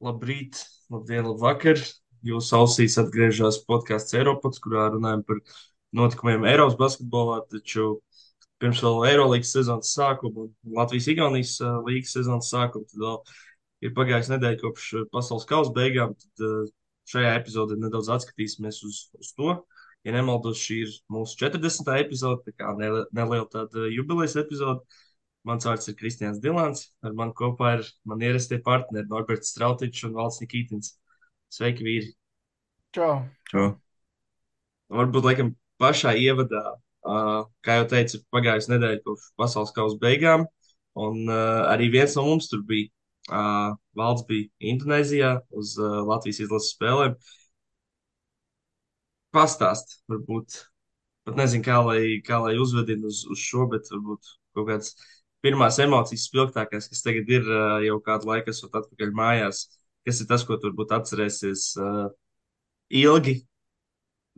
Labrīt, labdien, labvakar. Jūsu ausīs atgriežas podkāsts Eiropas, kurā runājam par notikumiem Eiropas basketbolā. Taču pirms vēl Eirolandes sezonas sākuma un Latvijas-Igaunijas līgas sezonas sākuma, tad vēl ir pagājusi nedēļa kopš pasaules kausa beigām. Tad šajā epizodē nedaudz atskatīsimies uz to. Ja nemaldos, šī ir mūsu 40. epizode, tā kā neliela tāda jubilejas epizode. Mans vārds ir Kristians Dilants. Ar mani kopā ir man ierastie partneri Norberts Strautičs un Valds Nikītins. Sveiki, vīri! Čau, čau. Jo. Varbūt, laikam, pašā ievadā, kā jau teicu, ir pagājusi nedēļa kopš pasaules kausa beigām, un arī viens no mums tur bija. Valds bija Indonēzijā uz Latvijas izlases spēlēm. Pastāst, varbūt, pat nezinu, kā lai uzvedina uz šo, bet varbūt kaut kāds pirmās emocijas spilgtākās, kas tagad ir jau kādu laiku esot atpakaļ mājās. Kas ir tas, ko tu varbūt atcerēsies ilgi,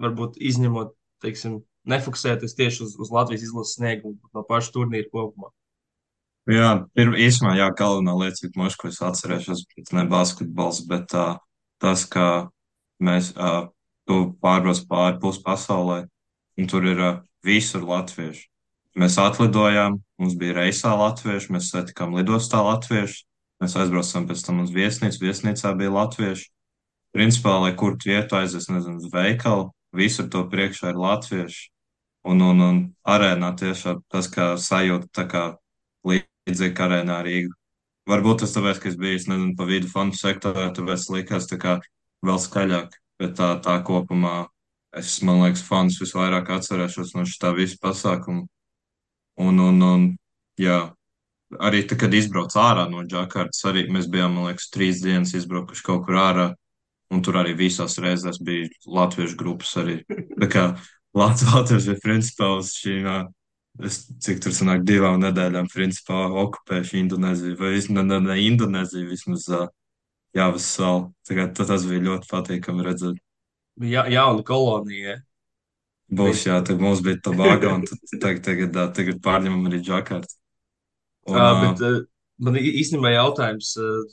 varbūt izņemot, teiksim, nefokusēties tieši uz Latvijas izlases sniegumu no paša turnīra kopumā. Jā, īsumā, jā, galvenā lieta, cik ko es atcerēšos, bet ne basketbols, bet tas, ka mēs tu pārbrauc pāri pus pasaulē, un tur ir visur latvieši. Mēs atlidojām, mums bija reisā latvieši, mēs satikām lidostā latvieši, mēs aizbraucām pēc tam uz viesnīcu, viesnīcā bija latvieši. Principā, lai kur tu vietu aizies, nezinu, uz veikalu, visur to priekšā ir latvieši. Un arēnā tiešām tas, kā sajūta, tā kā līdzīgi kā arēnā Rīga. Varbūt tas tāpēc, ka es biju, es nezinu, pa vidu fondu sektorā, tāpēc likās tā kā vēl skaļāk, bet tā kopumā es, man liekas, fondus visvairāk atcerēšos no šitā visa pasākuma. Un, jā, arī tad, kad izbrauc ārā no Džakartas, arī mēs bijām, man liekas, 3 dienas izbraukuši kaut kur ārā, un tur arī visās reizēs bija latviešu grupas arī. Tā kā latvieši ir principā uz šīm, es, cik tur sanāk, 2 nedēļām principā okupējuši Indonēziju, vai vismaz ne Indonēziju, vismaz Jāvas salu. Tā kā tas bija ļoti patīkami redzēt. Ja, jauna kolonija. Būs, jā, Principā. tad mums bija Tobago, un tagad pārņemam arī Džakartu. Un, Bet man īstenībā jautājums,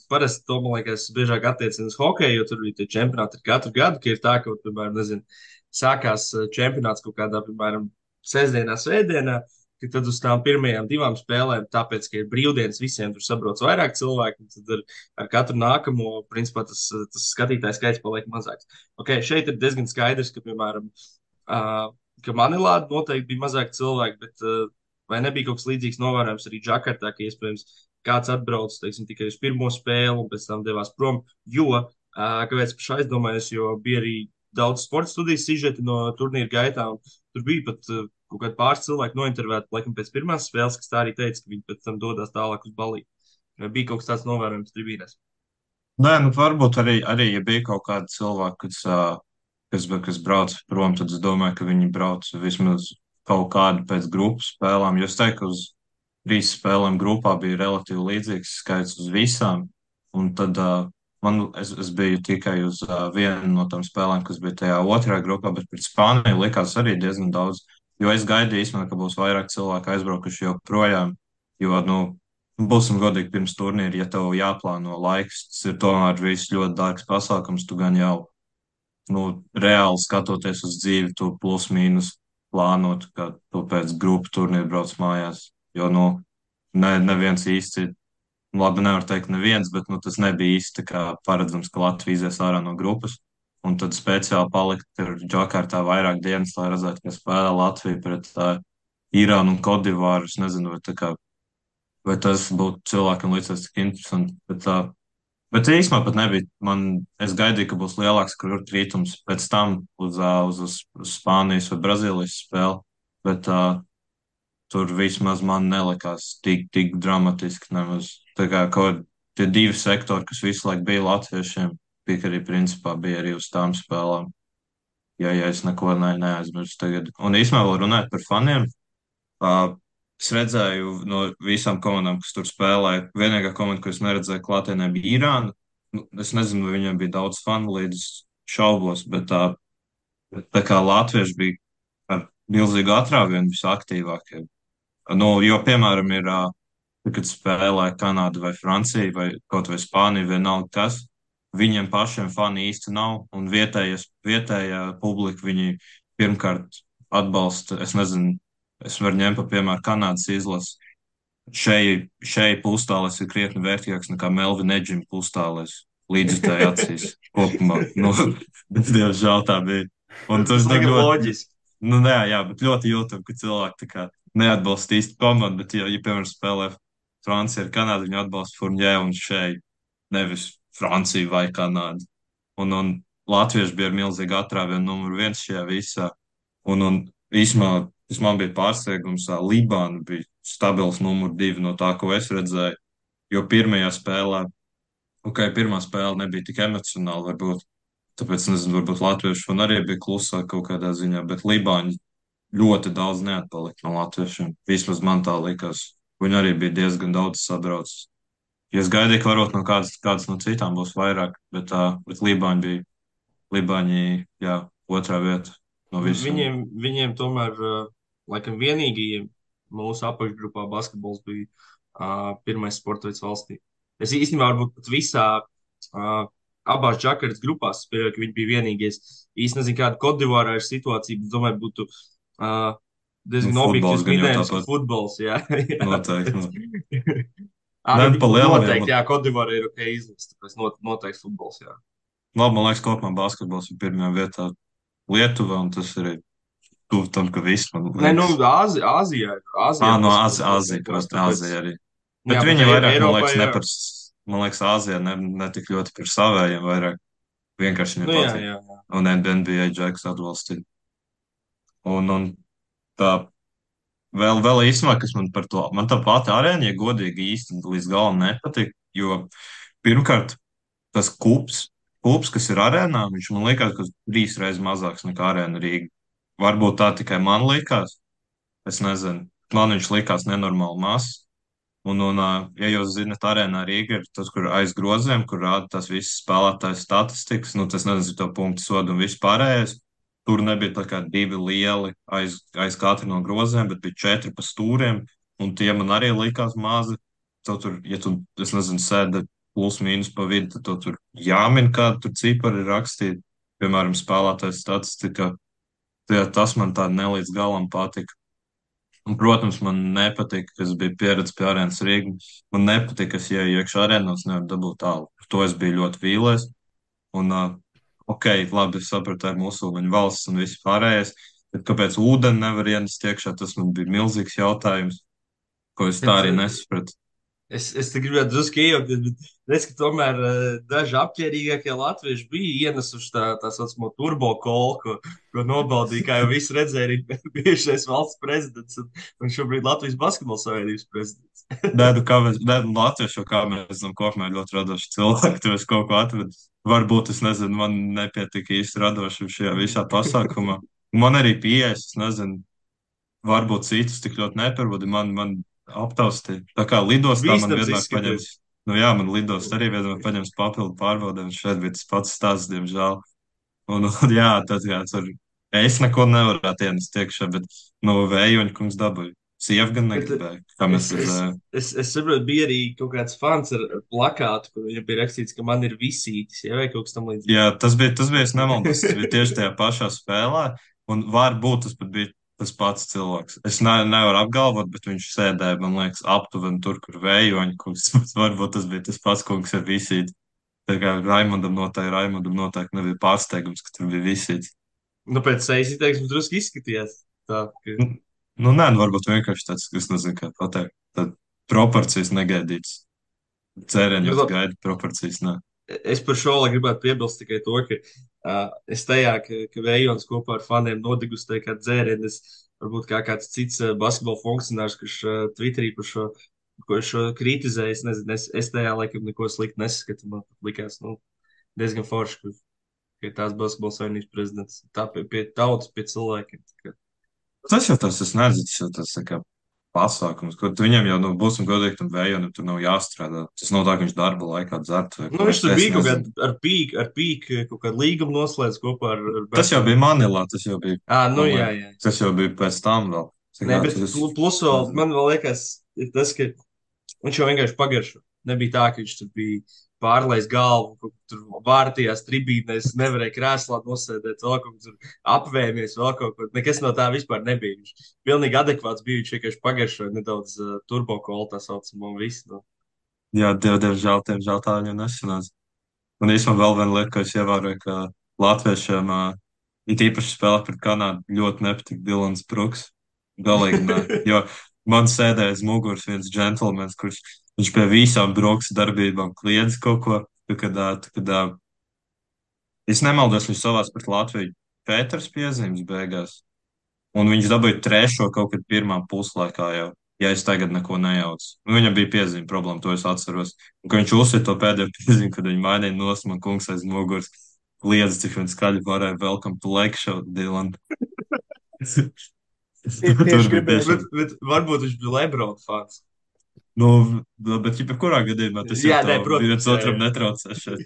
parasti to, man liekas, biežāk attiecina uz hokeju, jo tur bija tie čempionāti katru gadu, ka ir tā, ka, piemēram, nezinu, sākās čempionāts kaut kādā, piemēram, sestdienā, svētdienā, ka tad uz tām pirmajām divām spēlēm, tāpēc, ka ir brīvdienas, visiem tur sabrauc vairāk cilvēku, un tad ar katru nākamo, principā, tas skatītājs skaits paliek mazāks. Ok, šeit ir diezgan skaidrs, ka, piemēram, ka Manilā noteikti bija mazāk cilvēku, bet vai nebija kaut kas līdzīgs novērojams arī Džakartā, ka iespējams kāds atbrauc, teiksim, tikai uz pirmo spēli un pēc tam devās prom, jo, kāpēc pašai aizdomājos, jo bija arī daudz sporta studijas sižeti no turnīra gaitā, un tur bija pat kaut kādi pāris cilvēki nointervēti, laikam pēc pirmās spēles, kas tā arī teica, ka viņi pēc tam dodas tālāk uz balī. Vai bija kaut kas tāds novērojams tribīnēs? nē, nu varbūt arī, ja bija kaut kādi cilvēki, kas brauc prom, tad es domāju, ka viņi brauc vismaz kaut kādu pēc grupas spēlām. Jo es teiktu, ka uz 3 spēlēm grupā bija relatīvi līdzīgs skaits uz visām. Un tad es biju tikai uz vienu no tām spēlēm, kas bija tajā otrajā grupā, bet pret Spāniju likās arī diezgan daudz. Jo es gaidīju īstenībā, ka būs vairāk cilvēku aizbraukuši joprojām. Jo, nu, būsim godīgi pirms turnīra, ja tev jāplāno laiks, tas ir tomēr viss ļoti dārgs pasākums, tu gan jau nu, reāli skatoties uz dzīvi, tu plus mīnus plānot, ka tu pēc grupu turnīra brauc mājās. Jo, nu, neviens īsti, nu, labi, nevar teikt neviens, bet, nu, tas nebija īsti tā kā paredzams, ka Latvija izies ārā no grupas. Un tad speciāli palikt ar Džakartā vairāk dienas, lai redzētu, ka spēlē Latvija pret Irānu un Kodivāru. Es nezinu, vai tas būtu cilvēkam līdzies tik interesanti. Bet īstenībā pat nebija. Es gaidīju, ka būs lielāks kritums pēc tam uz Spānijas vai Brazīlijas spēli, bet tur vismaz man nelikās tik dramatiski. Nemaz. Tā kā kaut tie 2 sektori, kas visu laiku bija latviešiem, bija arī principā bija arī uz tām spēlēm. Ja es neko neaizmirstu tagad. Un īstenībā vēl runājot par faniem, es redzēju no visām komandām, kas tur spēlēja. Vienīgā komanda, ko es neredzēju klātienē, bija Irāna. Nu, es nezinu, vai viņiem bija daudz fanu līdz šaubos, bet tā kā latvieši bija ar milzīgu atrāvienu visaktīvākie. Nu, jo, piemēram, kad spēlē Kanāda vai Francija vai kaut vai Spānija, vienalga kas, viņiem pašiem fani īsti nav, un vietējā publika viņi pirmkārt atbalsta, es nezinu, es varu ņemt par piemēru Kanādas izlasi. Šeit pustālis ir krietni vērtīgāks nekā Melvina Edžina pustālis līdzjutēji acīs kopumā. Nu, bet, diemžēl tā bija. Un Tas tas nu, liekas ļoti, loģiski. nu, nē, jā, bet ļoti jūtam, ka cilvēki tā kā neatbalsta īsti komandu, bet, ja piemēram, spēlē Francija ar Kanādu, viņi atbalsta Furnjē un šeit, nevis Franciju vai Kanādu. Un Latvieši bija ar milzīgu atrāvienu numuru viens šajā visā. Un īsumā tas man bija pārsteigums, Libāna bija stabils numur divi no tā, ko es redzēju. Jo pirmajā spēlē, ok, pirmā spēle nebija tik emocionāla, varbūt, tāpēc, nezinu, varbūt latvieši man arī bija klusāk kaut kādā ziņā, bet Libāņi ļoti daudz neatpalika no latviešiem. Vismaz man tā likās. Viņi arī bija diezgan daudz sabraucis. Ja es gaidīju, ka varbūt no kādas no citām būs vairāk, bet Libāņi, jā, otrā vieta no visiem. Viņiem tomēr, laikam, vienīgajiem mūsu apakšgrupā basketbols bija pirmais sporta veids valstī. Es īstenībā varbūt pat visā abās Džakartas grupās spēlēju, ka viņi bija vienīgais. Īsti nezinu, kāda Kodivārā ir situācija, bet domāju, būtu Nu, diezgan futbols objektīvs gan jau minējums, ka tāpat futbols, jā. Jā. noteikti. Nu, Nu, ne, pa lielajiem. noteikti, jā, Kodivārā ir ok izlase, tāpēc noteikti futbols, jā. Labi, man liekas, kopumā basketbols ir pirmajā vietā Lietuva, un tas arī tuvu tam, ka viss, man Nē, nu, liekas. Āzijā No basketbols ļoti Āzija, vienkārši, protams, tāpēc, Āzija arī. jā, Bet bet viņi vairāk, Eiropā, jā. man liekas, Āzija ne tik ļoti par savējiem, vairāk vienkārši viņiem Nu, jā, patīk. jā, jā. Un NBA Džeks atbalstīja. Un tā vēl īstenībā, kas man par to, man tā pati arēna, ja godīgi īsti līdz galam nepatīk, jo pirmkārt, tas kups, kas ir arēnā, viņš man liekas, ka 3 reizes mazāks nekā arēna Rīga. Varbūt tā tikai man likās, es nezinu. Man viņš likās nenormāli mazs. Ja jūs zinat, arēnā Rīga ir tas, kur aiz groziem, kur rāda tās visas spēlētājas statistikas, nu tas nezinu, to punktu sodu un viss pārējais. Tur nebija tā kā 2 lieli aiz katru no groziem, bet bija 4 pa stūriem, un tie man arī likās mazi. Tur, ja tu, es nezinu, sēdi plus mīnus pa vidu, tad to tur jāmin, kāda tur cipari ir rakstīti. Piemēram, spēlētājas statistika. Tas man tā nelīdz galam patika. Un, protams, man nepatīk, ka es biju pieredzējis pie arēnas Rīgā. Man nepatīk, ka es ieju iekšā arēnos, nevaru dabūt tālu. Par to es biju ļoti vīlies. Un, ok, labi, es sapratu, tā ir musulmaņu valsts un viss pārējais. Bet kāpēc ūdeni nevar ienest iekšā, tas man bija milzīgs jautājums, ko es tā Bet, arī nesapratu. es te gribētu drusku iejaukties, bet redz, ka tomēr daži apģērbīgākie latvieši bija ienesuši tā saucamo turbo kolu, ko nobaudīja, kā jau visi redzēja, arī bijušais valsts prezidents un šobrīd Latvijas Basketbola Savienības prezidents. Nē, nu, latviešu, kā mēs zinām, kopumā ir ļoti radoši cilvēki, tur es kaut ko atradu. Varbūt, es nezinu, man nepietika īsti radoši šajā visā pasākumā. Man arī pieejas, es nezinu, varbūt citus tik ļoti neparvadi, man aptaustīja. Tā kā lidostā man Bīstams vienmēr paņems, izskaties. nu jā, man lidostā arī vienmēr paņems papildu pārbaudēm, šeit bija tas pats stāsts, diemžēl. Un jā, tad jā, tur es neko nevarētu ienest iekšā, bet no vējoņa kungs dabūja. Sieva gan Bet negribēja, kā mēs es, es, redzējām. es saprotu, bija arī kaut kāds fans ar plakātu, kur viņam bija rakstīts, ka man ir visītis, ja, vai kaut kas tam līdzīgs. Jā, es nemaldos, tas bija tieši tajā pašā spēlē, un varbūt tas pat bija tas pats cilvēks. Es nevaru apgalvot, bet viņš sēdēja, man liekas, aptuveni tur, kur vējoņa kungs. Varbūt tas bija tas pats kungs ar visīti. Tā kā Raimondam noteikti nebija pārsteigums, ka tur bija visīts. Nu, pēc sejas izteiksmes drusku izskatījās. Tā, ka... Nu, nē, nu, varbūt vienkārši tāds, es nezinu, kā pateikt. Tad proporcijas negaidītas. Nu, Cēreņos labi, gaida proporcijas, nē. es par šo lai gribētu piebilst tikai to, ka es tajā, ka Vējons kopā ar faniem nodegustēja kā dzērienu, es varbūt kā kāds cits basketbola funkcionārs, kurš Twitterī par šo, ko šo kritizēja, es nezinu, es tajā laikam neko sliktu nesaskatu, man likās, nu, diezgan forši, ka ir tās basketbola savienības prezidents, tā pie tautas, pie cilvēkiem. Tā kā. Tas jau tas, es nezinu, tas jau tas tā kā pasākums, ko viņam jau, nu, būsim godīgi, tam vējonam tur nav jāstrādā. Tas nav tā, ka viņš darba laikā dzertu vai Nu, ko. viņš tur Es bija kaut nezinu. kādā ar pīku kaut kādu līgumu noslēdz kopā ar Tas jau Beckham. bija Manilā, tas jau bija, Nu man jā, liekas, jā. tas jau bija pēc tam vēl. Tā Nē, kā bet tas, plus vēl nezinu. man vēl liekas, ir tas, ka viņš jau vienkārši pagaršo. Nebija tā, ka viņš tur bija pārlaist galvu, kaut kur tur vārtījās tribīnēs, nevarēja krēslā nosēdēt, vēl kaut kur tur apvēmies, vēl kaut kur. Nekas no tā vispār nebija. Viņš pilnīgi adekvāts bija, viņš vienkārši pagaršoja nedaudz turbokolu tā saucamo un visu. Nu. Jā, diemžēl tā viņam nesanāca. Un īstenībā vēl viena lieta, ko es ievēroju, ka latviešiem, it īpaši spēlē pret Kanādu, ļoti nepatīk Dilans Bruks. Galīgi ne. Jo man sēdēja aiz muguras viens džentlmenis, kurš viņš pie visām Bruks darbībām kliedz kaut ko. Kad es nemaldos, viņš savās pret Latviju Pēters piezīmes beigās. Un viņš dabūja trešo kaut kad pirmā puslaikā jau. Ja es tagad neko nejaucu. Nu, viņam bija piezīme problēma, to es atceros. Un, kad viņš uzsver to pēdējo piezīmi, kad viņi mainīja nosmu, kungs aiz muguras kliedz, cik viņš skaļi varēja welcome to Lake Show, Dylan. Tieši Tur bija gribēju. tiešām. Bet varbūt viņš bija Lebrona fans. Nu, bet jebkurā gadījumā tas Jā, jau nē, tā protams, viens jā, otram jā. netraucē šeit.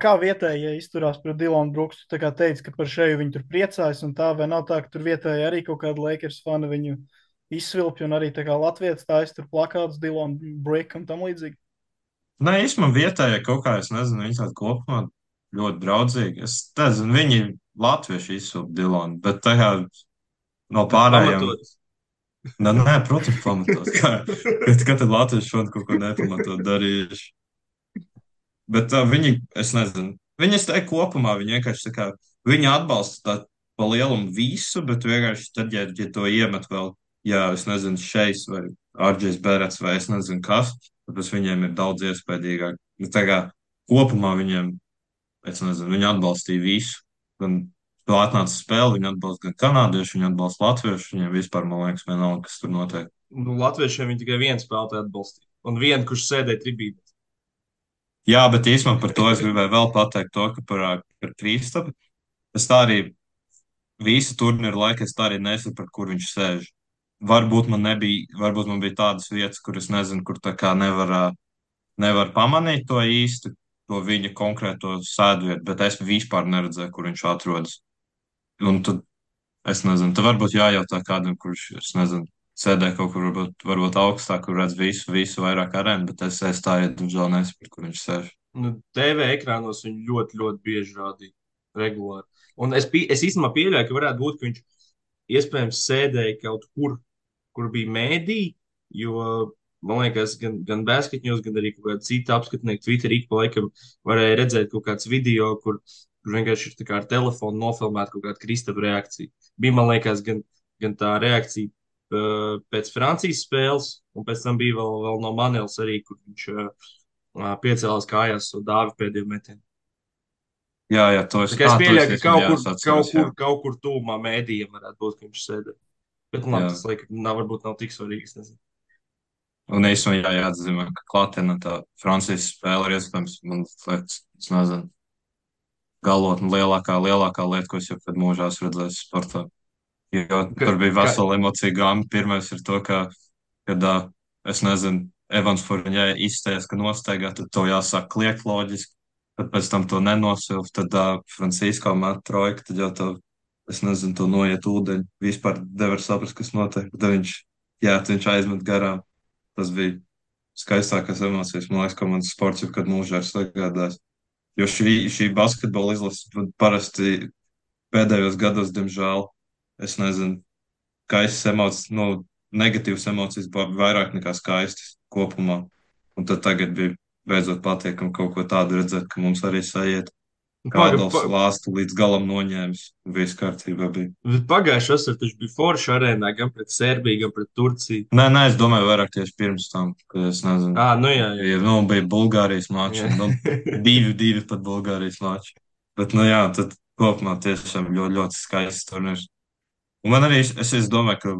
Kā vietējie izturās pret Dilonu Bruksu? Tu tā kā teici, ka par šeju viņi tur priecājas, un tā vai nav tā, ka tur vietēji arī kaut kāda Lakers fani viņu izsvilpja, un arī tā kā Latvijas tā tur plakāts Dilonu Brick un tam līdzīgi. Nē, īstenībā vietējie kaut kā, es nezinu, viņi tādi kopumā ļoti draudzīgi. Es nezinu, viņi latvieši izsūta Dilonu, bet tā kā no Bet pārējiem. pamatot. Nē, protams, pamatot. Kad tad latvieši šodien kaut ko nepamatot darījuši. Bet viņi, es nezinu, viņi, es teiktu, kopumā viņi vienkārši tā kā, viņi atbalsta tā pa lielumu visu, bet vienkārši tad, ja to iemet vēl, jā, es nezinu, šeis vai Arģis Berets vai es nezinu kas, tad viņiem ir daudz iespaidīgāk. Nu, tā kā kopumā viņiem, es nezinu, viņi atbalstīja visu. Gan to atnāca spēli, viņi atbalsta gan kanādieši, viņi atbalsta latviešu, viņiem vispār, man liekas, vienalga, kas tur notiek. Nu, Latviešiem viņi tikai vienu spēlētāju atbalstīja. Un vienu, kurš sēdēja tribīnē. Jā, bet īstenībā par to es gribēju vēl pateikt to, ka par Kristapu. Es tā arī visu turnīru laiku es tā arī nesapratu, kur viņš sēž. Varbūt man bija tādas vietas, kur es nezinu, kur tā kā nevar pamanīt to īsti, to viņa konkrēto sēdvietu, bet es vispār neredzēju, kur viņš atrodas. Un tad es nezinu, tad varbūt jājautā kādam, kurš, es nezinu, sēdē kaut kur varbūt augstāk, kur redz visu vairāk arēnu, bet es tā, diemžēl, nesapratu, kur viņš sēž. Nu, TV ekrānos viņu ļoti, ļoti bieži rādīja. Regulāri. Un es īstenībā pieļauju, ka varētu būt, ka viņš iespējams sēdēja kaut kur, kur bija mēdī, jo man liekas, gan basketņos, gan arī kaut kāda cita apskatnieka Twitterī ik pa laikam varēja redzēt kaut kāds video, kur vienkārši ir tā kā ar telefonu nofilmēta kaut kāda Kristapa reakcija. Bija, man liekas, gan tā reakcija pēc Francijas spēles, un pēc tam bija vēl no Manelas arī, kur viņš piecēlās kājās uz dāvi pēdējo metienu. Jā, to Tā kā es pieļauju, ka atceros, jā. kaut kur tūmā mēdījiem varētu būt, ka viņš sēdē. Bet labi, Jā. tas laikam varbūt nav tik svarīgi. Es nezinu. Un īstenībā jāatzīmē, ka klātienē tā Francijas spēle ir iespējams, man liekas, es nezinu, galotni lielākā lieta, ko es jebkad mūžā esmu redzējis sportā. Jo tur bija vesela emocija gāma. Pirmais ir to, kad es nezinu, Evans Fournier izteiks, ka nosteigā, tad to jāsāk kliegt loģiski. Tad pēc tam to nenosilp, tad Francisko met trojka, tad jau to, es nezinu, to noiet ūdeņi. Vispār nevar saprast, kas notiek. Tad viņš aizmet garām. Tas bija skaistākās emocijas, man liekas, ko mans sports jebkad mūžā ir sagādājis. Jo šī basketbola izlase parasti pēdējos gados, diemžēl, es nezinu, skaistas emocijas, negatīvas emocijas vairāk nekā skaistas kopumā. Un tad tagad bija beidzot patīkami kaut ko tādu redzēt, ka mums arī sajiet. Kādals lāstu līdz galam noņēmis, viss kārtībā bija. Pagājušā vasarā taču bija forša arēnā gan pret Serbiju, gan pret Turciju. Nē, es domāju vairāk tieši pirms tam, kad es nezinu. Nu jā. Bija Bulgārijas mači, divi pat Bulgārijas mači. Bet, jā, tad kopumā tiešām ļoti, ļoti skaists turnīrs. Un man arī, es domāju, ka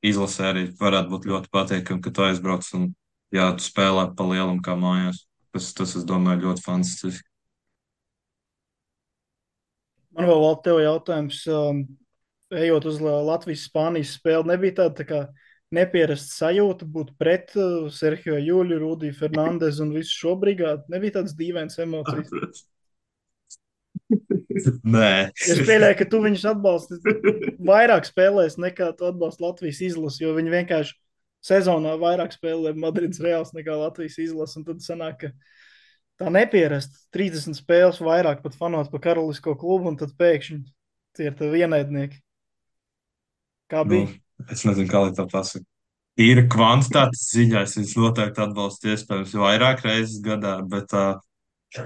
izlasē arī varētu būt ļoti patīkami, ka tu aizbrauc un, jā, tu spēlē pa lielam kā mājās. Tas es domāju, ļoti fantastiski. Man vēl tev jautājums, ejot uz Latvijas-Spānijas spēli, nebija tāda tā kā nepierasta sajūta būt pret Serhiju Juļu, Rudiju Fernandezu un visu šo brigādu? Nebija tādas dīvainas emocijas? Nē. Es pieļauju, ka tu viņus atbalsti vairāk spēlēs nekā tu atbalsti Latvijas izlasi, jo viņi vienkārši sezonā vairāk spēlē Madrids Reāls nekā Latvijas izlasi, un tad sanāk, ka Tā nepierast 30 spēles vairāk pat fanot pa karalisko klubu, un tad pēkšņi tie ir tavi ienaidnieki. Kā Nu, bija? es nezinu, kā lai tā pasaka. Tīra kvantitātes ziņā es viņus noteikti atbalstu iespējams vairāk reizes gadā, bet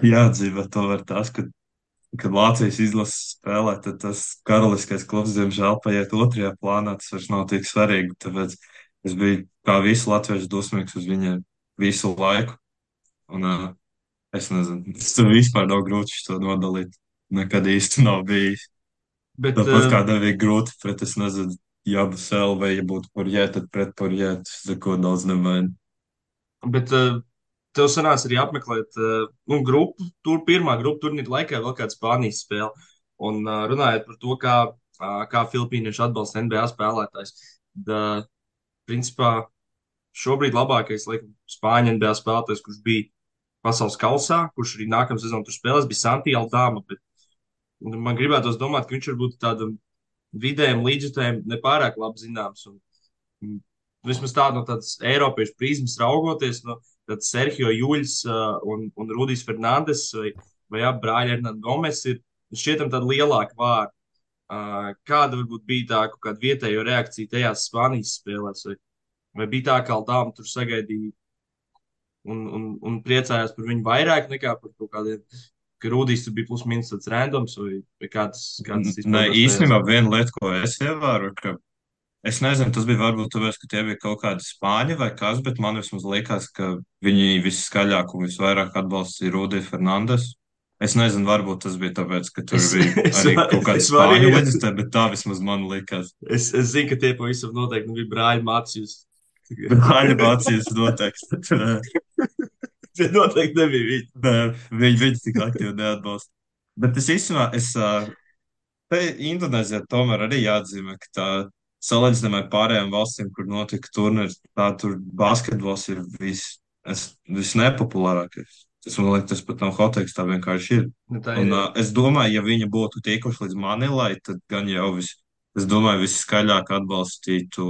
jāatzīmē tomēr tas, ka, kad Vācijas izlases spēlē, tad tas karaliskais klubs, diemžēl, paiet otrajā plānā, tas vairs nav tik svarīgi, tāpēc es biju kā visu latviešu dusmīgs uz viņiem visu laiku, un es nezinu, es tur vispār nav grūti šo nodalīt, nekad īsti nav bijis. Bet, Tāpat kā nebija grūti pret, es nezinu, Jabu Selu vai ja būtu Porjē, tad pret Porjē, tas neko daudz nemaina. bet tev sanāca arī apmeklēt nu, grupu, tur pirmā grupu turnīra laikā vēl kāda Spānijas spēle. Un runājot par to, kā filipīnieši atbalsta NBA spēlētājs. Da, principā šobrīd labākais, laikam, Spāņu NBA spēlētājs, kurš bija pasaules kausā, kurš arī nākamā sezonā tur spēlēs, bija Santi Aldama. Bet man gribētos domāt, ka viņš varbūt tādam vidējam līdzjutējam nepārāk labi zināms. Un, vismaz tā no tādas Eiropiešu prizmas raugoties, no tad Sergio Juļs un Rudijs Fernandes vai abi brāļi Hernán Gomes ir šķietam tādi lielāki vārdi. Kāda varbūt bija tā kaut kāda vietējo reakcija tajās Spānijas spēlēs? Vai bija tā, ka Aldām tur sagaidīja un priecājās par viņu vairāk nekā par kaut kādiem, ka Rudijs tur bija plus mīnus tāds randoms vai kāds Nē, izpaudās? īstenībā viena lieta, ko es ievēroju, ka es nezinu, tas bija varbūt tāpēc, ka tie bija kaut kādi spāņi vai kas, bet man vismaz likās, ka viņi viskaļāk un visvairāk atbalstīja Rudiju Fernandes. Es nezinu, varbūt tas bija tāpēc, ka tur Es, bija es, arī var- kaut kāda es spāņu varēju. leģistē, bet tā vismaz man likās. Es zinu, ka tie pavisam noteikti bija brāļi Mācījus. Bet Aļa Vācijas noteikti. Tie noteikti nebija viņi. Nē, viņi tik aktīvi neatbalsta. Bet es īstenībā, te Indonēzijā tomēr arī jāatzīmē, ka tā salīdzinājumā ar pārējām valstīm, kur notika turnīrs, tā tur basketbols ir visnepopulārākais. Tas man liekas, tas pat nav hoteiks, tā vienkārši ir. Nu, tā ir. Un Jā. es domāju, ja viņi būtu tikuši līdz Manilai, tad gan jau es domāju, visi skaļāk atbalstītu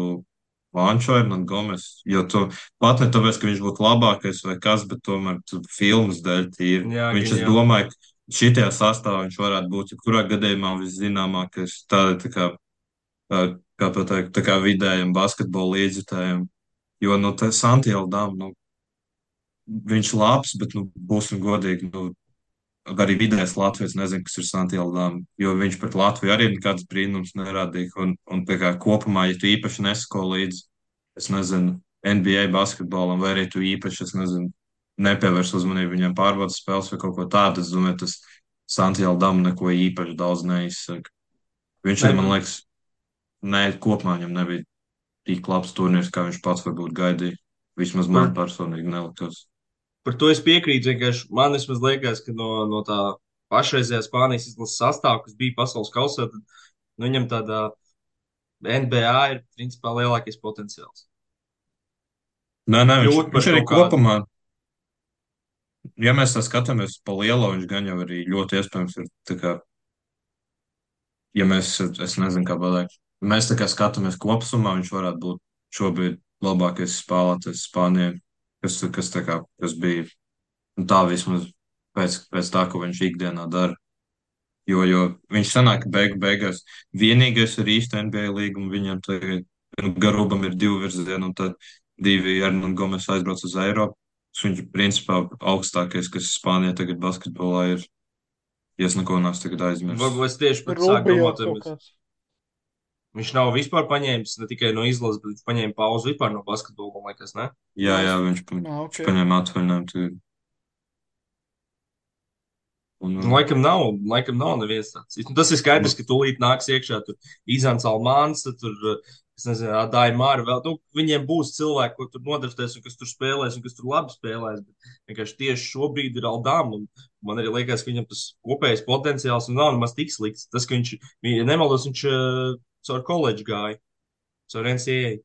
Vančo un Gomes, jo tu pat ne tāpēc, ka viņš būtu labākais vai kas, bet tomēr tu filmas dēļ tīri. Jā, Viņš, gan es jau. domāju, šitajā sastāvā viņš varētu būt jebkurā gadījumā viszināmākais tā kā, kā to teikt, tā kā vidējiem basketbola līdzjutējiem. Jo, nu, tā Santiago Dām, nu, viņš labs, bet, nu, būsim godīgi, nu, arī vidējais Latvijas nezinu, kas ir Santiago Dām, jo viņš pret Latviju arī nekāds brīnums nerādīja. Un tā kā kopumā, ja tu īpaši nesako līdzi, es nezinu, NBA basketbolam, vai arī tu īpaši, es nezinu, nepievērs uzmanību viņam pārbaudas spēles vai kaut ko tādu, es domāju, tas Santiago Dām neko īpaši daudz neizsaka. Viņš Nē, arī, man liekas, ne, kopumā viņam nebija tik labs turnīrs, kā viņš pats varbūt gaidīja. Vismaz man par, personīgi nelikās. par to es piekrītu. Vienkārši man vismaz liekas, ka no tā pašreizējā Spānijas izlases sastāvā, kas bija pasaules kausā, tad nu, viņam tādā NBA ir principā lielākais potenciāls. Nē, Kļūt viņš par arī kaut kādu. kopumā, ja mēs tā skatāmies pa lielo, viņš gan jau arī ļoti iespējams ir tā kā, ja mēs, es nezinu, kā pateikt, mēs tā kā skatāmies kopsumā, viņš varētu būt šobrīd labākais spēlētājs Spānijai, kas tā kā, kas bija nu, tā vismaz pēc tā, ko viņš ikdienā dara. Jo viņš sanāk, ka beigās vienīgais ir īsta NBA līguma, viņam tagad nu, Garubam ir 2 virzieni, un tad 2 Hernán Gomes aizbrauc uz Eiropu. Viņš ir principā augstākais, kas Spānijā tagad basketbolā ir. Ja es neko neesmu tagad aizmirsis. Varbūt es tieši pat sāku Rubio domāt, vai kaut kāds. viņš nav vispār paņēmis ne tikai no izlases, bet viņš paņēma pauzi vispār no basketbola, man liekas, ne? Jā, Ok. viņš paņēma atvaļinājumu tagad. Nu, laikam nav neviens tāds. Nu, tas ir skaidrs, ka tūlīt nāks iekšā tur Izants Almāns, tad tur, es nezinu, Dāja Māra vēl. Nu, viņiem būs cilvēki, ko tur nodarboties un kas tur spēlēs un kas tur labi spēlēs. Bet vienkārši tieši šobrīd ir Aldām. Un man arī liekas, ka viņam tas kopējais potenciāls nu, nav nemaz tik slikts. Tas, ka viņš, ja nemaldos, viņš caur koledžu gāja, caur NCAA.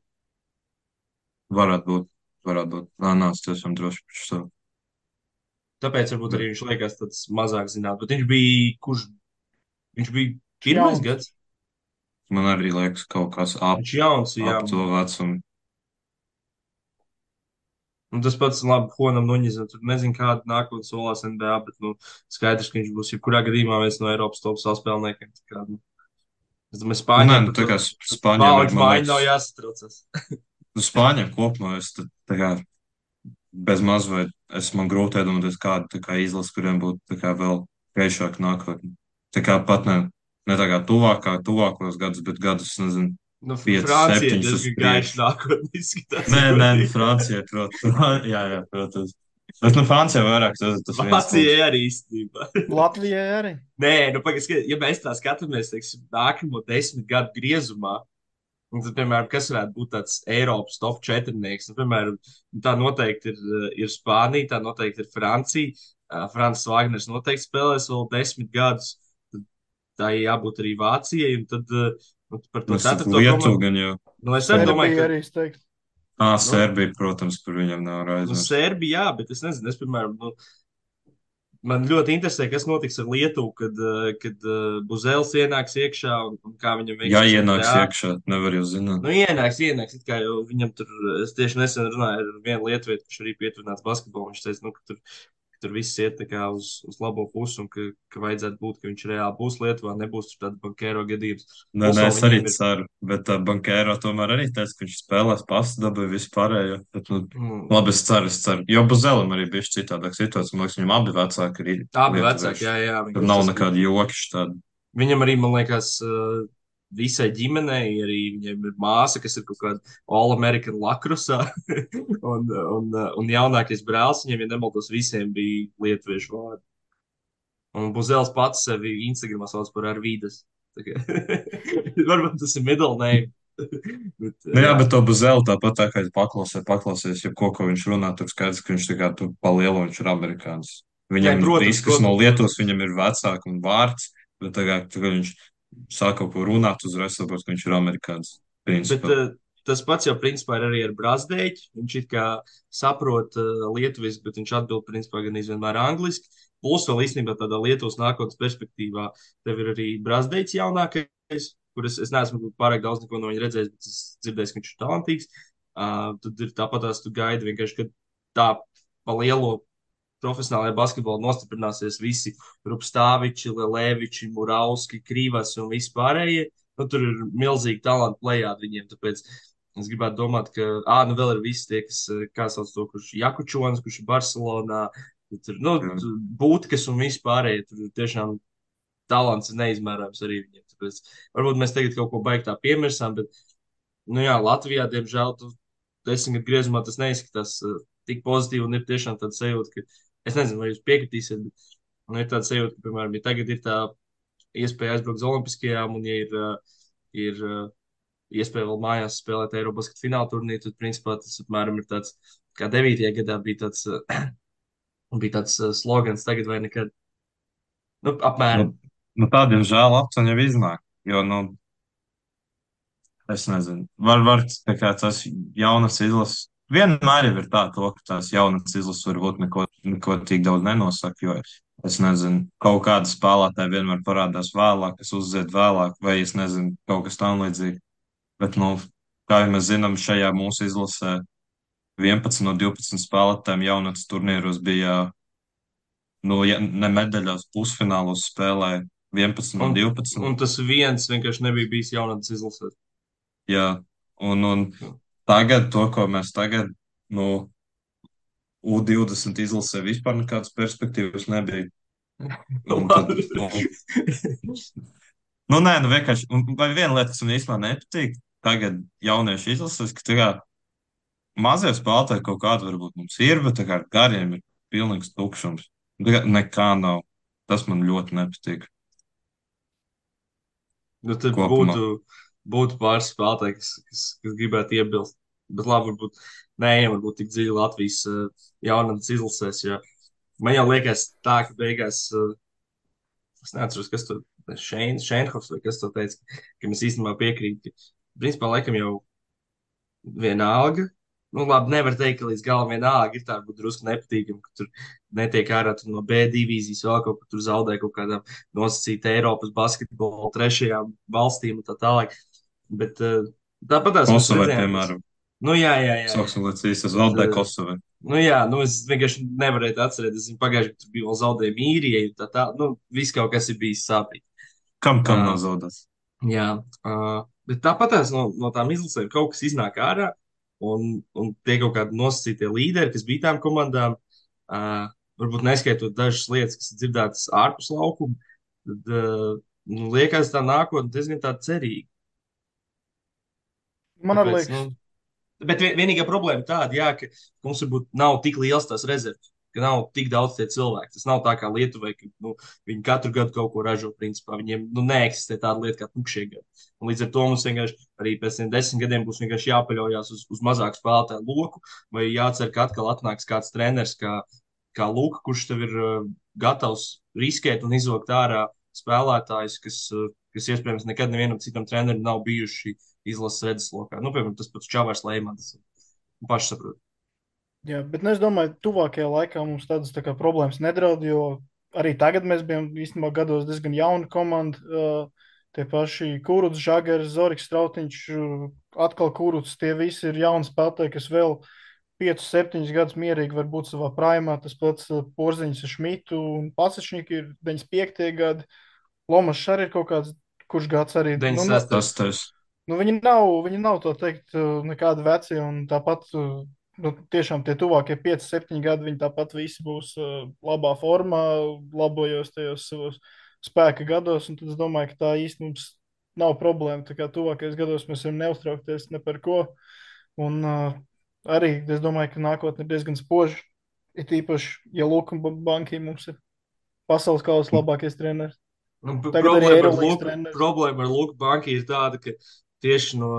Varētu būt, varētu būt. Nē, es esmu droši par šo. Tāpēc varbūt Bet arī viņš liekas tāds mazāk zināms. Bet viņš bija, viņš bija pirmais Jauns. gads. man arī liekas kaut kas Viņš jauns, jā. ap to vecumu. Un tas pats labi Honam Nuņizam. Tur nezinu, kāda nākotnē solās NBA, bet nu, skaidrs, ka viņš būs jebkurā gadījumā viens no Eiropas top spēlētājiem. Nu, es domāju, Nu, nē, Spāņiem nu, par tā to kā Spāņiem ir, paudžu man maiņu liekas, nav jāsatraucas. nu, Spāņiem kopumā es tā kā bez maz vai man grūti iedomāties kādu tā kā izlasi, kuriem būtu tā kā vēl gaišāk nākotnē. Tā kā pat ne tā kā tuvākos gadus, bet gadus, nezinu, Nu, 5, Francija 7 uz diezgan gaiši priekšu. nākotnē izskatās. Nē, Ja nē, nu, godīgi. Francijai, protams. Jā, protams. Bet, nu, Francijai vairāk tas viens klubs. Vācija arī īstenībā. Latvijai arī. Nē, nu, pagaidi, ja mēs tā skatāmies, teiksim, nākamo 10 gadu griezumā, un tad, piemēram, kas varētu būt tāds Eiropas top 4? Nu, piemēram, tā noteikti ir Spānija, tā noteikti ir Francija. Francis Wagners noteikti spēlēs vēl 10 gadus. Tad tā jābūt arī Vācijai. Un tad par to Nu, es saku, ceturto Lietuva komandu. gan jau. Nu, es arī domāju, Serbija ka arī, es teiktu. nu, Serbija, protams, par viņam nav aizmirst. Serbija, jā, bet es nezinu, piemēram, man ļoti interesē, kas notiks ar Lietuvu, kad Buzēls ienāks iekšā un kā viņam Ja veiksies ienāks NBA. iekšā, nevar jau zināt. Nu, ienāks, it kā jau viņam tur, es tieši nesen runāju ar vienu lietuvietu, kurš arī pietuvināts basketbolu. Viņš teica, nu, ka tur viss iet tā kā uz labo pusi un ka vajadzētu būt, ka viņš reāli būs Lietuvā, nebūs tur tāda bankēro gadījums. Nē, Plus nē, vēl es arī viņiem ir, ceru, bet Bankēro tomēr arī teica, ka viņš spēlēs pastu dabūju vispārējo. Bet, nu, mm, labi, es ceru. Jo Buzelim arī bija citādāk situācija. Man liekas, viņam abi vecāki ir abi vecāki, lietuvieši. jā, Tur vienkārši nav tas, ka nekāda joki tāda. viņam arī, man liekas, visai ģimenei, arī viņiem ir māsa, kas ir kaut kāda All-American lakrusā, un jaunākais brālis, viņiem, ja nemaldos, visiem bija lietuviešu vārdi. Un Buzēls pats sevi Instagramā sauc par Arvīdas. Varbūt tas ir middle name. Bet, Nu, jā, jā, bet to Buzelu tāpat tā kā es paklausies, ja ko viņš runā, tur skaidrs, ka viņš tā kā tur pa lielu viņš ir amerikānis. nē, Viņam protams, viss, kas no Lietuvas, protams. viņam ir vecāks un vārds, bet tagad viņš sāk kaut ko runāt, uzreiz saprot, ka viņš ir amerikānis. Bet Principā. tas pats jau principā ir arī ar Brazdēķi. Viņš it kā saprot lietuviski, bet viņš atbild principā gan izvienmēr angliski. Plus vēl īstenībā tādā Lietuvas nākotnes perspektīvā tev ir arī Brazdēķis jaunākais, kurus es neesmu pārāk daudz neko no viņa redzējis, bet es dzirdēju, ka viņš ir talantīgs. Tad ir tāpatās tu gaidi vienkārši, ka tā pa lielo profesionālajā basketbolā nostiprināsies visi Rupstāviči, Leleviči, Murauski, Krīvas un vispārējie. Nu, tur ir milzīgi talanti plējādi viņiem, tāpēc es gribētu domāt, ka, nu vēl ir visi tie, kas, kā sauc to, kurš ir Jakučons, kurš ir Barcelonā, tur, nu, Jā. Būtkas un vispārējie, tur ir tiešām talants ir neizmērāms arī viņiem, tāpēc varbūt mēs tagad kaut ko baigtā piemirsām, bet, nu jā, Latvijā, diemžēl, tu 10 gadu griezumā tas neizskatās tik pozitīvi un ir tiešām tāda sajūta, ka, es nezinu, vai jūs piekritīsiet, bet, nu, ir tāda sajūta, ka, piemēram, ja tagad ir tā iespēja aizbraukt uz Olimpiskajām, un, ja ir iespēja vēl mājās spēlēt Eiropas fināla turnīru, tad, principā, tas apmēram ir tāds, kā 9. gadā bija tāds slogans, tagad vai nekad. Nu, Nu, apmēram. nu tādiem žēl aptuveni jau iznāk. Jo, nu, es nezinu, var tā kā tas jaunas izlases. Vienmēr jau ir tā, ka tās jaunas izlases varbūt neko tik daudz nenosaka, jo es nezinu, kaut kāda spēlētāja vienmēr parādās vēlāk, kas uzzied vēlāk, vai es nezinu, kaut kas tam līdzīgi. Bet, nu, kā jau mēs zinām, šajā mūsu izlasē 11 no 12 spēlētājiem jaunatnes turnīros bija, nu, ja ne medaļās, pusfinālos spēlēja 11 no Un, 12. un tas viens vienkārši nebija bijis jaunatnes izlasē. Jā, un tagad to, ko mēs tagad, nu, U20 izlasē vispār nekādas perspektīvas nebija. Un tad, Labi. nē, nu vienkārši, vai viena lieta, kas man īstenībā nepatīk, tagad jaunieši izlasēs, ka tā kā mazie spēlētāji kaut kāda varbūt mums ir, bet tā kā ar gariem ir pilnīgs tukšums. Tā kā nekā nav. Tas man ļoti nepatīk Nu, tad kopumā. būtu pāris spēlētāji, kas gribētu iebilst. Bet labi, varbūt tik dziļi Latvijas jaunatnes izlasēs. Jo man jau liekas, tā, ka beigās, es neatceros, kas to Šeinhofs vai kas to teica, ka mēs īstenībā piekrītam, ka principā laikam jau vienalga. Nu, labi, nevar teikt, ka līdz galam vienalga ir tā, varbūt drusku nepatīkami, ka tur netiek ārā no B divīzijas, vēl kaut kur tur zaudē kaut kādām nosacīta Eiropas basketbola trešajām valstīm un tā tālāk. Bet tāpat tās mēs Kosovai, redzējām, piemēram, nu jā, jā, jā, jā. sauksim līdz īstas Bet, zaudē Kosovai. Nu, jā, nu, es vienkārši nevarēju atcerēties. Es pagājušajā gadā tur bija vēl zaudējumi īrijai, nu, viss kaut kas ir bijis sāpīgi. Kam Uh, nav zaudēts? jā, bet tāpatās no tām izlasēm kaut kas iznāk ārā, un tie kaut kādi nosacītie līderi, kas bija tām komandām, varbūt neskaitot dažas lietas, kas ir dzirdētas ārpus laukuma, tad nu, liekas tā nākotne diezgan tā cerīga. Man arī Tāpēc, nu, liekas, bet vienīgā problēma tāda, jā, ka mums varbūt nav tik liels tās rezerves, ka nav tik daudz tie cilvēki. Tas nav tā kā Lietuvai, ka nu, viņi katru gadu kaut ko ražo. Principā viņiem nu, neeksistē tāda lieta kā tukšie gadi. Un līdz ar to mums vienkārši arī pēc tiem 10 gadiem būs vienkārši jāpaļaujas uz mazāku spēlētāju loku, vai jācer, ka atkal atnāks kāds treneris kā Luka, kurš tev ir gatavs riskēt un izvilkt ārā spēlētājus, kas iespējams nekad nevienam citam trenerim nav bijuši izlases redzeslokā. Nu, piemēram, tas pats Čavars Leimans. Paši saprot. jā, bet nu, es domāju, tuvākajā laikā mums tādas tā kā problēmas nedraud, jo arī tagad mēs bijām īstenībā gados diezgan jauna komanda. Tie paši Kūruts, Žagars, Zoriks, Strautiņš, atkal Kūruts, tie visi ir jauni spēlētāji, kas vēl 5, 7 gadus mierīgi var būt savā prāmā. Tas pats Porziņš ar Šmitu un Pasačņiku ir 95. gadi. Lomas arī ir kaut kāds, kurš gads arī. Tas 96. tas. Viņi nav tā teikt, nekādi veci, un tāpat, tiešām tie tuvākie 5, 7 gadi, viņi tāpat visi būs labā formā, labojos tajos savos spēka gados, un tad es domāju, ka tā īsti mums nav problēma. Tā kā tuvākajos gados mēs varam neuztraukties ne par ko, un arī es domāju, ka nākotne ir diezgan spoža, it īpaši, ja Luka Banki mums ir pasaules kausa labākais treneris. Nu, Tagad arī Eirolandes treneris. problēma ar Luku banku ir tāda, ka tieši no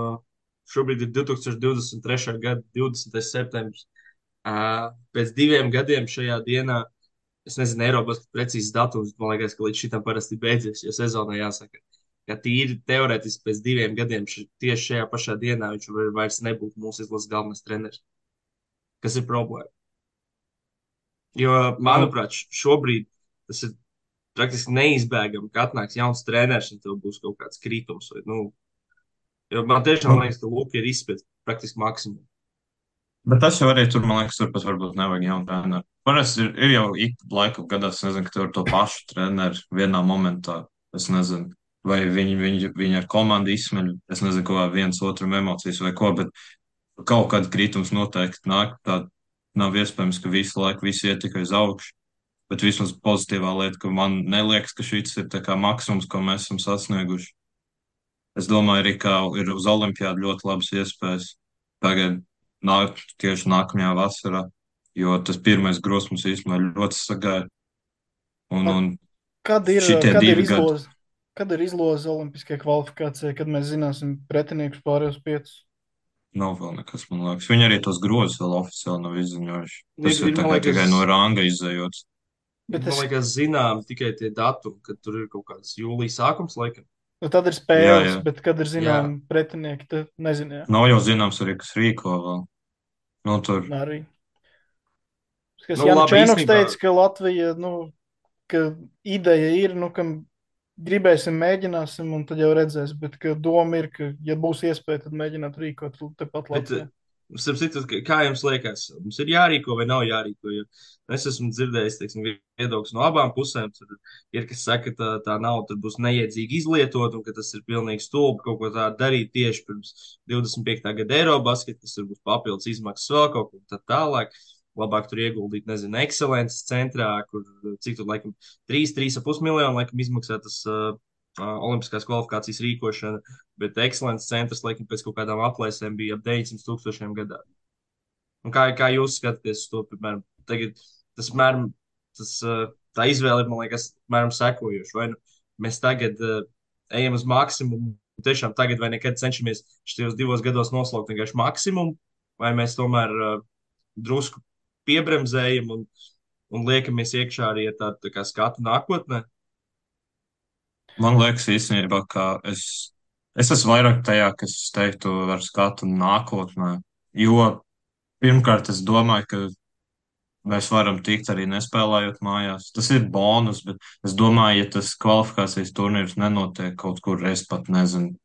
šobrīd ir 2023. gada 20. septembris. Pēc 2 gadiem šajā dienā, es nezinu, Eiropas precīzes datums, man liekas, ka līdz šitam parasti beidzies, jo sezonā jāsaka, ka tīri teorētiski pēc 2 gadiem tieši šajā pašā dienā viņš vairs nebūtu mūsu izlases galvenais treneris. Kas ir problēma? Jo, Man, manuprāt, šobrīd tas ir praktiski neizbēgami, ka atnāks jauns treneris un tev būs kaut kāds kritums. Vai, nu, jo man tiešām nu, liekas, ka Luka ir izspēlējis praktiski maksimumu. bet tas jau arī tur, man liekas, tur pat varbūt nevajag jaunu treneru. Parasti ir jau ik laiku gadās, nezinu, ka tur ir to pašu treneru vienā momentā. Es nezinu, vai viņi ar komandu izsmeļ, es nezinu, ko viens otram emocijas vai ko, bet kaut kāda kritums noteikti nāk. Tā nav iespējams, ka visu laiku visi iet tikai uz augšu. Bet vismaz pozitīvā lieta, ka man neliekas, ka šis ir tā kā maksimums, ko mēs esam sasnieguši. Es domāju, arī, ka ir uz Olimpiādu ļoti labas iespējas tagad, tieši nākamajā vasarā, jo tas pirmais grozs mums īstenībā ļoti sagaida. Un Kad ir, šitie kad ir 2 gadi izloze? Kad ir izloze Olimpiskajai kvalifikācijai, kad mēs zināsim pretiniekus pārējos 5? nav vēl nekas, man liekas. Viņi arī tos grozus vēl oficiāli nav izziņojuši. Tas ir tā Man kā liekas, tikai no ranga izējots. Bet man liekas, zinām tikai tie datumi, kad tur ir kaut kāds jūlijas sākums, laikam. tad ir Jā, spēles, jā. bet kad ir Jā, zinām pretinieki, tad nezinu. Nav jau zināms arī, kas rīko vēl. Nu, tur. Arī. Kas nu, Jānis labi, Čēnoks īstenībā. teica, ka Latvija, ka ideja ir, ka gribēsim, mēģināsim, un tad jau redzēs. Bet doma ir, ka, ja būs iespēja, tad mēģināt rīkot tepat Bet, Latvijā. starp citu, kā jums liekas, mums ir jārīko vai nav jārīko? Jo es esmu dzirdējis, teiksim, viedokļus no abām pusēm. Tur ir, kas saka, ka tā nauda tur būs neiedzīgi izlietot, un ka tas ir pilnīgi stulbi kaut ko tādu darīt tieši pirms 25. gada Eirobasketa, kas tur būs papildus izmaksas vēl kaut ko tā tālāk. Labāk tur ieguldīt, nezinu, ekscelences centrā, kur cik tur, laikam, 3,5 miljonu, laikam, izmaksā tas olimpiskās kvalifikācijas rīkošana, bet ekscelences centrs, laikam, pēc kaut kādām aplēsēm bija ap 900 000 gadā. Un kā jūs skatāties uz to, piemēram, tagad apmēram, tā izvēle ir, man liekas, apmēram sekojoša. Vai nu mēs tagad ejam uz maksimumu, tiešām tagad vai nekad cenšamies šajos 2 gados noslaukt vienkārši maksimumu, vai mēs tomēr drusku piebremzējam un liekamies iekšā arī ar tādu tā kā skatu nākotnē. Man liekas, īstenībā, ka es esmu vairāk tajā, kas teiktu ar skatu nākotnē. Jo pirmkārt, es domāju, ka mēs varam tikt arī nespēlējot mājās. Tas ir bonus, bet es domāju, ja tas kvalifikācijas turnīrs nenotiek kaut kur, es pat nezinu.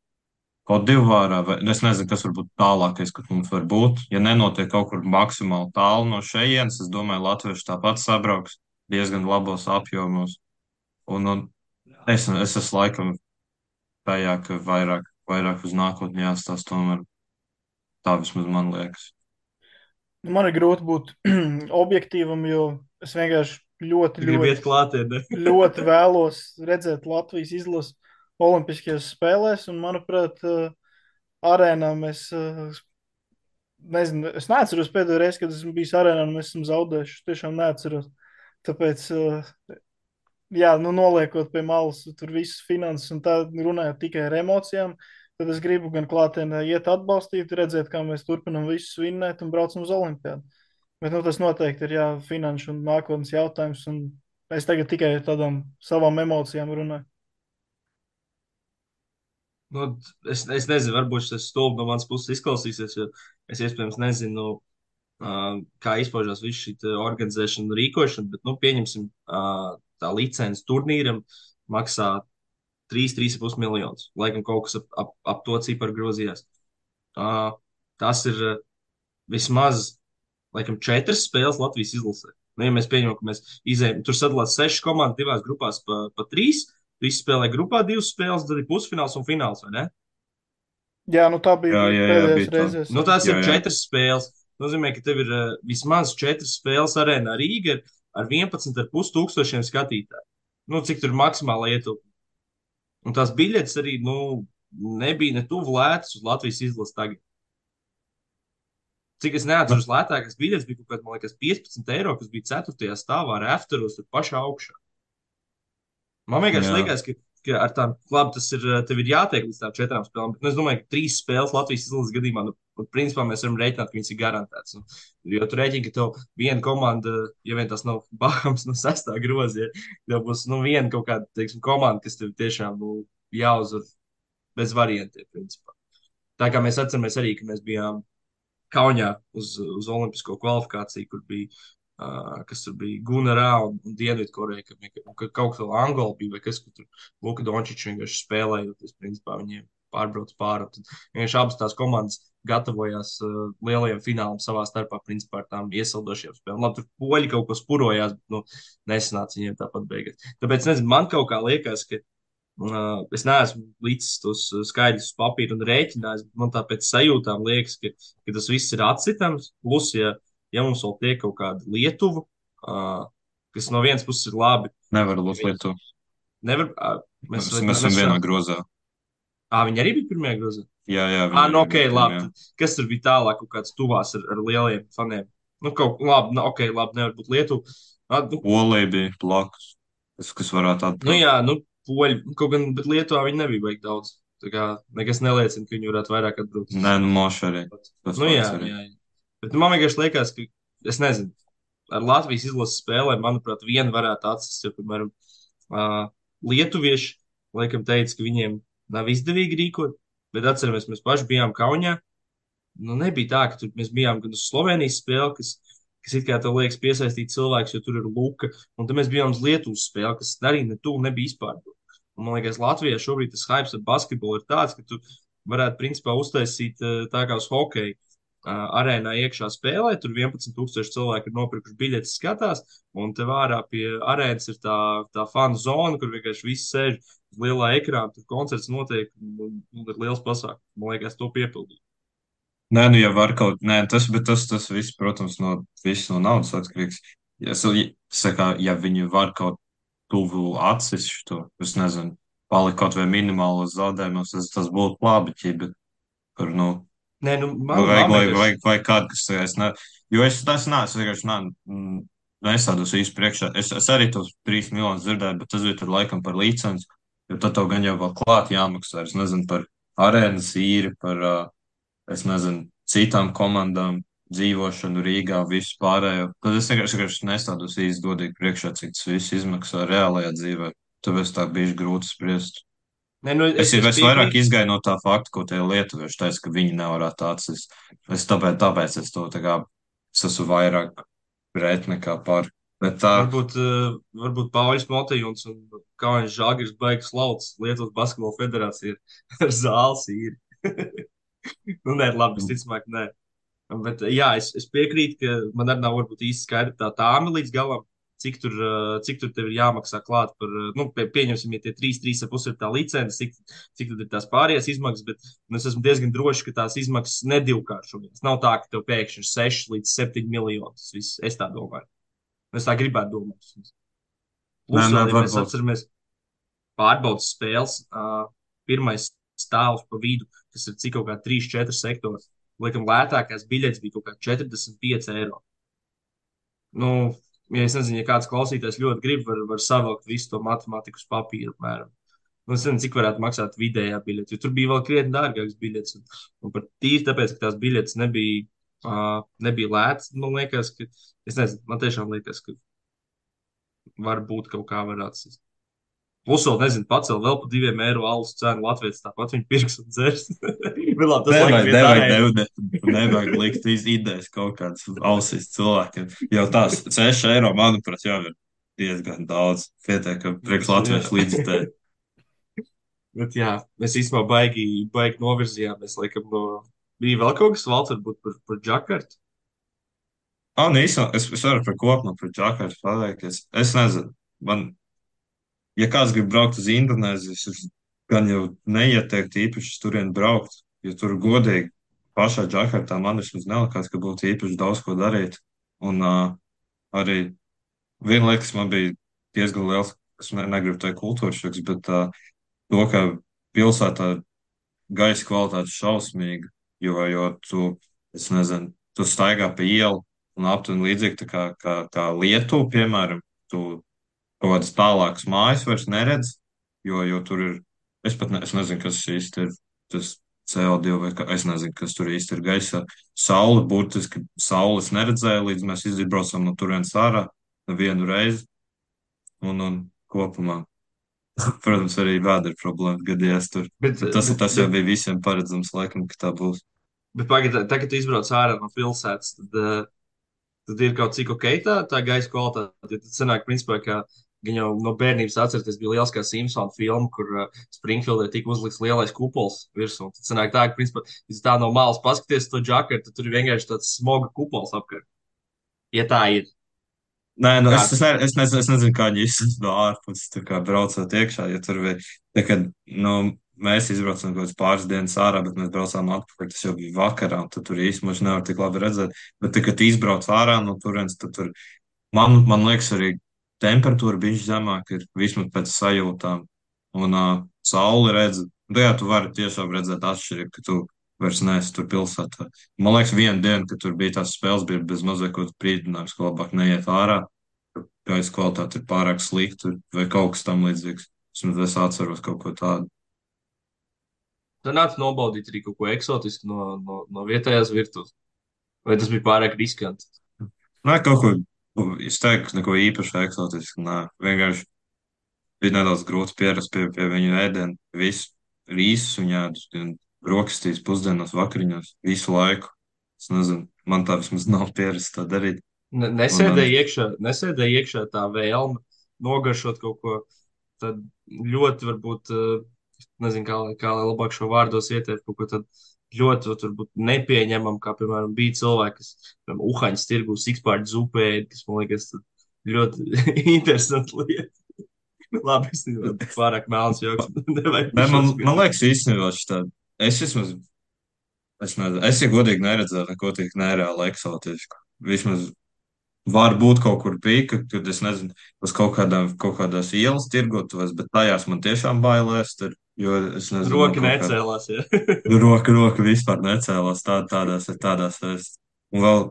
Kodivārā, vai es nezinu, kas varbūt tālākais, kas mums var būt. Ja nenotiek kaut kur maksimāli tālu no šejienes, es domāju, latvieši tāpat sabrauks diezgan labos apjomos. Un es esmu laikam tajā, ka vairāk uz nākotni jāstāsta tomēr. Tā vismaz man liekas. Nu, man ir grūti būt objektīvam, jo es vienkārši ļoti, Tu gribi iet ļoti, klātienē. ļoti vēlos redzēt Latvijas izlasi Olimpiskajās spēlēs. Un, manuprāt, arēnā mēs, nezinu, es neatceros pēdējo reizi, kad esmu bijis arēnā un mēs esam zaudējuši. Es tiešām neatceros. Tāpēc, jā, nu, noliekot pie malas tur visas finanses un tā runājot tikai ar emocijām, tad es gribu gan klātienē iet atbalstīt, redzēt, kā mēs turpinam visus vinnēt un braucam uz Olimpiādu. Bet nu, tas noteikti ir jā, finanšu un nākotnes jautājums. Un es tagad tikai ar tādām savām emocijām runāju. Nu, es nezinu, varbūt tas stulbi no manas puses izklausīsies, jo es iespējams nezinu, kā izpaužās viss šī te organizēšana un rīkošana, bet, nu, pieņemsim, tā licence turnīram maksā 3,5 miljonus. Laikam kaut kas ap to ciparu grozījās. Uh, Tas ir vismaz, laikam, 4 spēles Latvijas izlasē. Nu, ja mēs pieņemam, ka mēs izējām, tur sadalās 6 komandas divās grupās pa 3, visi spēlē grupā 2 spēles, tad ir pusfināls un fināls, vai ne? Jā, nu tā Jā, bija jā, jā, pēdējais bija tā. reizes. Nu, Jā. tās Jā, ir jā. 4 spēles. Nozīmē, ka tev ir vismaz 4 spēles arēnā Rīga ar 11,5 tūkstošiem skatītāju. Nu, cik tur maksimāli ietilpst. Un tās biļetes arī, nu, nebija ne tuvu lētas uz Latvijas izlases tagad. Cik es Nu, neatceros, lētākās biļetes bija kaut kāds, man liekas, 15 eiro, kas bija 4. stāvā ar afteros tur pašā augšā. Man vienkārši jā. liekas, ka ar tām, labi, tas ir, tev ir jātiek līdz tām 4 spēlēm, bet nu, es domāju, ka 3 spēles Latvijas izlases gadījumā, nu, principā mēs varam rēķināt, ka viņas ir garantētas. Nu, jo tu rēķini, ka tev viena komanda, ja vien tas nav Bahams no 6. groza, ja, tev būs, nu, viena kaut kāda, teiksim, komanda, kas tev tiešām, nu, jāuzvar bez variantiem, principā. Tā kā mēs atceramies arī, ka mēs bijām Kaunijā uz Olimpisko kvalifikāciju, kur bija, kas tur bija Gunarā un Dienvidkoreja, ka kaut kas vēl Angola bija, vai kas, kur tur Luka Dončičs vienkārši spēlējoties, principā viņiem pārbrauc pāri. Tad vienkārši abas tās komandas gatavojās lielajiem finālam savā starpā, principā ar tām iesildošiem spēlēm. Labi, tur poļi kaut ko spurojās, bet, nu, nesanāca viņiem tāpat beigās. Tāpēc, nezinu, man kaut kā liekas, ka es neesmu līdz tos skaidrus uz papīra un rēķinājis, bet man tā pēc sajūtām liekas, ka tas viss ir atsitams. Plus, ja mums vēl tiek kaut kāda Lietuva, kas no vienas puses ir labi, Nevar ja būt viņi lietu. nevar, Mēs esam vienā grozā. viņi arī bija pirmajā grozā. Jā, viņi Nu, arī ok, bija labi. pirmie. Kas tur bija tālāk, kaut kāds tuvās ar lieliem faniem? Nu, kaut kā labi, nu, ok, labi, nevar būt Lietuva. Nu, Olija bija blakus, kas varētu nu, atbraukt. jā, nu, poļi, kaut gan, bet Lietuvā viņi nebija baigi daudz. Tā kā nekas neliecina, ka viņi varētu vairāk atbraukt. Nē, nu, Moša arī. Tas Nu, jā, fakts arī. jā. Bet nu, man vienkārši liekas, ka, es nezinu, ar Latvijas izlases spēlēm, manuprāt, viena varētu atsist, jo, piemēram, uh, lietuvieši, laikam, teica, ka viņiem nav izdevīgi rīkot, bet atceramies, mēs paši bijām Kaunijā. Nu, nebija tā, ka tur mēs bijām gan uz Slovenijas spēli, kas it kā tev liekas piesaistīt cilvēkus, jo tur ir Luka, un tad mēs bijām uz Lietuvas spēli, kas arī ne tuvu nebija izpārdota. Un, man liekas, Latvijā šobrīd tas hype ar basketbolu ir tāds, ka tu varētu principā uztaisīt tā kā uz hokeju. Arēnā iekšā spēlē, tur 11,000 cilvēku ir nopirkuši biļetes, skatās, un te vārā pie arēnas ir tā fanu zona, kur vienkārši viss sēž uz lielā ekrāna, tur koncerts notiek, un ir liels pasākums. Man liekas, to piepildīt. Nē, nu, ja var kaut, nē, tas viss, protams, viss no naudas atkarīgs. Ja viņi var kaut tuvu acis šo, es nezinu, palikt kaut vai minimālos zaudējumos, tas būtu labi, bet, par, nu, Nē, nu, vajag, man lai, vienkārši. vajag kādu, kas, jo es tas neesmu, vienkārši, nesādos īsti priekšā. Es arī tos 3 miljonus dzirdēju, bet tas bija tur laikam par licenci, jo tad tev gan jau vēl klāt jāmaksā, es nezinu, par arēnas īri, par, es nezinu, citām komandām, dzīvošanu Rīgā, visu pārējo. Tad es vienkārši nestādos īsti godīgi priekšā, cik tas viss izmaksā reālajā dzīvē. Tāpēc tā bija grūti spriest. Nē, nu, es Es vairāk piekrītu. izgāju no tā fakta, ko tie lietuvieši teica, ka viņi nevarētu atsist. Tāpēc es to tā kā, es esmu vairāk pret nekā par. Bet tā, Varbūt Pauļs Motejons un Kaunis Žalgiris baigs lauts Lietuvas Basketbola federācija ar zāles īri. Nu, nē, labi, visticamāk, nē. Bet, jā, es piekrītu, ka man arī nav varbūt īsti skaidra tā tāma līdz galam, cik tur tev ir jāmaksā klāt par, nu, pieņemsim, ja tie 3,5 ir tā licence, cik tad ir tās pārējās izmaksas, bet nu, es esmu diezgan drošs, ka tās izmaksas nedivkāršojas. Nav tā, ka tev pēkšņi ir 6 līdz 7 miljoni. Tas viss, es tā domāju. Es tā gribētu domāt. Nē, Plus nē, vēl, ja mēs varbūt. atceramies pārbaudas spēles, pirmais stāvs pa vidu, kas ir cik kaut kā 3, 4 sektori. Laikam lētākās biļetes bija kaut kā 45 eiro. Nu, ja es nezinu, ja kāds klausītājs ļoti grib, var savilkt visu to matemātiku uz papīra, apmēram. Nu, es nezinu, cik varētu maksāt vidējā biļete, jo tur bija vēl krietni dārgākas biļetes. Un par tīri tāpēc, ka tās biļetes nebija lētas, man liekas, ka, es nezinu, man tiešām liekas, ka varbūt kaut kā varētu. Plus, vēl nezinu, pacēl vēl par 2 eiro alus cenu Latvijas, tāpat viņi pirks un dzers. Bet labi, tas laikam Nevajag, iet nevajag, ārēji. nevajag likt idejas kaut kādas ausīs cilvēkiem. Jau tās 6 eiro, manuprāt, jau ir diezgan daudz. Pietiekami priekš Jā. Latvijas līdzekļu. Bet jā, mēs īstenībā baigi novirzījāmies. Laikam, bija vēl kaut kas valsts, varbūt par Džakartu. Ah, nē, es varu par kopumā, par Džakartu pateikt. Es nezinu, man, ja kāds grib braukt uz Indonēziju, es gan jau neieteiktu īpaši uz turieni braukt, jo tur godīgi pašā Džakartā man vismaz nelikās, ka būtu īpaši daudz ko darīt. Un arī viena lieta, kas man bija diezgan liels, es negribu teikt kultūras šoks, bet to, ka pilsētā gaisa kvalitāte ir šausmīga, jo tu, es nezinu, tu staigā pa ielu un aptuveni līdzīgi tā kā Lietuva, piemēram, tu kaut kādas tālākas mājas vairs neredz, jo tur ir, es nezinu, kas īsti ir tas CO2 vai kā, es nezinu, kas tur īsti ir gaisā. Saule, burtiski saules neredzēja, līdz mēs izbraucām no turienes ārā nevienu reizi un kopumā. Protams, arī vēdera problēma gadījās tur. Bet, Bet bet, tas jau bet, bija visiem paredzams, laikam, ka tā būs. bet pagaidi, tagad, kad tu izbrauc ārā no pilsētas, tad ir kaut cik ok tā gaisa kvalitāte. Jo tad sanāk, principā, ka gan jau no bērnības atcerieties, bija liels kā Simpsons filma, kur Springfieldē tika uzlikts lielais kupols virsū. Tad sanāk tā, ka, principā, ja tā no malas paskaties to džakartu, tad tur ir vienkārši tāds smoga kupols apkārt. Ja tā ir. Nē, nu es nezinu, kā viņi izsaka no ārpuses, tā kā braucot iekšā, jo tur bija, tā kā, nu, mēs izbraucām kaut kādas pāris dienas ārā, bet mēs braucām atpakaļ, tas jau bija vakarā, un tad tur īstenībā nevar tik labi redzēt, bet tā, kad izbrauc ārā no turienes, tad tur, man liekas, arī temperatūra bija zemāka, ir vismaz pēc sajūtām, un sauli redz, nu, jā, tu vari tiešām redzēt atšķirību, ka tu vairs neesi tur pilsētā. Man liekas, viena diena, kad tur bija tās spēles, bija bez mazliet kaut kāds brīdinājums, ka labāk neiet ārā, gaisa kvalitāte ir pārāk slikta vai kaut kas tam līdzīgs. Es atceros kaut ko tādu. Tad nāc nobaudīt arī kaut ko eksotisku no vietējās virtuves. Vai tas bija pārāk riskanti? Nē, kaut ko, es teiktu, neko īpaši eksotisku. Nē, vienkārši bija nedaudz grūti pierast pie viņu ēdienu. Visu rīsus un ēdus, brokastīs, pusdienos, vakariņos, visu laiku. Es nezinu, man tā vismaz nav pierasts tā darīt. Un, Nesēdēja iekšā tā vēlme nogaršot kaut ko tādu ļoti, varbūt, nezinu, kā lai labāk šo vārdos ieteikt, kaut ko tādu ļoti, varbūt, nepieņemam, kā, piemēram, bija cilvēki, kas, piemēram, Uhaņas tirgu sikspārdu zupēja, kas, man liekas, ļoti interesanti lieta. Labi, es nezinu, pārāk melns joks, nevajag nē, par šo man smieties. liekas, īstenībā šitā, es vismaz, es nezinu, es, ja godīgi neredzēju neko tik nereāli eksotisku. Vismaz varbūt kaut kur bija, kad es nezinu, uz kaut kādās ielas tirgotuvēs, bet tajās man tiešām bailēs, jo es nezinu, no Roka kaut kā necēlās, ja. roka vispār necēlās tādās es. Un vēl,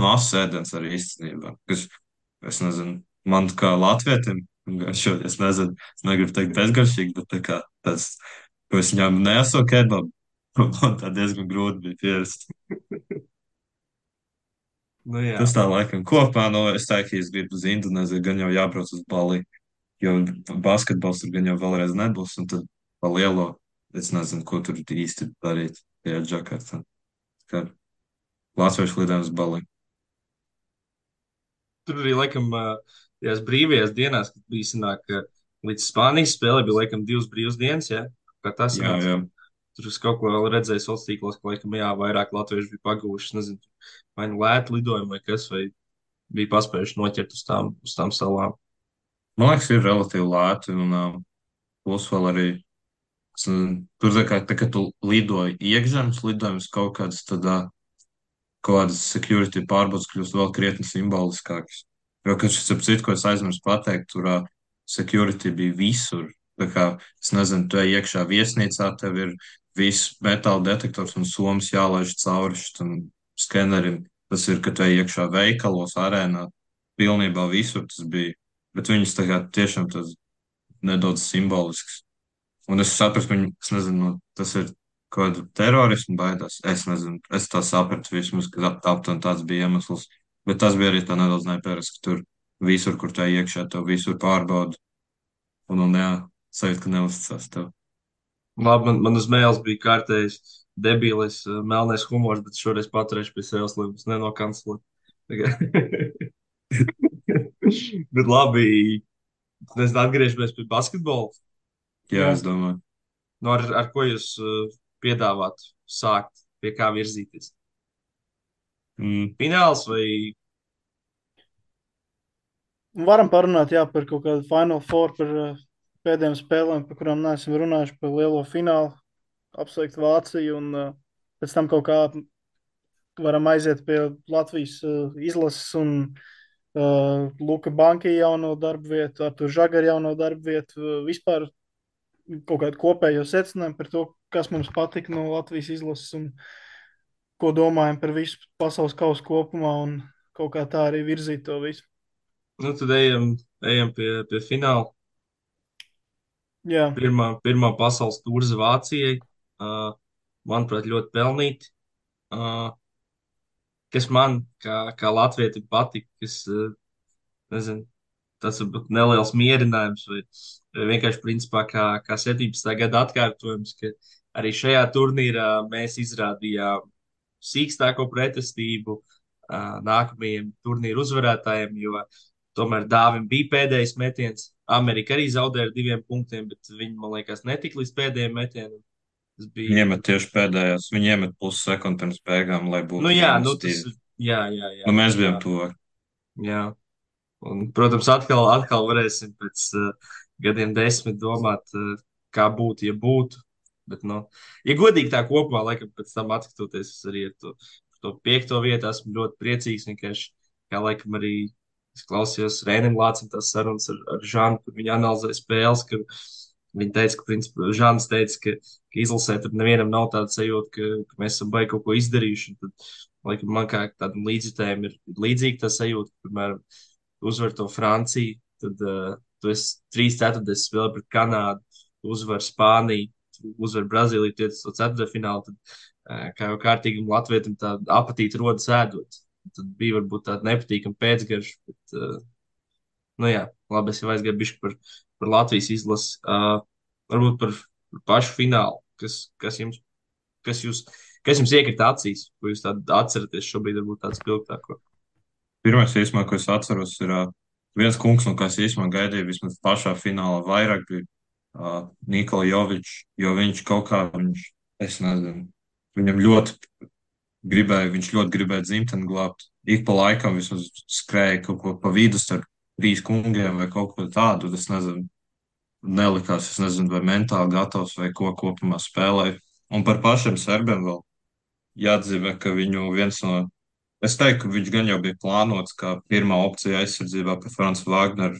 no asas ēdienas arī īstenībā, kas, es nezinu, man kā latvietim, garšo, es nezinu, es negribu teikt bezgaršīgi, bet tā kā tas, ko es ņēmu neso kebabu, man tā diezgan grūti bija pierast. Nu jā. Tas tā laikam kopā, es teiktu, ja es gribu uz Indonēziju, gan jau jābrauc uz Bali, jo basketbols tur gan jau vēlreiz nebūs, un tad pa lielo, es nezinu, ko tur īsti darīt tajā Džakartā. Kā latviešu lidojums Bali. Tur arī, laikam, tajās brīvajās dienās, kad bija sanāk, ka līdz Spānijas spēlē bija, laikam, 2 brīvas dienas, ja? Kā tas Jā, sanāca? jā. tur es kaut ko vēl redzēju sociālos tīklos, ka, laikam, jā, vairāk latvieši bija pagūši, nezinu, vai nu lētu lidojumu vai kas, vai bija paspējuši noķert uz tām salām. Man liekas, ir relatīvi lēti, un plus vēl arī tur, tā kā tu lidoji iekšzemes lidojumus kaut kādas, tad kaut kādas security pārbaudas kļūst vēl krietni simboliskākas. Jo, kad šis ap citu, ko es aizmirsu pateikt, tur security bija visur. Tā kā, es nezinu, tu ej iekšā viesnīcā, tev ir viss metāla detektors un somas jālaiž cauri šitam skenerim. Tas ir, kad tu ej iekšā veikalos, arēnā, pilnībā visur tas bija. Bet viņus tā kā tiešām tas nedaudz simbolisks. Un es sapratu, viņu, es nezinu, tas ir kaut kādu terorismu baidās. Es nezinu, es tā sapratu vismaz, ka aptuveni tāds bija iemesls. Bet tas bija arī tā nedaudz neparasts, ka tur visur, kur tā iekšā, tev visur pārbauda. Un jā, sajūt, ka neuzticās tev. Labi, man uz mēles bija kārtējis debīlis, melnais humors, bet šoreiz paturēšu pie sevis, lai mums nenokancelē. Bet labi, mēs atgriežamies pie basketbola. Jā, Jā. es domāju. Nu, ar ko jūs piedāvātu sākt, pie kā virzīties? Fināls vai Varam parunāt, jā, par kaut kādu Final Four, par pēdējām spēlēm, par kurām neesam runājuši, par lielo finālu, apsveikt Vāciju un pēc tam kaut kā varam aiziet pie Latvijas izlases un Luka Banki jauno darbu vietu, Artur Žagari jauno darbu vietu, vispār kaut kādu kopējo secinājumu par to, kas mums patika no Latvijas izlases un ko domājam par visu pasaules kausu kopumā un kaut kā tā arī virzīt to visu. nu, tad ejam pie fināla. Jā, Pirmā pasaules tūrze Vācijai. Manuprāt, ļoti pelnīti. Uh, Kas man, kā latvietim, patika, kas, nezinu, tas varbūt neliels mierinājums vai vienkārši principā kā 17. gada atkārtojums, ka arī šajā turnīrā mēs izrādījām sīkstāko pretestību nākamajiem turnīru uzvarētājiem, jo tomēr Dāvim bija pēdējais metiens. Amerika arī zaudēja ar 2 punktiem, bet viņi, man liekas, netika līdz pēdējiem metienam. Tas Viņi bija. iemet tieši pēdējās. Viņi iemet pussekundi pirms beigām, lai Nu, būtu jā, mīnus nu, tas divi. ir. Jā, jā, jā. Nu, mēs Jā, bijām tuvāk. jā. Un, protams, atkal varēsim pēc gadiem 10 domāt, kā būtu, ja būtu. Bet, nu, ja godīgi tā kopumā, laikam, pēc tam atskatoties, es arī par to 5. vietu esmu ļoti priecīgs. Vienkārši, kā laikam arī es klausījos Rēnim Lācim tās sarunas ar Žānu, kur viņi analizēja spēles, ka viņi teica, ka, principā, Žāns teica, ka izlasē tur nevienam nav tāda sajūta, ka mēs esam baigi kaut ko izdarījuši. Un tad, laikam, man kā tādam līdzjutējiem ir līdzīga tā sajūta, ka, piemēram, uzvar to Franciju, tad tu esi 3/4 spēlē pret Kanādu, uzvar Spāniju, uzvar Brazīliju, tiec uz to ceturtdaļfinālu, tad kā jau kārtīgam latvietim tā apatīte rodas ēdot. Tad bija varbūt tāda nepatīkama pēcgarša, bet, nu jā, labi, es jau aizgāju bišķi par Latvijas izlasi. Varbūt par pašu finālu, kas jūs, kas jums iekrita acīs, ko jūs tādu atceraties šobrīd, varbūt tāds spilgtāko. Pirmais, īsumā, ko es atceros, ir viens kungs, no kā es īsumā gaidīju vismaz pašā finālā vairāk, bija Nikola Jovičs, jo viņš kaut kā, es nezinu, viņam viņš ļoti gribēja dzimteni glābt. Ik pa laikam vismaz skrēja kaut ko pa vidu starp 3 kungiem vai kaut ko tādu, es nezinu, nelikās, es nezinu, vai mentāli gatavs vai ko kopumā spēlēja. Un par pašiem serbiem vēl jāatzīmē, ka viņu viens no, es teiktu, ka viņš gan jau bija plānots kā pirmā opcija aizsardzībā pie Franca Vāgnera.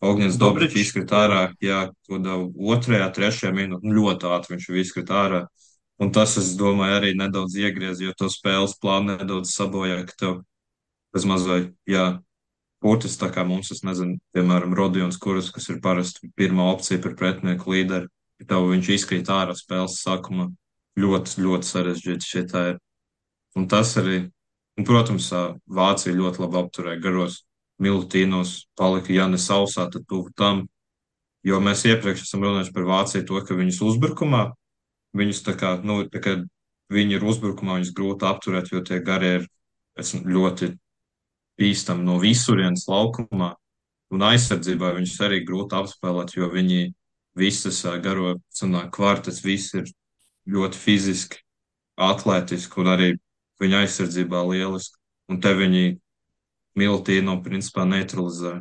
Ogņens Dobričs Dobričs, izkrita ārā, jā, kaut kādā 2., 3. minūtē, ļoti ātri viņš izkrita ārā. Un tas, es domāju, arī nedaudz iegriez, jo to spēles plānu nedaudz sabojā, ka tev bez mazliet, jā, Kurtis, tā kā mums, es nezinu, piemēram, Rodions Kurus, kas ir parasti pirmā opcija par pretinieku līderi, ja tev viņš izkrīt ārā spēles sākumā, ļoti, ļoti sarežģīti šie tā ir. Un tas arī, un, protams, Vācija ļoti labi apturēja garos Milutīnos, palika, ja ne sausā, tad tuvu tam, jo mēs iepriekš esam runājuši par Vāciju to, ka viņus uzbrukumā, viņus tā kā, nu, tā kā viņi ir uzbrukumā, viņus grūti apturēt, jo tie garie ir ļoti bīstami no visurienes laukumā, un aizsardzībā viņus arī grūti apspēlēt, jo viņi visas garo, sanāk, kvartas, visi ir ļoti fiziski, atlētiski un arī viņa aizsardzībā lieliski. Un te viņi Miltīnu principā neutralizē,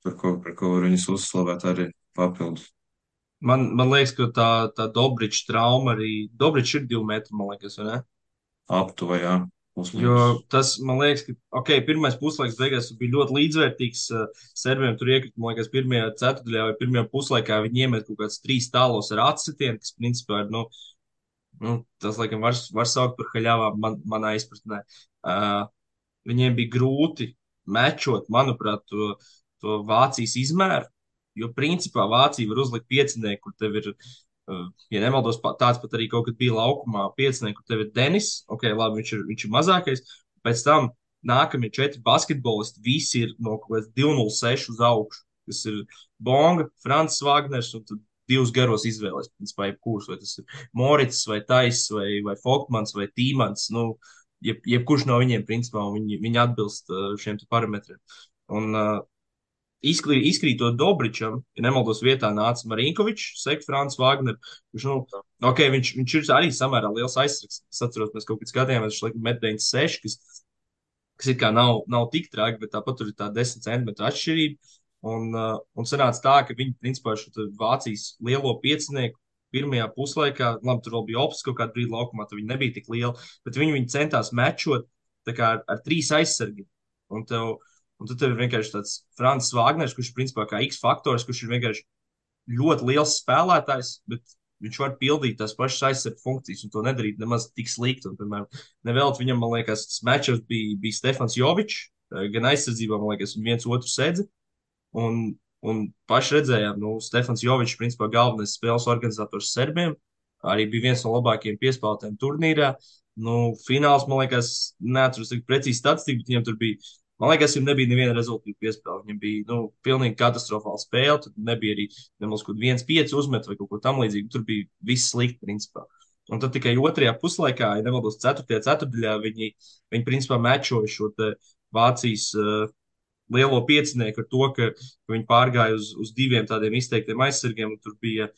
par ko var viņus uzslavēt arī papildus. Man liekas, ka tā Dobriča trauma arī. Dobričs ir 2 metri, man liekas, vai ne? Aptuveni, jā, plus Jo mīnus. tas, man liekas, ka pirmais puslaiks beigās bija ļoti līdzvērtīgs. Serbiem tur iekrita, man liekas, pirmajā ceturtajā vai pirmajā puslaikā viņi iemet kaut kāds 3 tālos ar atsitienu, kas principā ir, tas, laikam, var saukt par haļāvām manā izpratnē. Uh, Viņiem bija grūti mečot, manuprāt, to Vācijas izmēru, jo principā Vācija var uzlikt piecinieku, kur tev ir, ja nemaldos, tāds pat arī kaut kad bija laukumā piecinieku, kur tev ir Denis, ok, labi, viņš ir mazākais, pēc tam nākamie 4 basketbolisti, visi ir no kaut kāds 206 uz augšu, kas ir Bonga, Francis Wagners un tad divus garos izvēlēs, principā, jebkurš, vai tas ir Morits, vai Tais, vai Folkmans, vai Tīmans, jebkurš no viņiem, principā, viņi atbilst šiem te parametriem. Un izkrītot Dobričam, ja nemaldos vietā nāca Marinkovičs, Sek, Frants Wagner, viņš ir arī samērā liels aizsargs. Es atceros, mēs kaut kad skatījāmies, viņš laikam met 96, kas it kā nav tik traki, bet tāpat tur ir tā 10 centimetru atšķirība. Un sanāca tā, ka viņi, principā, šo Vācijas lielo piecinieku pirmajā puslaikā, labi, tur vēl bija opts kaut kādā brīdī laukumā, tur viņi nebija tik lieli, bet viņi centās mečot tā kā ar 3 aizsargiem. Un, tev, un tad tev ir vienkārši tāds Francis Wagners, kurš ir principā kā X faktors, kurš ir vienkārši ļoti liels spēlētājs, bet viņš var pildīt tās pašas aizsardz funkcijas un to nedarīt nemaz tik slikti. Un, piemēram, nevēlt viņam, man liekas, tas matčups bija Stefans Jovičs, gan aizsardzībā, man liekas, un viens otru sedzi. Un paši redzējām, Stefans Jovičs, principā galvenais spēles organizators Serbiem, arī bija viens no labākajiem piespēlētājiem turnīrā. Fināls, man liekas, neatceros tik precīzi statistiku, bet viņam tur bija, man liekas, viņam nebija neviena rezultātu piespēle. Viņam bija, pilnīgi katastrofāla spēle, tur nebija arī nemaz kaut 1-5 uzmet vai kaut ko tam līdzīgu. Tur bija viss slikti, principā. Un tad tikai otrajā puslaikā, ja nemaldos, 4. ceturtdaļā, viņi principā mečoja šo te Vācijas lielo piecinieku ar to, ka viņi pārgāja uz 2 tādiem izteiktiem aizsargiem. Tur bija,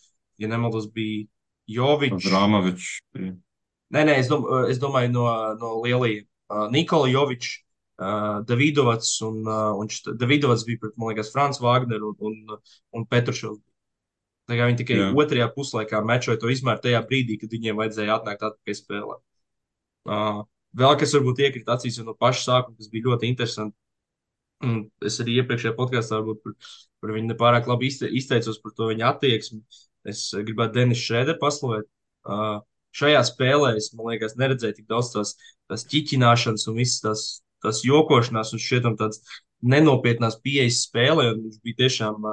ja nemaldos, bija Jovičs. Abramovičs. Nē, es domāju no lielajiem. Nikola Jovičs, Davidovats Davidovats bija pret, man liekas, Frans Wagner un Petrušovs. Tā kā viņi tikai otrajā puslaikā mečoja to izmēru tajā brīdī, kad viņiem vajadzēja atnākt atpakaļ spēlē. Vēl kas varbūt iekrita acīs no paša sākuma, kas bija ļoti interesanti. Es arī iepriekšējā podkāstā varbūt par viņu nepārāk labi izteicos par to viņa attieksmi. Es gribētu Denis Šrēderu paslavēt. Šajā spēlē es, man liekas, neredzēju tik daudz tās ķiķināšanas un visas tās jokošanās un šķietam tāds nenopietnās pieejas spēlē. Viņš bija tiešām,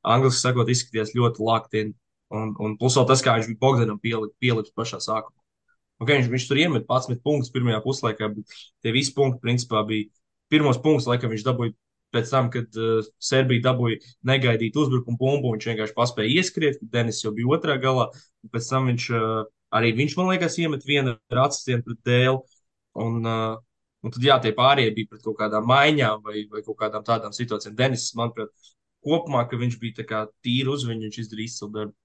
angliski sakot, izskatījās ļoti laktieni. Un plus vēl tas, kā viņš bija Bogdanam pielips pašā sākumā. Viņš tur iemet 11 punktus pirmajā puslaikā, bet tie visi punkti principā bija pirmos punktus, laikam viņš dabūja pēc tam, kad Serbija dabūja negaidīt uzbrukumu bumbu. Viņš vienkārši paspēja ieskriet, kad Denis jau bija otrā galā. Pēc tam viņš, man liekas, iemet vienu ar atsitienu pret dēlu. Un tad, jā, tie pārējie bija pret kaut kādām maiņām vai kaut kādām tādām situācijām. Denis, manuprāt, kopumā, ka viņš bija tā kā tīri uz viņu, viņš izdarīja izcilu darbu.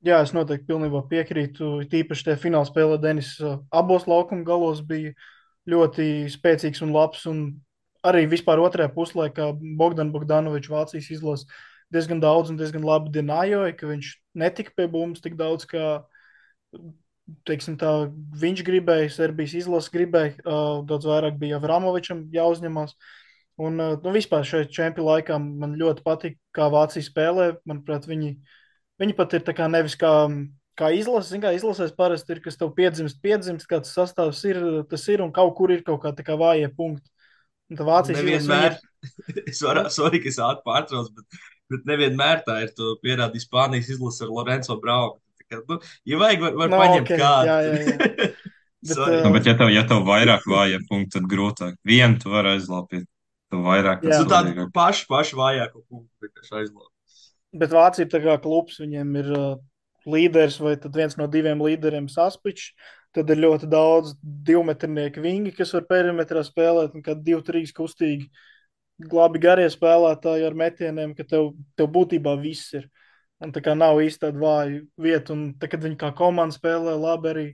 Jā, es noteikti pilnībā piekrītu. Tīpaši tajā fināla spēlē Denis abos laukuma galos bija ļoti spēcīgs un labs. Un arī vispār otrajā puslaikā Bogdanovičs Vācijas izlase diezgan daudz un diezgan labi denājoja, ka viņš netika pie bumbas tik daudz, kā teiksim, tā, viņš gribēja, Serbijas izlase gribēja. Daudz vairāk bija Avramovičam jāuzņemās. Un vispār šajā čempionu laikā man ļoti patīk, kā Vācija spēlē. Manuprāt, viņi pat ir tā kā nevis kā izlase, kā izlasēs parasti ir, kas tev piedzimst, kāds sastāvs ir, tas ir, un kaut kur ir kaut kā tā kā vājie punkti. Un tā Vācijas Nevienmēr, sorry, ka es ātri pārtraucu, bet nevienmēr tā ir, to pierādīja Spānijas izlase ar Lorenzo Braunu. Ja vajag, var paņemt okay, kādu. Jā. Bet, Bet ja tev vairāk vājie punkti, tad grūtāk. Vienu tu vari aizlāpīt, tu vairāk. Tādu pašu vājāko punktu vienkārši aizlāpīt. Bet Vācija ir tā kā klubs, viņiem ir līderis vai tad viens no 2 līderiem Saspičs. Tad ir ļoti daudz 2-metrnieku vingi, kas var perimetrā spēlēt, un kad 2-3 kustīgi, labi garie spēlētāji ar metieniem, ka tev būtībā viss ir. Un tā kā nav īsti tāda vāja vieta, un tā, kad viņi kā komanda spēlē labi, arī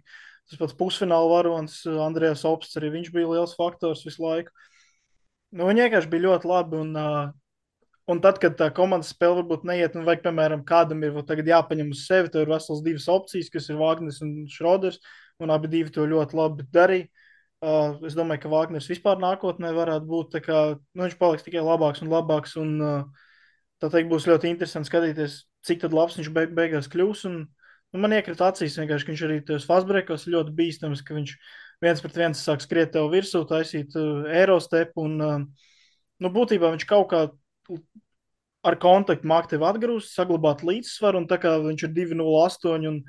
tas pats pusfināla varonis Andrejs Opsts, arī viņš bija liels faktors visu laiku. Nu, viņi vienkārši bija ļoti labi, un tad, kad tā komandas spēle varbūt neiet, un vajag, piemēram, kādam ir tagad jāpaņem uz sevi, tad ir vesels divas opcijas, kas ir Vāgners un Šroders, un abi divi to ļoti labi darīja. Es domāju, ka Vāgners vispār nākotnē varētu būt, tā kā, nu, viņš paliks tikai labāks un labāks, un tā teikt, būs ļoti interesanti skatīties, cik tad labs viņš beigās kļūs. Un, nu, man iekrita acīs vienkārši, ka viņš arī tajos fastbreakos ir ļoti bīstams, ka viņš viens pret viens sāk skriet tev virsū, taisīt aerostepu. Un, nu, būtībā viņš kaut kā ar kontaktu māk tevi atgrūst, saglabāt līdzsvaru. Un tā kā viņš ir 2,08 un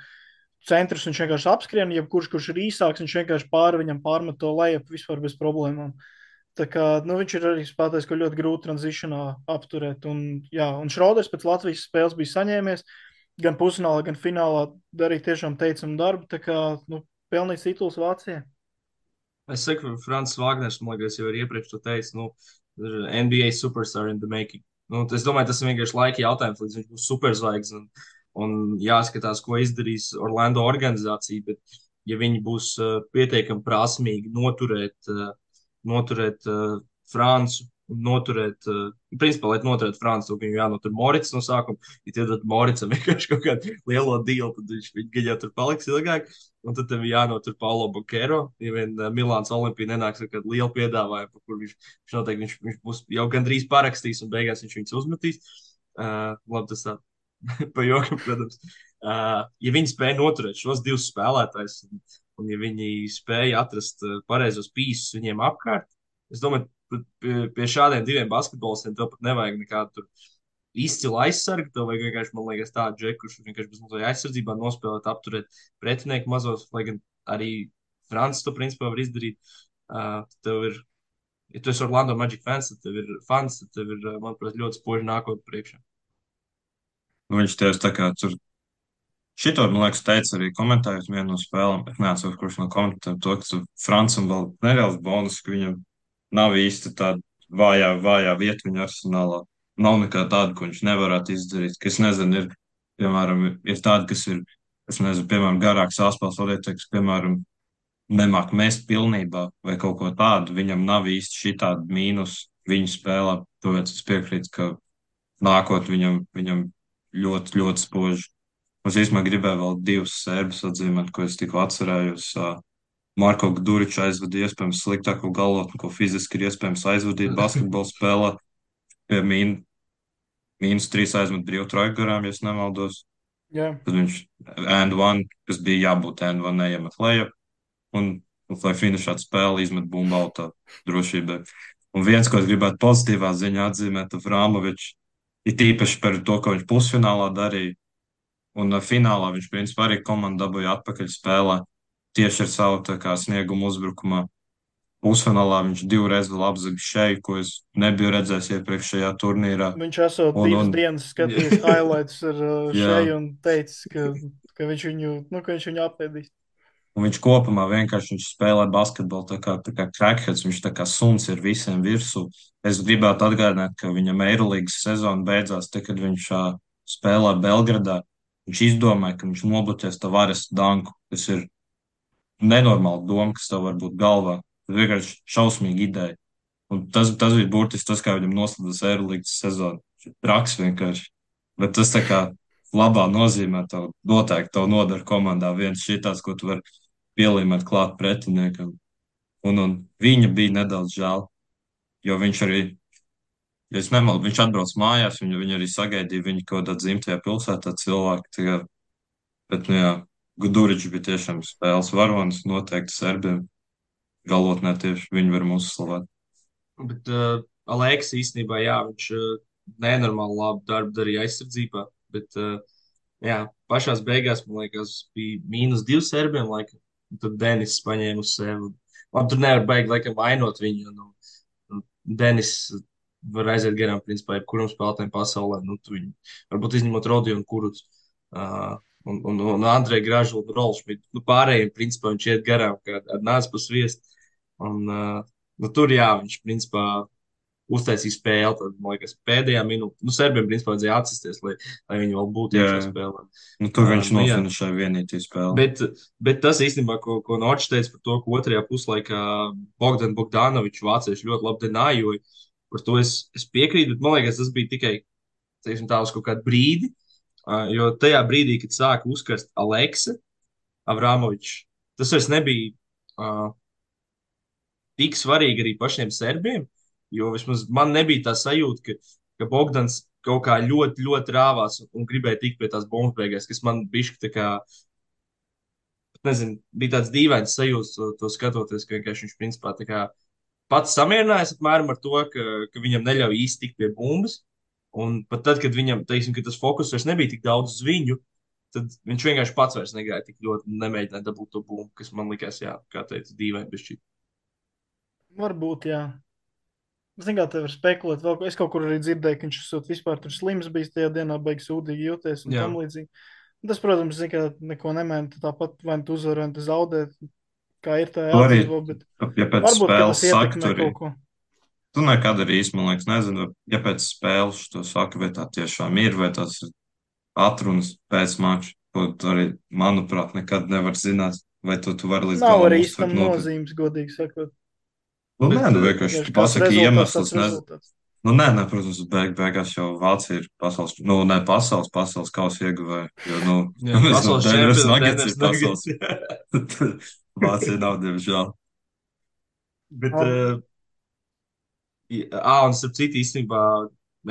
centrs, viņš vienkārši apskrien, jebkurš, kurš ir īsāks, viņš vienkārši viņam pārmet to lejup vispār bez problēmām. Tā kā, nu, viņš ir arī spēlētājs, ko ļoti grūti tranzīšanā apturēt. Un, jā, un Šroders pēc Latvijas spēles bija saņēmies gan pusfinālā, gan finālā darīja tiešām teicamu darbu. Tā kā, nu, pelnīts tituls Vācijai. Es saku, Francis Wagners, man liekas, jau ir iepriekš to teicis, nu, NBA superstar in the making. Nu, es domāju, tas ir vienkārši laika jautājums, līdz viņš būs superzvaigznes. Un jāskatās, ko izdarīs Orlando organizācija. Bet, ja viņi būs pietiekami prasmīgi noturēt Francu un noturēt, principā, lai noturētu Francu, tad viņam jānotur Morits no sākuma. Ja tie dod Moricam vienkārši kaut kādu lielo dealu, tad viņš jau tur paliks ilgāk. Un tad tev jānotur Paulo Bankero, ja vien Milāns Olimpija nenāks ar kādu lielu piedāvājumu, kur viņš noteikti viņš būs jau gandrīz parakstījis un beigās viņš viņus uzmetīs. Labi, tas tā pa jokam, protams. Ja viņi spēja noturēt šos divus spēlētājus, un ja viņi spēja atrast pareizos pīsus viņiem apkārt, es domāju, pie šādiem diviem basketbolistiem tev pat nevajag nekādu tur izcilu aizsargu. Tev vajag vienkārši, man liekas, tādu džeku, kurš vienkārši bez mazliet aizsardzībā nospēlēt, apturēt pretinieku mazos, lai gan arī Francis to principā var izdarīt. Tev ir, ja tu esi Orlando Magic fans, tad tev ir, manuprāt, ļoti spoži nākotnē priekšā. Nu, viņš tieši tā kā tur šito, man liekas, teica arī komentējot vienu no spēlēm. Es neatceros, kurš no komentētājiem to, ka Francam vēl nereāls bonus, ka viņam nav īsti tāda vājā vieta viņa arsenālā. Nav nekā tāda, ko viņš nevarētu izdarīt. Ka es nezinu, ir, piemēram, ir tādi, kas ir, es nezinu, piemēram, garāks saspēles vadītājs, kas, piemēram, nemāk mest pilnībā vai kaut ko tādu. Viņam nav īsti šī tāda mīnus viņa spēlē. Tāpēc es piekrītu, ka nākot viņam ļoti, ļoti spoži. Es īstenībā gribēju vēl divus sērbus atzīmēt, ko es tikko atcerējos. Marko Gduriču aizvadīja iespējams sliktāko galotni, ko fiziski ir iespējams aizvadīt basketbola spēlē. Pie -3 aizmet brīvu trojku garām, ja es nemaldos. Jā. Tad viņš and one, kas bija jābūt and one, neiemet leju. Un, lai finišātu spēli, izmet bumbu autā drošībai. Un viens, ko es gribētu pozitīvā ziņā atzīmēt, Frāmovičs, ir tīpaši par to, ko viņš pusfinālā darīja. Un finālā viņš, principā, arī komandu dabūja atpakaļ spēlē tieši ar savu kā, sniegumu uzbrukumā. Pusfinālā viņš divreiz vēl apzaga šeju, ko es nebiju redzējis iepriekšējā turnīrā. Viņš esot divas dienas skatījis highlights ar šeju un teicis, ka viņš viņu apēdīs. Un viņš kopumā vienkārši spēlē basketbolu tā kā crackheads, viņš tā kā suns ir visiem virsū. Es gribētu atgādināt, ka viņam Eirolīgas sezona beidzās, te, kad viņš spēlē Belgradā. Viņš izdomāja, ka viņš nobloķēs Tavares danku. Tas ir nenormāli doma, kas tev var būt galvā. Tas vienkārši šausmīgi ideja. Un tas bija burtiski tas, kā viņam noslēdzas Eirolīgas sezona. Traks vienkārši. Bet tas tā kā labā nozīmē tev noteikti tev nodara komandā viens šitās, ko tu vari pielīmēt klāt pretiniekam. Un viņa bija nedaudz žēl, jo viņš arī, ja es nemaldu, viņš atbrauc mājās, viņu arī sagaidīja viņa kaut kādā dzimtajā pilsētā cilvēki. Bet, nu jā, Guduričs bija tiešām spēles varonis, noteikti serbiem galotnē tieši viņi var mūs slavēt. Bet Aleks īstenībā, jā, viņš nenormāli labu darbu darīja aizsardzībā, bet jā, pašās beigās, man liekas, bija -2 serbiem, laikam. Tad Denis paņēma uz sevi. Labi, tur nevar baigt, laikam, vainot viņu. Denis var aiziet garām, principā, jebkuram spēlētājam pasaulē. Nu, viņu, varbūt izņemot Rodiju un Kurucu. Un Andreju Gražu un Rolšmitu. Nu, pārējiem, principā, viņš iet garām, kā ar nāc pa sviestu. Un, nu, tur, jā, viņš, principā, uztaisīja spēli. Tad, man liekas, pēdējā minūtē, nu, serbiem principā vajadzēja atsisties, lai viņi vēl būtu Jā, iekšā jā. spēlē. Nu, tur viņš Nu, jā. nofinišēja vienītī spēli. Bet tas īstenībā, ko Norčs teica par to, ka otrajā puslaikā Bogdanovičs vācieši ļoti labi denājoja, par to es piekrītu, bet man liekas, tas bija tikai, teiksim, tā uz kaut kādu brīdi, jo tajā brīdī, kad sāka uzkarst Aleksa Avramovičs, tas vairs nebija tik svarīgi arī pašiem serbiem, jo vismaz man nebija tā sajūta, ka Bogdans kaut kā ļoti, ļoti rāvās un gribēja tikt pie tās bumbas beigās, kas man bišķi tā kā, nezinu, bija tāds dīvains sajūta to skatoties, ka vienkārši viņš principā tā kā pats samierinājās apmēram ar to, ka viņam neļauj īsti tikt pie bumbas. Un pat tad, kad viņam, teiksim, ka tas fokus vairs nebija tik daudz uz viņu, tad viņš vienkārši pats vairs negāja tik ļoti un nemēģināja dabūt to bumbu, kas man likās, jā, kā teicu, dīvaini bišķi. Varbūt, jā. Zinu, kā tev var spekulēt. Vēl, es kaut kur arī dzirdēju, ka viņš esot vispār tur slims bijis tajā dienā, beigas sūdīgi jūties un Jā. tam līdzīgi. Tas, protams, zinu, ka neko nemaina. Tāpat vai nu tu uzvari, vai nu tu zaudē, kā ir tā Tu arī, jāatdzīvo, bet ja pēc varbūt, ka spēles tas saka, ietekmē tur kaut ko. tu nekad arī īsti, man liekas, nezinu, ja pēc spēles to saka, vai tā tiešām ir, vai tas ir atrunas pēc mača, ko tu arī, manuprāt, nekad nevar zināt, vai tu vari līdz Nav galam arī uztvert īstam nopietni. nozīmes, godīgi sakot. Nu, Bet, nē, nu vienkārši tu Vienkārši kāds pasaki rezultāts, iemeslus, tāds nezinu. rezultāts. Nu, nē, protams, beigās jau Vācija ir pasaules, nu, ne pasaules kausa ieguvēja, jo, nu, jā, mēs no pasaules Denveras čempions, Nuggets Denveras ir pasaules. Nuggets. Vācija nav, diemžēl. Bet, Ab- un starp citu, īstenībā,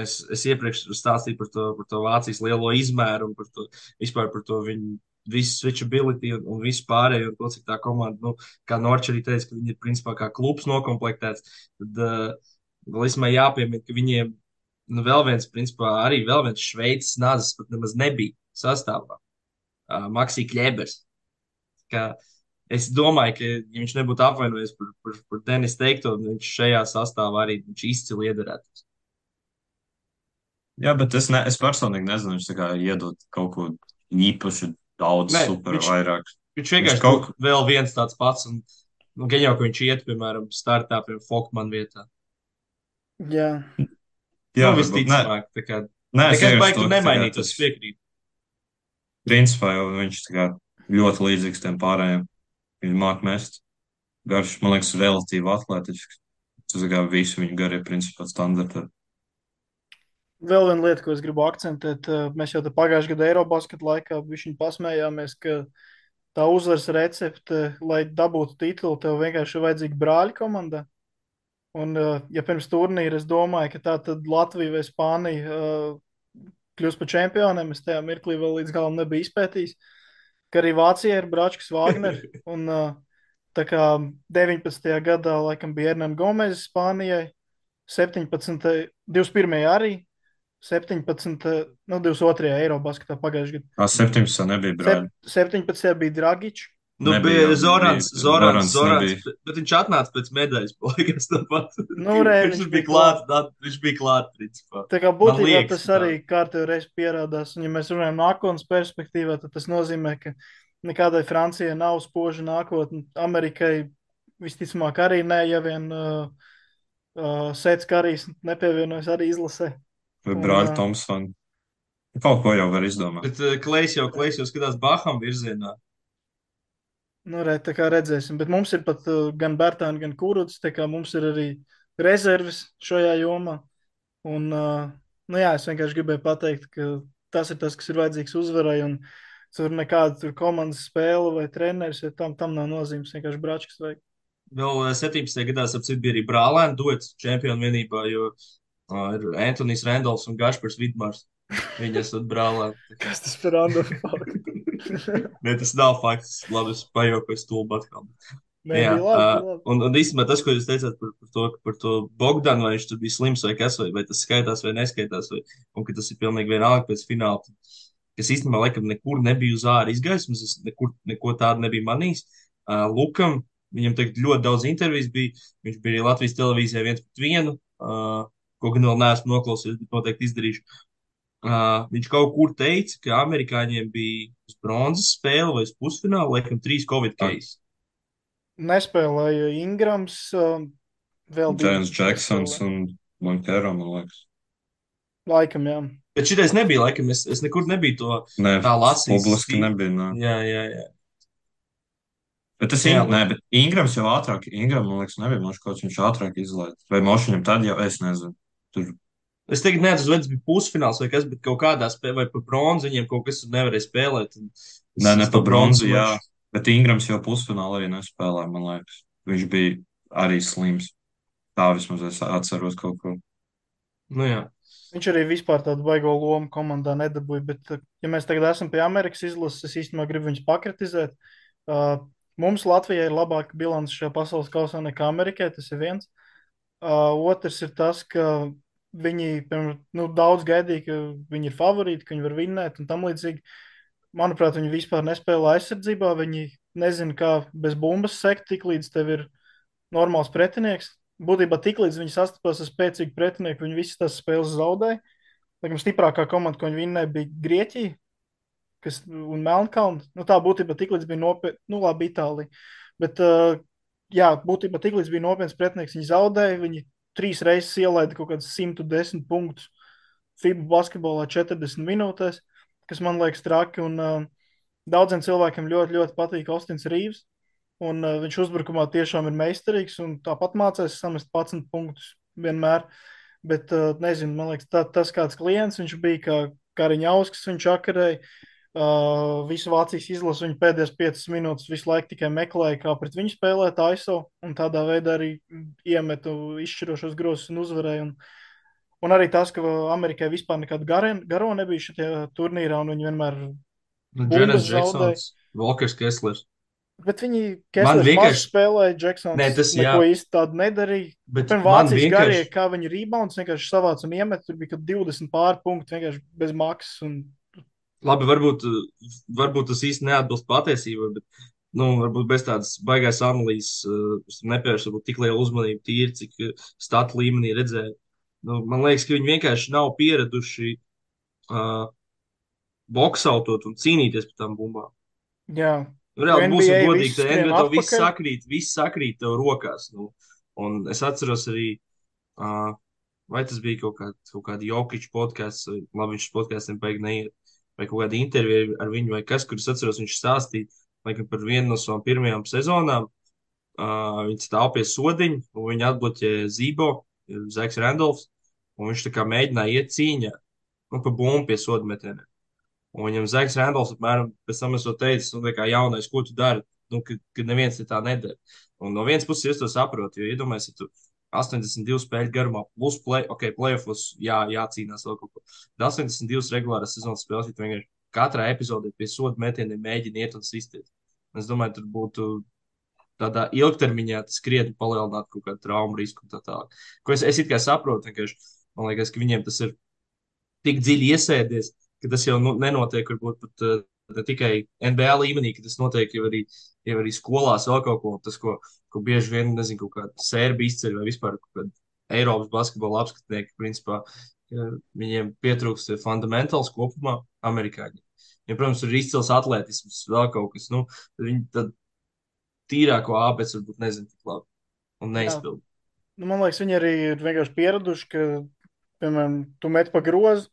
es iepriekš stāstīju par to Vācijas lielo izmēru un par to, vispār par to viņu visu switchability un visu pārējo, un to, cik tā komanda, nu, kā Norčs arī teica, ka viņi ir principā kā klubs nokomplektēts, tad vēl īstenībā jāpiemina, ka viņiem, nu, vēl viens, principā, arī vēl viens Šveices nāzes pat nemaz nebija sastāvā. Maksī Kļebers. Es domāju, ka, ja viņš nebūtu apvainojies par Denis teikto, viņš šajā sastāvā arī viņš izcili iederētos. Jā, bet es personīgi nezinu, viņš tā kā iedod kaut ko īpaši daudz, Nē, super vairāk. viņš Viņš vienkārši kaut, būtu vēl viens tāds pats, un nu, gan jau, ka viņš iet, piemēram, startā pie Folkman vietā. Jā, jā, Nu, varbūt, nē, visticamāk, tā kā nē, es nekas vienkārši baigi to, tur ka tā kā nemainītos, tas es piekrītu. principā jau viņš tā kā ļoti līdzīgs tiem pārējiem. Viņš māk mest garš, man liekas, relatīvi atlētiski. Tas tā kā visu viņu garie principā standarta. vēl viena lieta, ko es gribu akcentēt. Mēs jau te pagājušajā gadā Eirobasketa laikā viņi pasmējāmies, ka tā uzvaras recepte, lai dabūtu titulu, tev vienkārši ir vajadzīga brāļa komanda. Un, ja pirms turnīra es domāju, ka tā tad Latvija vai Spānija kļūs par čempioniem, es tajā mirklī vēl līdz galam nebiju izpētījis, ka arī Vācijā ir Bračkas Wagner. Un tā kā 19. gadā laikam bija Hernan Gomez Spānijai, 17. 21. arī, 17. Nu, 22. Eirobasketā pagājušajā gadā. 17. nebija brāļi. 17. bija Dragičs. Nu, Nebija bija jau, Zorans, bija- Zorans, Zorans Zorans, nebija. bet viņš atnāca pēc medaļas, liekas, tāpat. Nu, re, Viņš bija klāt, viņš bija klāt, principā. Tā kā Man būtībā liekas, tas tā. arī kārtībā reiz pierādās. Un, ja mēs runājam nākotnes perspektīvā, tad tas nozīmē, ka nekādai Francijai nav spoža nākotne. Amerikai visticamāk arī nē, ja vien Sēts Karijs nepievienojas arī izlasē. Vai Un, brāļi Thompsoni. Kaut ko jau var izdomāt. Bet Klejs jau skatās Baham virzienā. Nu, re, tā kā redzēsim. Bet mums ir pat gan Bērtāni, gan Kuruts. Tā kā mums ir arī rezerves šajā jomā. Un, nu jā, es vienkārši gribēju pateikt, ka tas ir tas, kas ir vajadzīgs uzvarai. Un tur nekāda tur komandas spēle vai treneris, ja tam nav nozīmes. Vienkārši Bračkas vajag. Vēl 17. gadā, ap citu, bija arī brālēni duets čempionu vienībā, jo ir Antonijs Rendolfs un Gašpars Vidmārs. Viņi esat brālēni. Kas tas par random faktu? Nē, tas nav fakts. Labi, es pajokoju stulbu atkal. Nē, Jā, bija labi, bija labi. un īstenībā tas, ko jūs teicāt par to Bogdanu, vai viņš tur bija slims vai kas, vai tas skaitās vai neskaitās, un ka tas ir pilnīgi vienalga pēc fināla, kas īstenībā laikam nekur nebija uz ārā izgaismas, es neko tādu nebiju manījis. Lukam, viņam tagad ļoti daudz intervijas bija, viņš bija arī Latvijas televīzijā 1-1, ko gan vēl neesmu noklausījies, bet noteikti izdarīšu. Viņš kaut kur teica, ka amerikāņiem bija uz bronzas spēle vai uz pusfināla, laikam 3 Covid case. Nespēlēja Ingrams, vēl divi Jēns Džeksons nespēlēja. un Montero, man liekas. Laikam, jā. Bet šitais nebija, laikam, es nekur nebiju to Nē, tā lasījis. publiski nebija, nē. Jā, jā, jā. Bet tas, Jā, nē, bet Ingrams jau ātrāk, Ingram, man liekas, nebija mošs kaut viņš ātrāk izlaiž. Vai mošiņam tad jau, es nezinu. Tur, es teiktu, neatceros, vai tas bija pusfināls vai kas, bet kaut kādā spēlē, vai par bronzu viņiem kaut kas tur nevarēja spēlēt. ne Es pa to bronzu, bronzas jā. maču. Bet Ingrams jau pusfinālā arī nespēlēja, man liekas. Viņš bija arī slims. Tā vismaz es atceros kaut ko. Nu, jā. Viņš arī vispār tādu baigo lomu komandā nedabūja. Bet, ja mēs tagad esam pie Amerikas izlases, es īstenībā gribu viņus pakritizēt. Mums Latvijai ir labāka bilance šajā pasaules kausā nekā Amerikai. Tas ir viens. Otrs ir tas, ka viņi daudz gaidīja, ka viņi ir favorīti, ka viņi var vinnēt un tam līdzīgi. Manuprāt, viņi vispār nespēlē aizsardzībā. Viņi nezina, kā bez bumbas sekt, tik līdz tev ir normāls pretinieks. Būtībā tik līdz viņi sastapās ar spēcīgu pretinieku, viņi visas tās spēles zaudēja. Laikam stiprākā komanda, ko viņi vinnēja, bija Grieķija un Melnkalna. Nu, tā būtībā tik līdz bija nopietna, nu labi, Itālija. Bet, jā, būtībā tik līdz bija nopietns pretinieks, viņi zaudēja. Viņi 3 reizes ielaida kaut kādus 110 punktus FIBA basketbolā 40 minūtēs, kas man liekas traki. Un daudziem cilvēkiem ļoti, ļoti patīk Austins Rīvs. Un viņš uzbrukumā tiešām ir meistarīgs un tāpat mācās samest 11 punktus vienmēr. Bet, nezinu, man liekas, tas kāds klients viņš bija, kā Kariņauskas viņš akarēja. Visu Vācijas izlasu viņa pēdējās 5 minūtes visu laiku tikai meklēja, kā pret viņu spēlēt ISO, un tādā veidā arī iemetu izšķirošos grozus un uzvarēja. Un arī tas, ka Amerikai vispār nekādu garo nebija šajā turnīrā, un viņi vienmēr Nu, bumbas Dženers zaudēja. Džeksons, Volkers Keslers. Bet viņi Man Keslers maz vienkārši, spēlēja, nē, Džeksons tas jā, neko īsti tādu nedarīja. bet Pirmā man Vācijas garie, vienkārši, kā viņi rebounds vienkārši savāca un iemet, tur bija 20 pāri punkti vienkārši bez maksas. Un, labi, varbūt tas īsti neatbilst patiesībai, bet, nu, varbūt bez tādas baigās analīzes, es nepievēršu varbūt tik lielu uzmanību tīri, cik statu līmenī redzēju. Nu, man liekas, ka viņi vienkārši nav pieraduši uh, boksautot un cīnīties par tām bumbām. jā, Nu, jo reāli būsim NBA godīgi, viss tad skrien NBA tev atpakaļ. viss sakrīt tev rokās. Nu. Un es atceros arī, uh, vai tas bija kaut kāda Jokiča podkāsts, vai labi, viņš podkāstiem beig neiet, vai kaut kāda intervija ar viņu, vai kas, kur es atceros, viņš stāstīja, laikam par vienu no savām pirmajām sezonām. Viņi stāv pie sodiņa, un viņi atbloķē Zībo, Zeks Randolfs, un viņš tā kā mēģināja iet cīņā, nu, pa bumbu pie soda metieniem. Un viņam Zeks Randolfs apmēram pēc tam esot teicis, nu, kā jaunais, ko tu dari, nu, ka neviens te tā nedara. Un no vienas puses es to saprotu, jo iedomājies, ja tu 82 spēļu garumā plus playoffs, jācīnās vēl kaut ko. Bet 82 regulāras sezonas spēles, ja tu vienkārši katrā epizodē pie soda metieniem mēģini iet un sisties. Es domāju, tur būtu tādā ilgtermiņā tas krietni palielinātu kaut kādu traumu risku un tā tālāk. Ko es it kā saprotu, vienkārši man liekas, ka viņiem tas ir tik dziļi iesēdies, ka tas jau nenotiek varbūt pat ne tikai NBA līmenī, ka tas notiek jau arī skolās vēl kaut ko, tas, ko bieži vien, nezinu, kaut kāda sērba izceļ vai vispār kaut kāda Eiropas basketbola apskatnieki, principā, viņiem pietrūkst fundamentāls kopumā amerikāņi. Ja, protams, ir izcils atlētisms, vēl kaut kas, nu, tad viņi tad tīrāko āpēc varbūt nezinu tik labi un Jā, neizpild. nu, man liekas, viņi arī ir vienkārši pieraduši, ka, piemēram, tu met pa grozu,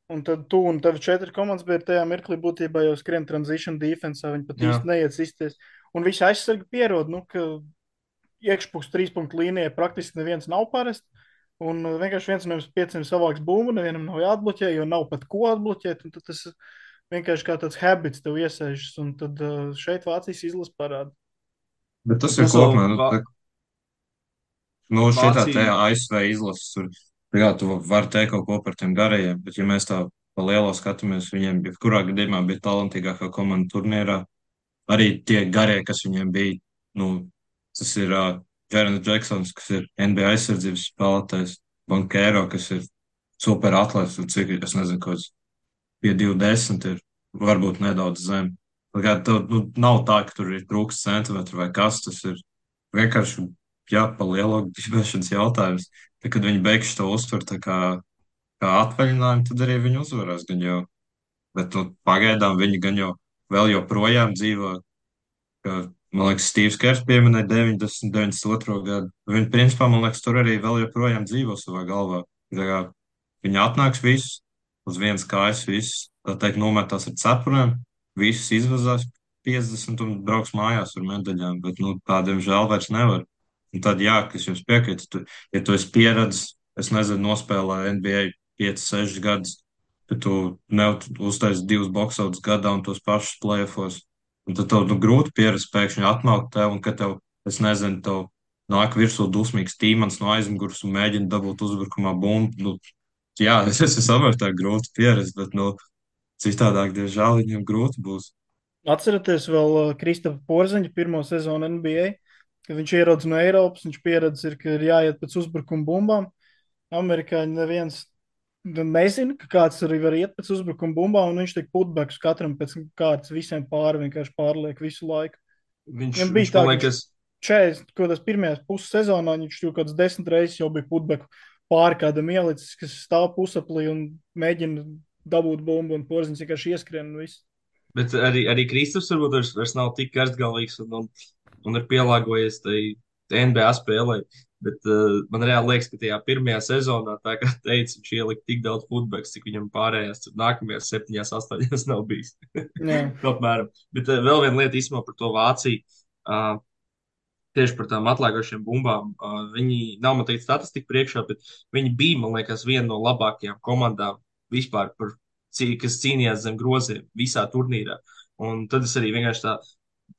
un tad tu un tev 4 komandas bija tajā mirklī būtībā jau skrien transition defensā, viņi pat Jā. īsti neiet sistties. Un visi aizsargi pierod, nu, ka iekšpuks 3 punktu līnijā praktiski neviens nav parasti. Un vienkārši viens no jums 5 savāks bumbu, nevienam nav jāatbloķē, jo nav pat ko atbloķēt. Un tad tas vienkārši kā tāds habits tev iesēžas. Un tad šeit Vācijas izlase parāda. Bet tas Bet ir tas vēl kopumā, nu, šitā te Vācija. ASV izlases tur, jā, tu vari teikt kaut ko par tiem garajiem, bet ja mēs tā pa lielo skatāmies, viņiem jebkurā gadījumā bija talantīgākā komanda turnīrā. Arī tie garie, kas viņiem bija, nu, tas ir Jārens Džeksons, kas ir NBA aizsardzības spēlētājs, Bankēro, kas ir super atlēts, un cik, es nezinu, kaut kāds pie 20 ir, varbūt nedaudz zem. Tā kā tev, nu, nav tā, ka tur ir trūks centimetru vai kas, tas ir vienkārši, jā, pa lielo gribēšanas jautājums. Tad, kad viņi beigs to uztver kā atvaļinājumu, tad arī viņi uzvarēs gan jau. Bet nu, pagaidām viņi gan jau vēl joprojām dzīvo, ka Man liekas, Stīvs Kers pieminēja 90, 92. gadu. Viņi, principā, man liekas, tur arī vēl joprojām dzīvo savā galvā. Tā kā viņi atnāks visus uz vienas kājas, visus, tā teikt, nometās ar cepurēm, visus izvazās 50 un brauks mājās ar medaļām, bet, nu, tādiem žēl vairs nevar. Un tad, jā, kas jums piekrīt, ja tu esi pieredzis, es nezinu, nospēlē NBA 5, 6 gadus, bet tu uztaisi 2 boxauts gadā un tos pašus playoffs. Un tad tev grūti pierast pēkšņi atnākt tev, un ka tev, es nezinu, tev nāk virsū dusmīgs tīmans no aizmugures un mēģina dabūt uzbrukumā bumbu. Nu, jā, es saprotu, tā ir grūti pierast, bet, nu, citādāk, diemžēl, viņam grūti būs. Atceraties vēl Kristapa Porziņa pirmo sezonu NBA, kad viņš ierodas no Eiropas, viņš pieredzis, ka ir jāiet pēc uzbrukuma bumbām. Amerikāņi neviens nezina, ka kāds arī var iet pēc uzbrukuma bumbām, un viņš tik putbeks katram pēc kārtas visiem pāri vienkārši pārliek visu laiku. Viņam Viņš bija tā, man ka liekas, 40, ko tas pirmajās puses sezonā, viņš tur kāds 10 reizes jau bija putbeku pāri kādam ielicis, kas stāv pusaplī un mēģina dabūt bumbu, un Porziņš vienkārši ieskrien un viss. bet arī Kristaps varbūt vairs nav tik karstgalīgs un ir pielāgojies tai NBA spēlē. Bet man reāli liekas, ka tajā pirmajā sezonā, tā kā teica, viņš ielika tik daudz futbols, cik viņam pārējās nākamajās 7, 8 nav bijis. Jā. Apmēram. Bet vēl viena lieta īstenībā par to Vāciju. Uh, Tieši par tām atlēkošiem bumbām. Viņi nav man teikt statistika priekšā, bet viņi bija, man liekas, viena no labākajām komandām vispār, kas cīnījās zem groziem visā turnīrā. Un tad es arī vienkārši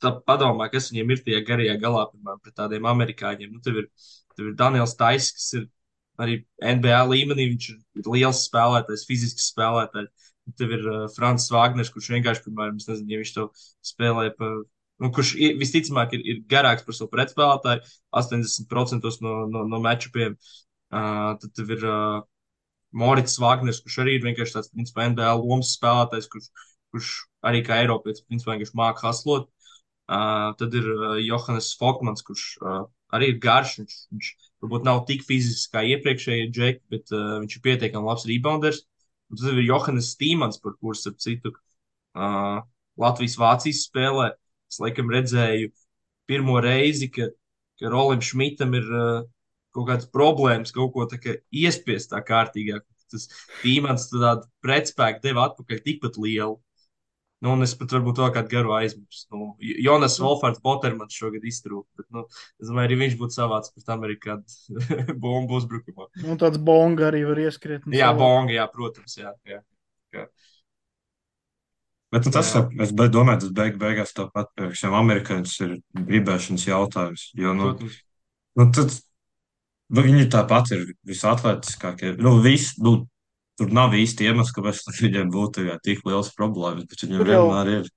tā padomāju, kas viņiem ir tajā garajā galā, piemēram, pret tādiem amerikāņiem. Nu, tev ir Daniels Tais, kas ir arī NBA līmenī, viņš ir liels spēlētājs, fizisks spēlētājs. Tev ir Francis Vāgners, kurš vienkārši, piemēram, es nezinu, ja viņš to spēlē pa kurš visticamāk ir garāks par savu pretspēlētāju, 80% no matčupiem. Tad tev ir Morits Vāgners, kurš arī ir vienkārši tāds, principā, NBA lomas spēlētājs, kurš arī kā Eiropietis, principā, vienkārši māca haslot. Tad ir Johannes Folkmans, kurš arī ir garš. Viņš varbūt nav tik fizisks kā iepriekšējie džeki, bet viņš ir pietiekami labs rebounders. Un tad ir Johannes Stīmans, par kuru, starp citu, Latvijas-Vācijas spēlē. Es laikam redzēju pirmo reizi, ka Rolim Šmitam ir kaut kādas problēmas, kaut ko iespiest tā kārtīgāk. Tas tīmans tādu pretspēku deva atpakaļ tikpat lielu. Nu, un es pat varbūt vēl kādu garu aizmirsu. Nu, Jonas Wolfārds Botermans šogad iztrūka, bet, nu, es domāju, arī viņš būtu savāds pret Amerikādu bombu uzbrukumā. Un tāds bonga arī var ieskriet. Jā, bonga, jā, protams, jā. Bet nu, tas, Jā. es domāju, tas beigās tāpat priekšām amerikāņus ir gribēšanas jautājums. Jo, nu, Protams. tad viņi tāpat ir visatletiskākie. Tur nav īsti iemesls, kāpēc viņiem būtu tik liels problēmas, bet viņiem Tur jau vienmēr ir.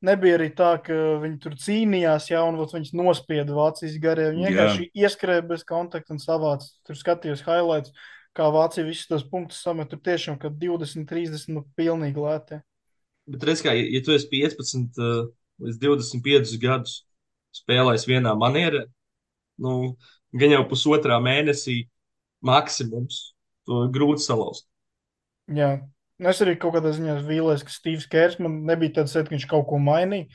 nebija arī tā, ka viņi tur cīnījās, jā, un viņus nospieda Vācijas garē. Viņi vienkārši ieskrēja bez kontakta un savāca. Tur skatījos highlights, kā Vācija visus tos punktus samet. Tur tiešām, ka 20, 30, nu, pilnīgi lētē. Bet redz, kā, ja tu esi 15 līdz 25 gadus spēlējis vienā manierē, nu, gan jau pusotrā mēnesī maksimums, to ir grūti salauzt. Jā. Es arī kaut kādā ziņā vīlēs, ka Stīvs Kērs man nebija tāds, ka viņš kaut ko mainīja.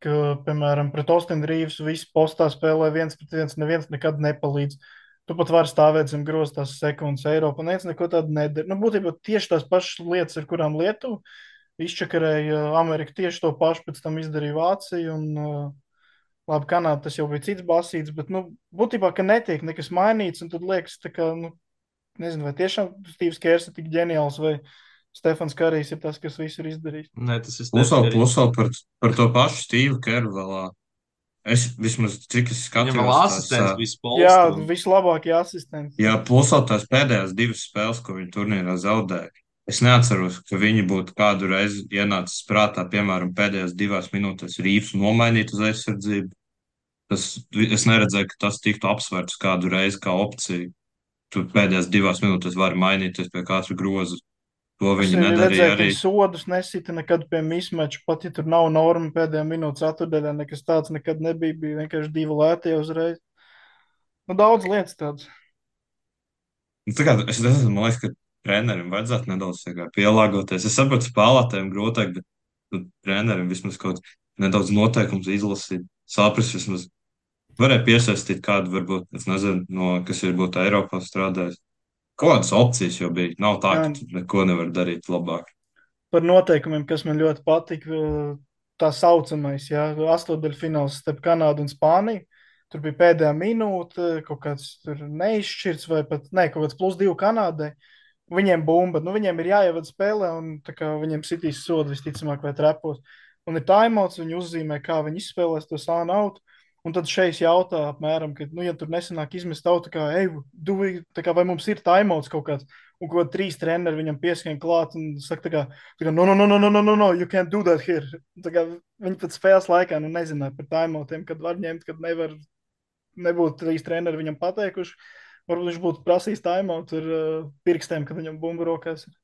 Ka, piemēram, pret Ostinu Rīvsu visi postā spēlē 1-1, neviens nekad nepalīdz. Tu pat vari stāvēt zem groztās sekundes Eiropā. Neviens neko tādu nedara. Nu, būtībā tieši tās pašas lietas, ar kurām Lietuva izčakarēja Ameriku, tieši to pašu pēc tam izdarīja Vācija. Un, labi, Kanāda tas jau bija cits basīts, bet, nu, būtībā, ka netiek nekas mainīts, un tad liekas, tā kā, nu, nezinu, vai tiešām Stīvs Kērs ir tik ģeniāls, vai Stefans Karijs ir tas, kas visu ir izdarījis. Nē, tas ir Plus vēl par to pašu Stīvu Keru vēl. Es vismaz, cik es Viņam vēl skatījos, asistents bija Jā, Spolstra. vislabākie asistenti. jā, plus vēl tās pēdējās 2 spēles, ko viņi turnīrā zaudēja. Es neatceros, ka viņi būtu kādu reizi ienācis prātā, piemēram, pēdējās 2 minūtēs Rīvs nomainīt uz aizsardzību. Es neredzēju, ka tas tiktu apsvērts kādu reizi kā opcija. Tu pēdējās 2 minūtēs vari mainīties pie katra groza. To Es viņi arī nedarīja redzēju, ka arī. viņi sodus nesita nekad pie mismeča, pat ja tur nav norma pēdējā minūtes atturdaļā, nekas tāds nekad nebija, bija vienkārši 2 lētie uzreiz. Nu, daudz lietas tādas. Nu, tā kā, es nezinu, man liekas, ka trenerim vajadzētu nedaudz pielāgoties. Es saprotu, spēlētājiem grūtāk, bet trenerim vismaz kaut nedaudz noteikums izlasīt, saprast vismaz. Varēja piesaistīt kādu, varbūt, es nezinu, kas ir būt Eiropā strādājis. Kādas opcijas jau bija? Nav tā, Jā, ka tu neko nevar darīt labāk. par noteikumiem, kas man ļoti patika, tā saucamais, ja, astotdaļfināls starp Kanādu un Spāniju. Tur bija pēdējā minūte, kaut kāds tur neizšķirts, vai pat ne, kaut kāds +2 Kanādai. Viņiem bumba, nu viņiem ir jāievada spēlē, un tā kā viņiem sitīs sodu visticamāk vai trepos. Un ir timeouts, viņi uzzīmē, kā viņi izspēlēs to sānu autu. Un tad šeit jautā apmēram, ka, nu, ja tur nesanāk izmest autu, kā, ej, tā kā vai mums ir timeouts kaut kāds, un ko 3 treneri viņam pieskrien klāt un saka, tā kā, no, no, no, no, no, no, no, no, you can't do that here. Tā kā viņi pat spēles laikā, nu, nezināja par timeoutiem, kad var ņemt, kad nevar, nebūtu 3 treneri viņam pateikuši. Varbūt viņš būtu prasījis timeout ar pirkstiem, kad viņam bumba rokās ir.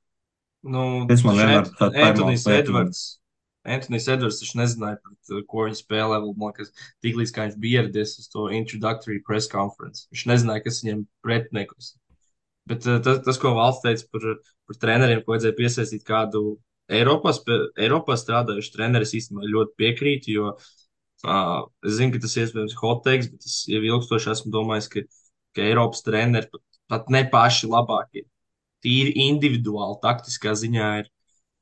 Nu, Tas man taču vienmēr tā Antonijs timeout lieta man. Edvards. Antonijs Edvards taču nezināja, pret ko viņš spēlē. Man liekas, tiklīdz kā viņš bija ieradies uz to introductory press conference. Viņš nezināja, kas viņam pretinieks. Bet tas, ko valsts teica par treneriem, ko vajadzēja piesaistīt kādu Eiropā strādājušu treneri, es īstenībā ļoti piekrītu, jo es zinu, ka tas ir iespējams hot takes, bet es jau ilgstoši esmu domājis, ka Eiropas treneri pat ne paši labākie, tīri individuāli, taktiskā ziņā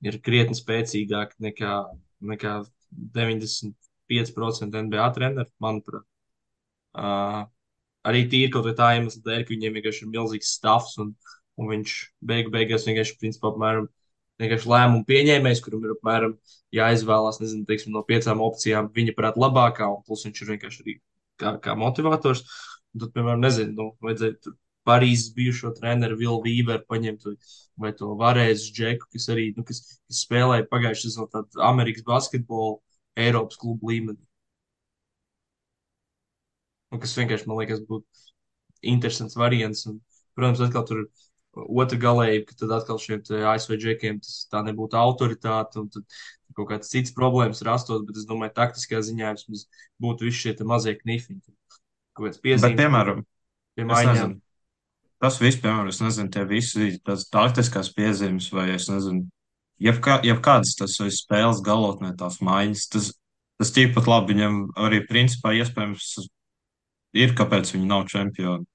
ir krietni spēcīgāki nekā 95% NBA treneri, manuprāt. Uh, Arī tīri kaut vai tā iemesla dēļ, ka viņiem vienkārši ir milzīgs stāvs un viņš beigās vienkārši, principā, apmēram vienkārši lēmumu pieņēmējs, kuram ir apmēram jāizvēlās, nezinu, teiksim, no 5 opcijām viņa prāt labākā, un plus viņš ir vienkārši arī kā motivators. Un tad, piemēram, nezinu, nu, vajadzēja tur Parīzes bijušo treneru Vilu Vīveru paņemt vai to Varēzes Džeku, kas arī, nu, kas spēlēja pagājušajā sezonā tādu Amerikas basketbolu Eiropas klubu līmenī. Un kas vienkārši, man liekas, būtu interesants variants. Un, protams, atkal tur ir otra galēja, ka tad atkal šiem ASV džekiem tā nebūtu autoritāte, un tad kaut kāds cits problēmas rastos, bet es domāju, taktiskā ziņā vismaz būtu visi šie mazie knifiņi. Kaut kāds Bet, piezīmes piemēram, pie es maiņām. nezinu, tas viss, piemēram, es nezinu, tie visi tās taktiskās piezīmes, vai es nezinu, jebkādas tas vai spēles galotnē tās maiņas, tas tikpat labi viņam arī principā iespējams ir, kāpēc viņi nav čempioni.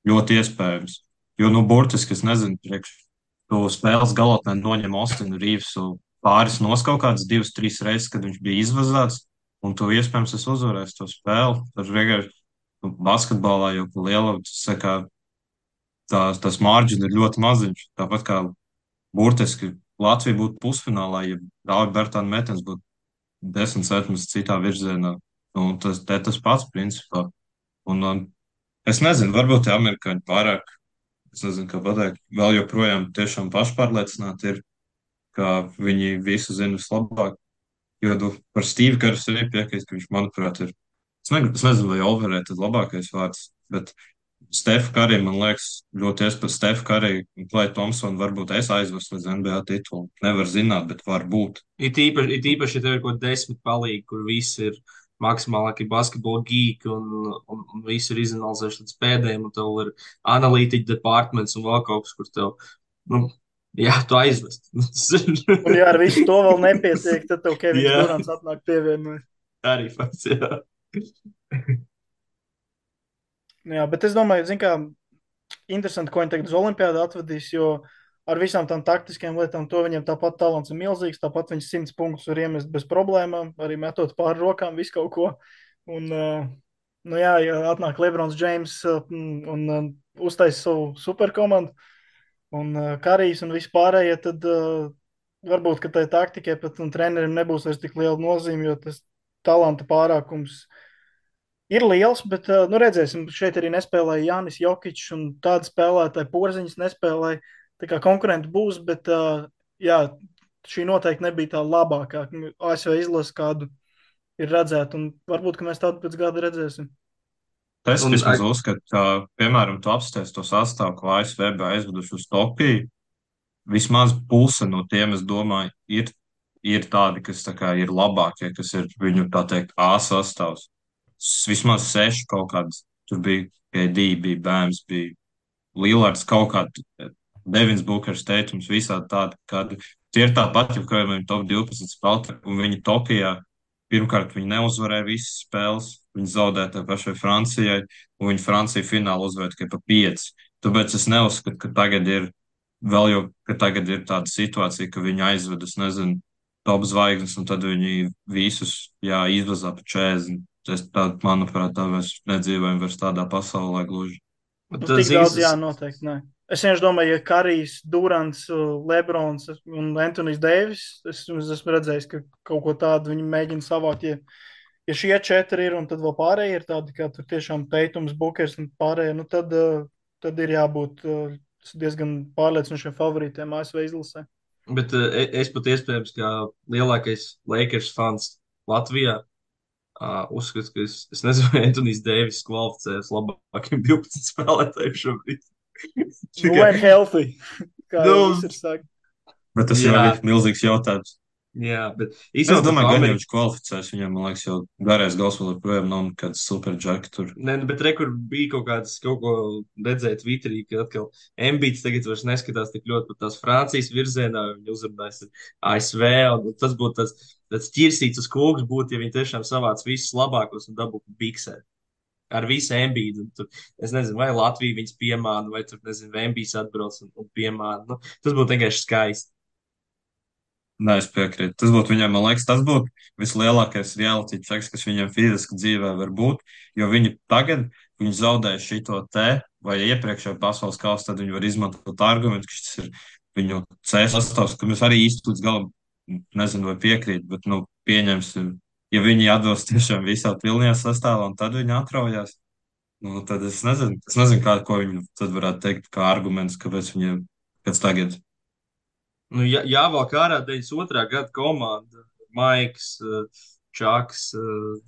Ļoti iespējams. Jo, nu, burtiski, es nezinu, tu spēles galotnē noņem Ostinu Rīvsu pāris nos kaut kādas 2, 3 reizes, kad viņš bija izvazāts, un tu iespējams esi uzvarējis to spēli. Tas vienkārši nu, basketbolā jau pa lielu, tas mārģis ir ļoti maziņš. Tāpat kā burtiski Latvija būtu pusfinālā, ja Dāvi Bertāna metens būtu 10 centimetrus citā virzienā. Nu, tas pats principā. Un es nezinu, varbūt tie amerikāņi pārāk, es nezinu, kā pateikt, vēl joprojām tiešām pašpārliecināti ir, ka viņi visu zina vislabāk. Jo par Stīvu Karu arī piekrīt, ka viņš, manuprāt, ir, es nezinu, vai overēt ir labākais vārds, bet Stefa Karī, man liekas, ļoti iespējams Stefa Karī un Klay Thompson varbūt es aizvestu līdz NBA titulu. Nevar zināt, bet var būt. It īpaši, ja tev ir kaut 10 palīgi, kur visi ir maksimālākie basketbola geeki un visi ir izanalizējuši līdz pēdējiem, un tev ir analītiķa departments un vēl kaut kas, kur tev, nu, jā, tu aizvest. Un ja ar visu to vēl nepietiek, tad tev Kevins Jā. Durants atnāk pievienojas. Arī fakts, jā. Jā, bet es domāju, zin kā, interesanti, ko viņi tagad uz Olimpiādu atvedīs, jo ar visām tām taktiskajām lietām to viņiem tāpat talants ir milzīgs, tāpat viņš 100 punktus var iemest bez problēmām, arī metot pāri rokām visu kaut ko. Un, nu jā, ja atnāk Lebrons Džeims un uztais savu superkomandu un Karijs un vispārējie, tad varbūt, ka tai taktikai pat un trenerim nebūs vairs tik liela nozīme, jo tas talanta pārākums ir liels, bet nu, redzēsim, šeit arī nespēlēja Jānis Jokičs un tāda spēlētāja Porziņas nespēlēja. Tā kā konkurenti būs, bet jā, šī noteikti nebija tā labākā. ASV izlase kādu ir redzēta, un varbūt, ka mēs tādu pēc gada redzēsim. Es Un, vismaz uzskatu, ka, piemēram, tu apstāties to sastāvu, ko ASV bija aizveduši uz Tokiju. Vismaz puse no tiem, es domāju, ir tādi, kas tā kā ir labākie, kas ir viņu, tā teikt, A sastāvs. Vismaz 6 kaut kādas. Tur bija KD, bija Bēms, bija Lillards, kaut kāds Devins Bukers teikums, visādi tādi, kādi tie ir tāpat, ja kādiem top 12 spēlētāji, un viņi Tokijā pirmkārt, viņi neuzvarēja visas spēles, viņi zaudēja tai pašai Francijai, un viņi Franciju finālu uzvarēja tikai pa 5. Tāpēc es neuzskatu, ka tagad ir vēl jau, ka tagad ir tāda situācija, ka viņi aizved, es nezinu, top zvaigznes, un tad viņi visus, jā, izvazā pa 40. Manuprāt, tā mēs nedzīvojam vairs tādā pasaulē gluži. Nu, Bet, tik zini, daudz, jā, noteikti. Nē. Es vienkārši domāju, ja Karijs, Durants, Lebrons un Antonijs Deivis, es esmu redzējis, ka kaut ko tādu viņi mēģina savākt. Ja šie 4 ir, un tad vēl pārējie ir tādi, kā tur tiešām Teitums, Bukers un pārējie, nu tad ir jābūt diezgan pārliecinošiem favorītiem ASV izlasē. bet es pat iespējams, kā lielākais Lakers fans Latvijā, uzskatu, ka es nezinu, vai Antonijs Deivis kvalificējas labākiem 12 spēlētājiem šobrīd. When healthy, kā Nu, jau visur saka. Bet tas jau jā, ir milzīgs jautājums. jā, bet Es īstenībā domāju, par ka Ameriku. viņš kvalificēs. Viņam, man liekas, jau garais gals vēl joprojām nav nekāds superjacks tur. Nē, nu, bet rekur bija kaut ko redzēt Twitterī, ka atkal Embīts tagad vairs neskatās tik ļoti pat tās Francijas virzienā, viņa uzrunājas ASV, un tas būtu tāds ķirsīts uz kūks būtu, ja viņi tiešām savāc visus labākos un dabūtu biksē. Ar visu Embīdu. Es nezinu, vai Latvija viņus piemāna, vai tur, nezinu, Embīds atbrauc un piemāna. Nu, tas būtu vienkārši skaisti. Nē, es piekrītu. Tas būtu viņam, man liekas, tas būtu vislielākais reality checks, kas viņam fiziski dzīvē var būt. Jo viņi tagad, viņi zaudēja šito te, vai iepriekšējā pasaules kausa, tad viņi var izmantot argumentu, ka šis ir viņu C sastāvs, ka mēs arī īsti līdz galam, nezinu, vai piekrīt, bet, nu, pieņemsim, ja viņi atbilst tiešām visā pilnajā sastāvā, un tad viņi atraujās. Nu, tad es nezinu, kā, ko viņi tad varētu teikt kā arguments, kāpēc viņiem pēc tagad. Nu, jāvelk ārā 92. gada komanda. Maiks, Čaks,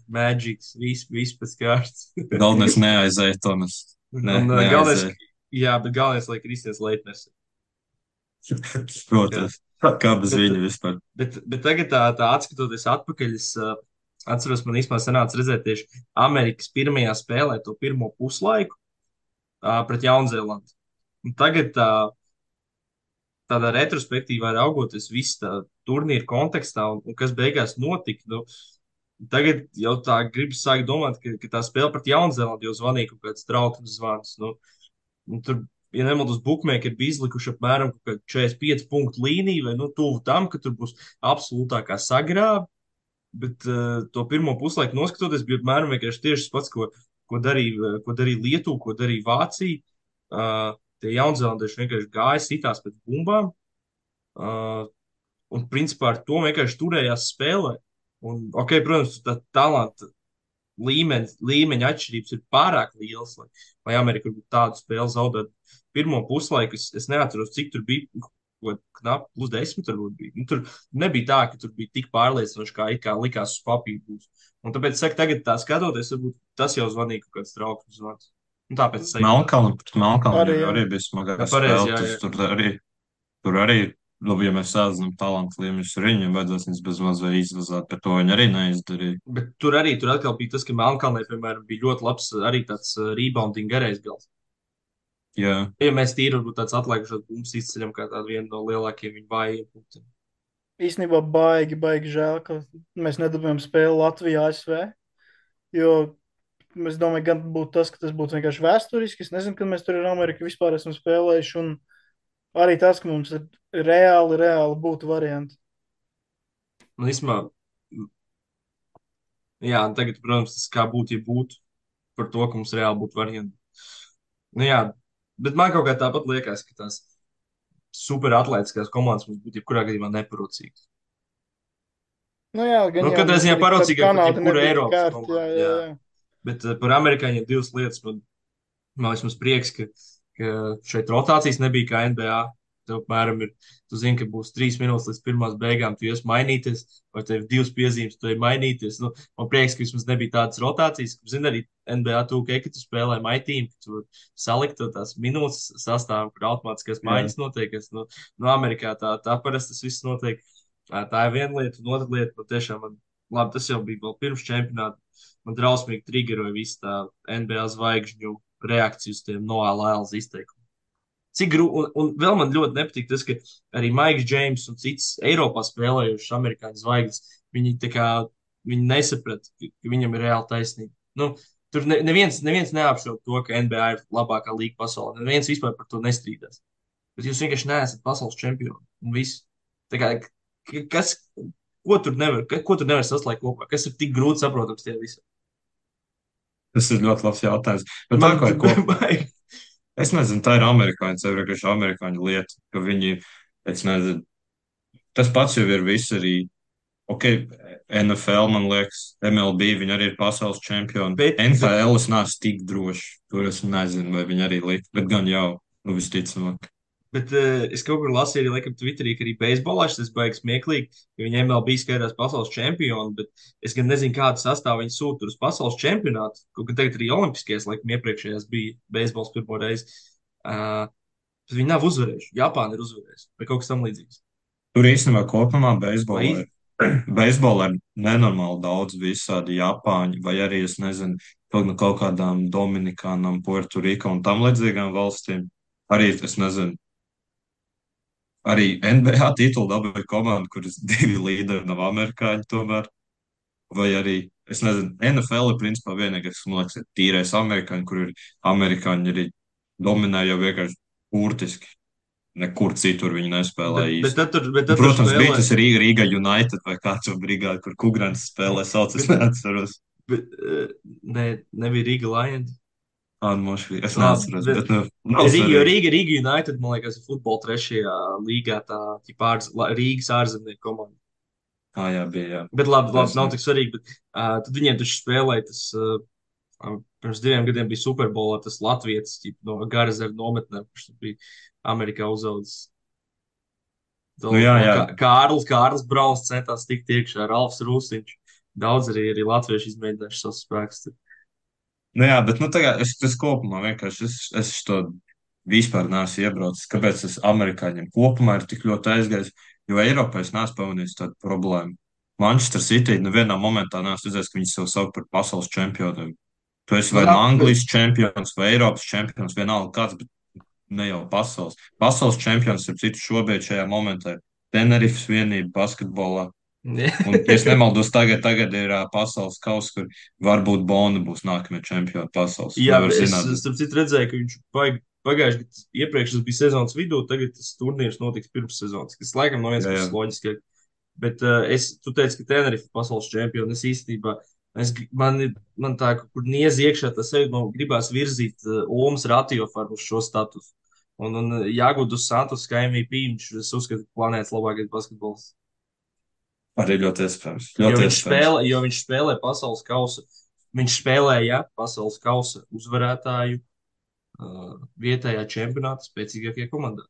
Magics, viss pēc kārtas. Galvenais neaizēja, Tomas. Un galvenais, Neaizēja. jā, bet galvenais, lai Kristians Leitners. Jā. Protams. Kā bez Bet, viņa vispār? bet tagad tā atskatoties atpakaļ, es atceros, man īstenībā sanāca redzēt tieši Amerikas pirmajā spēlē to pirmo puslaiku pret Jaunzēlandi. Un tagad tādā retrospektīvā raugoties visu tā turnīru kontekstā un kas beigās notika, nu, tagad jau tā gribas sākt domāt, ka tā spēle pret Jaunzēlandi jau zvanīja kaut kāds trauksmes zvans. Nu, tur, ja nemaldos, bookmakeri bija izlikuši apmēram 45 punktu līniju vai nu, tuvu tam, ka tur būs absolūtākā sagrāba. Bet to pirmo puslaiku noskatoties, bija apmēram vienkārši tieši tas pats, ko darīja Lietuva, ko darīja Vācija. Tie jaunzēlandieši vienkārši gāja sitās pēc bumbām. Uh, un principā ar to vienkārši turējās spēlē. Un, ok, protams, tā talanta līmeņa atšķirības ir pārāk lielas, lai Amerika varbūt tādu spēli zaudētu. Pirmo puslaiku es neatceros, cik tur bija. Knapi plus 10 varbūt bija. Nu, tur nebija tā, ka tur bija tik pārliecinoši, kā likās uz papīra būs. Un tāpēc, es saku, tagad tā skatoties, varbūt tas jau zvanīja kaut kāds trauksmes zvans. Un tāpēc es teiktu, Melkalna Arī, jā. arī bija smagā pareizi, spēle. jā, jā. Tur arī, labi, ja mēs sāzinām talantu līmeņus ar viņiem, vajadzēs viņus bez maz vai izvazāt, bet to viņi arī neizdarīja. bet tur atkal bija tas, ka Melnkalnē, piemēram, bija ļoti labs arī tāds rebounding garais gals. Jā, Ja mēs tīri varbūt tāds atlikušos bumbas izceļam kā tādu vienu no lielākajiem viņu vājiem punktiem. Īstenībā baigi žēl, ka mēs nedabūjām spēli Latvijā, ASV. Jo es domāju, gan būtu tas, ka tas būtu vienkārši vēsturiski. Es nezinu, kad mēs tur ar Ameriku vispār esam spēlējuši. Un arī tas, ka mums ir reāli būtu varianti. Nu, īstenībā, jā, un tagad, protams, tas kā būtu, ja būtu par to, ka mums reāli būtu varianti. Nu, jā, bet man kaut kā tāpat liekas, ka tās superatlētiskās komandas mums būtu jebkurā gadījumā neparocīgas. Nu jā, gan Nu, jau katrā mums ziņā arī parocīgāk par Kanāda jebkuru nebija tik Eiropas kārta. komandu. Jā. Jā. Bet par amerikāņiem divas lietas. Man vismaz prieks, ka šeit rotācijas nebija kā NBA. Tev, apmēram, tu zini, ka būs 3 minūtes līdz pirmās beigām, tu ies mainīties, vai tev ir 2 piezīmes, tu ej mainīties. Nu, man prieks, ka vismaz nebija tādas rotācijas. Zini, arī NBA tūkē, ka tu spēlē maitīm, ka tu salikt tās minūtes sastāvā, kur automātiskās maiņas notiek. No Amerikā tā parasti tas viss notiek. Tā ir viena lieta, un otra lieta, tiešām labi, tas jau bija vēl pirms čempionāta. Man drausmīgi triggeroja visu tā NBA zvaigžņu reakciju uz tiem noālēlas izteikumiem. Un vēl man ļoti nepatīk tas, ka arī Maiks Džeims un cits Eiropā spēlējušas amerikāņu zvaigznes, viņi tā kā viņi nesaprata, ka viņam ir reāli taisnība. Nu, tur neviens neapšauba to, ka NBA ir labākā līga pasaulē. Neviens vispār par to nestrīdās. Bet jūs vienkārši neesat pasaules čempioni. Un viss. Tā kā, kas, ko tur nevar saslēgt kopā? Kas ir tik grūti saprotams tie visi? Tas ir ļoti labs jautājums. Bet tā Man kā ir ko, baigi. es nezinu, tā ir amerikāņu, sev vienkārši amerikāņu lieta, ka viņi, es nezinu, tas pats jau ir viss arī, ok, NFL, man liekas, MLB, viņi arī ir pasaules čempioni. Bet NFL es neesmu tik drošs, tur es nezinu, vai viņi arī likt, bet gan jau, nu visticamāk. Bet es kaut kur lasīju, arī laikam, Twitterī, ka arī beisbolā tas baigs smieklīgi, ka viņi MLB skaitās pasaules čempioni, bet es gan nezinu, kādu sastāvu viņi sūta uz pasaules čempionātu. Kaut gan tagad arī Olimpiskajās, laikam, iepriekšējās bija beisbols pirmo reizi. Bet viņi nav uzvarējuši. Japāna ir uzvarējusi vai kaut kas tam līdzīgs. Tur īstenībā kopumā Vai beisbolā ir nenormāli daudz visādi Japāņu, vai arī, es nezinu, kaut kādām Dominikānām, Puertoriko un tam līdzīgām valstīm. Arī, es nezinu, arī NBA titulu dabūja komanda, kuras divi līderi nav amerikāņi tomēr. Vai arī, es nezinu, NFL ir principā vienīgais, kas man liekas, ir tīrais amerikāņi, kur ir amerikāņi arī dominē jau vienkārši burtiski. Nekur citur viņi nespēlēja īsti. bet tad tur Protams, bija spēlē. tas Riga United vai kāds brigāde, kur Kugrants spēlē, sauc, es Bet, neatceros. bet, nebija Riga Lions. Mošvi, es Labi, neatceros, bet bet nu, nav Jo svarīgi. Riga United, man liekas, ir futbola trešajā līgā, tā ķipā Rīgas ārzemnieku komanda. Jā, bija, jā. Bet labi, nav Taisnība. tik svarīgi. Bet, tad viņiem taču spēlēja tas. Pirms 2 gadiem bija Superbolā tas Latvijas no Garazera nometnēm, kurš bija Amerikā uzaudzis. Nu, jā. Kārlis Brauns centās tikt iekšā ar Alfs Rūsiņš. Daudz arī latvieši izmēģinājuši savus spēkus. Nu, jā, bet nu, tagad es kopumā vienkārši es to vispār neesmu iebraucis. Kāpēc tas amerikāņiem kopumā ir tik ļoti aizgājis? Jo Eiropā es neesmu pamanījis tādu problēmu. Manchester City nevienā momentā neesmu redzējis, ka viņi sev sauc par pasaules čempioniem. Tu esi vai Jā, no Anglijas čempions, vai Eiropas čempions, vienalga kāds, bet ne jau pasaules. Pasaules čempions ir citu šobrīd šajā momentā. Tenerifes vienība basketbolā. Un, ja es nemaldos, tagad ir pasaules kausa, kur varbūt Bona būs nākamie čempioni pasaules. Jā, Nevar es zināt. starp citu redzēju, ka viņš pagājuši gadu iepriekš tas bija sezonas vidū, tagad tas turnīrs notiks pirms sezonas, kas laikam no vienas Jā, jā. puses loģiski. Bet tu teici, ka Tenerife ir pasaules čempioni. Es īstenībā, man tā, kur niez iekšā, tas sevi man gribās virzīt Omas Ratiofaru uz šo statusu. Un jāgūt uz Santos kā MVP, viņš, es uzskatu, planētas labākais basketbols. Arī ļoti iespējams. Jo Ļoti viņš iespējams. viņš spēlē pasaules kausa. Viņš spēlēja pasaules kausa uzvarētāju vietējā čempionāta spēcīgākajā komandā.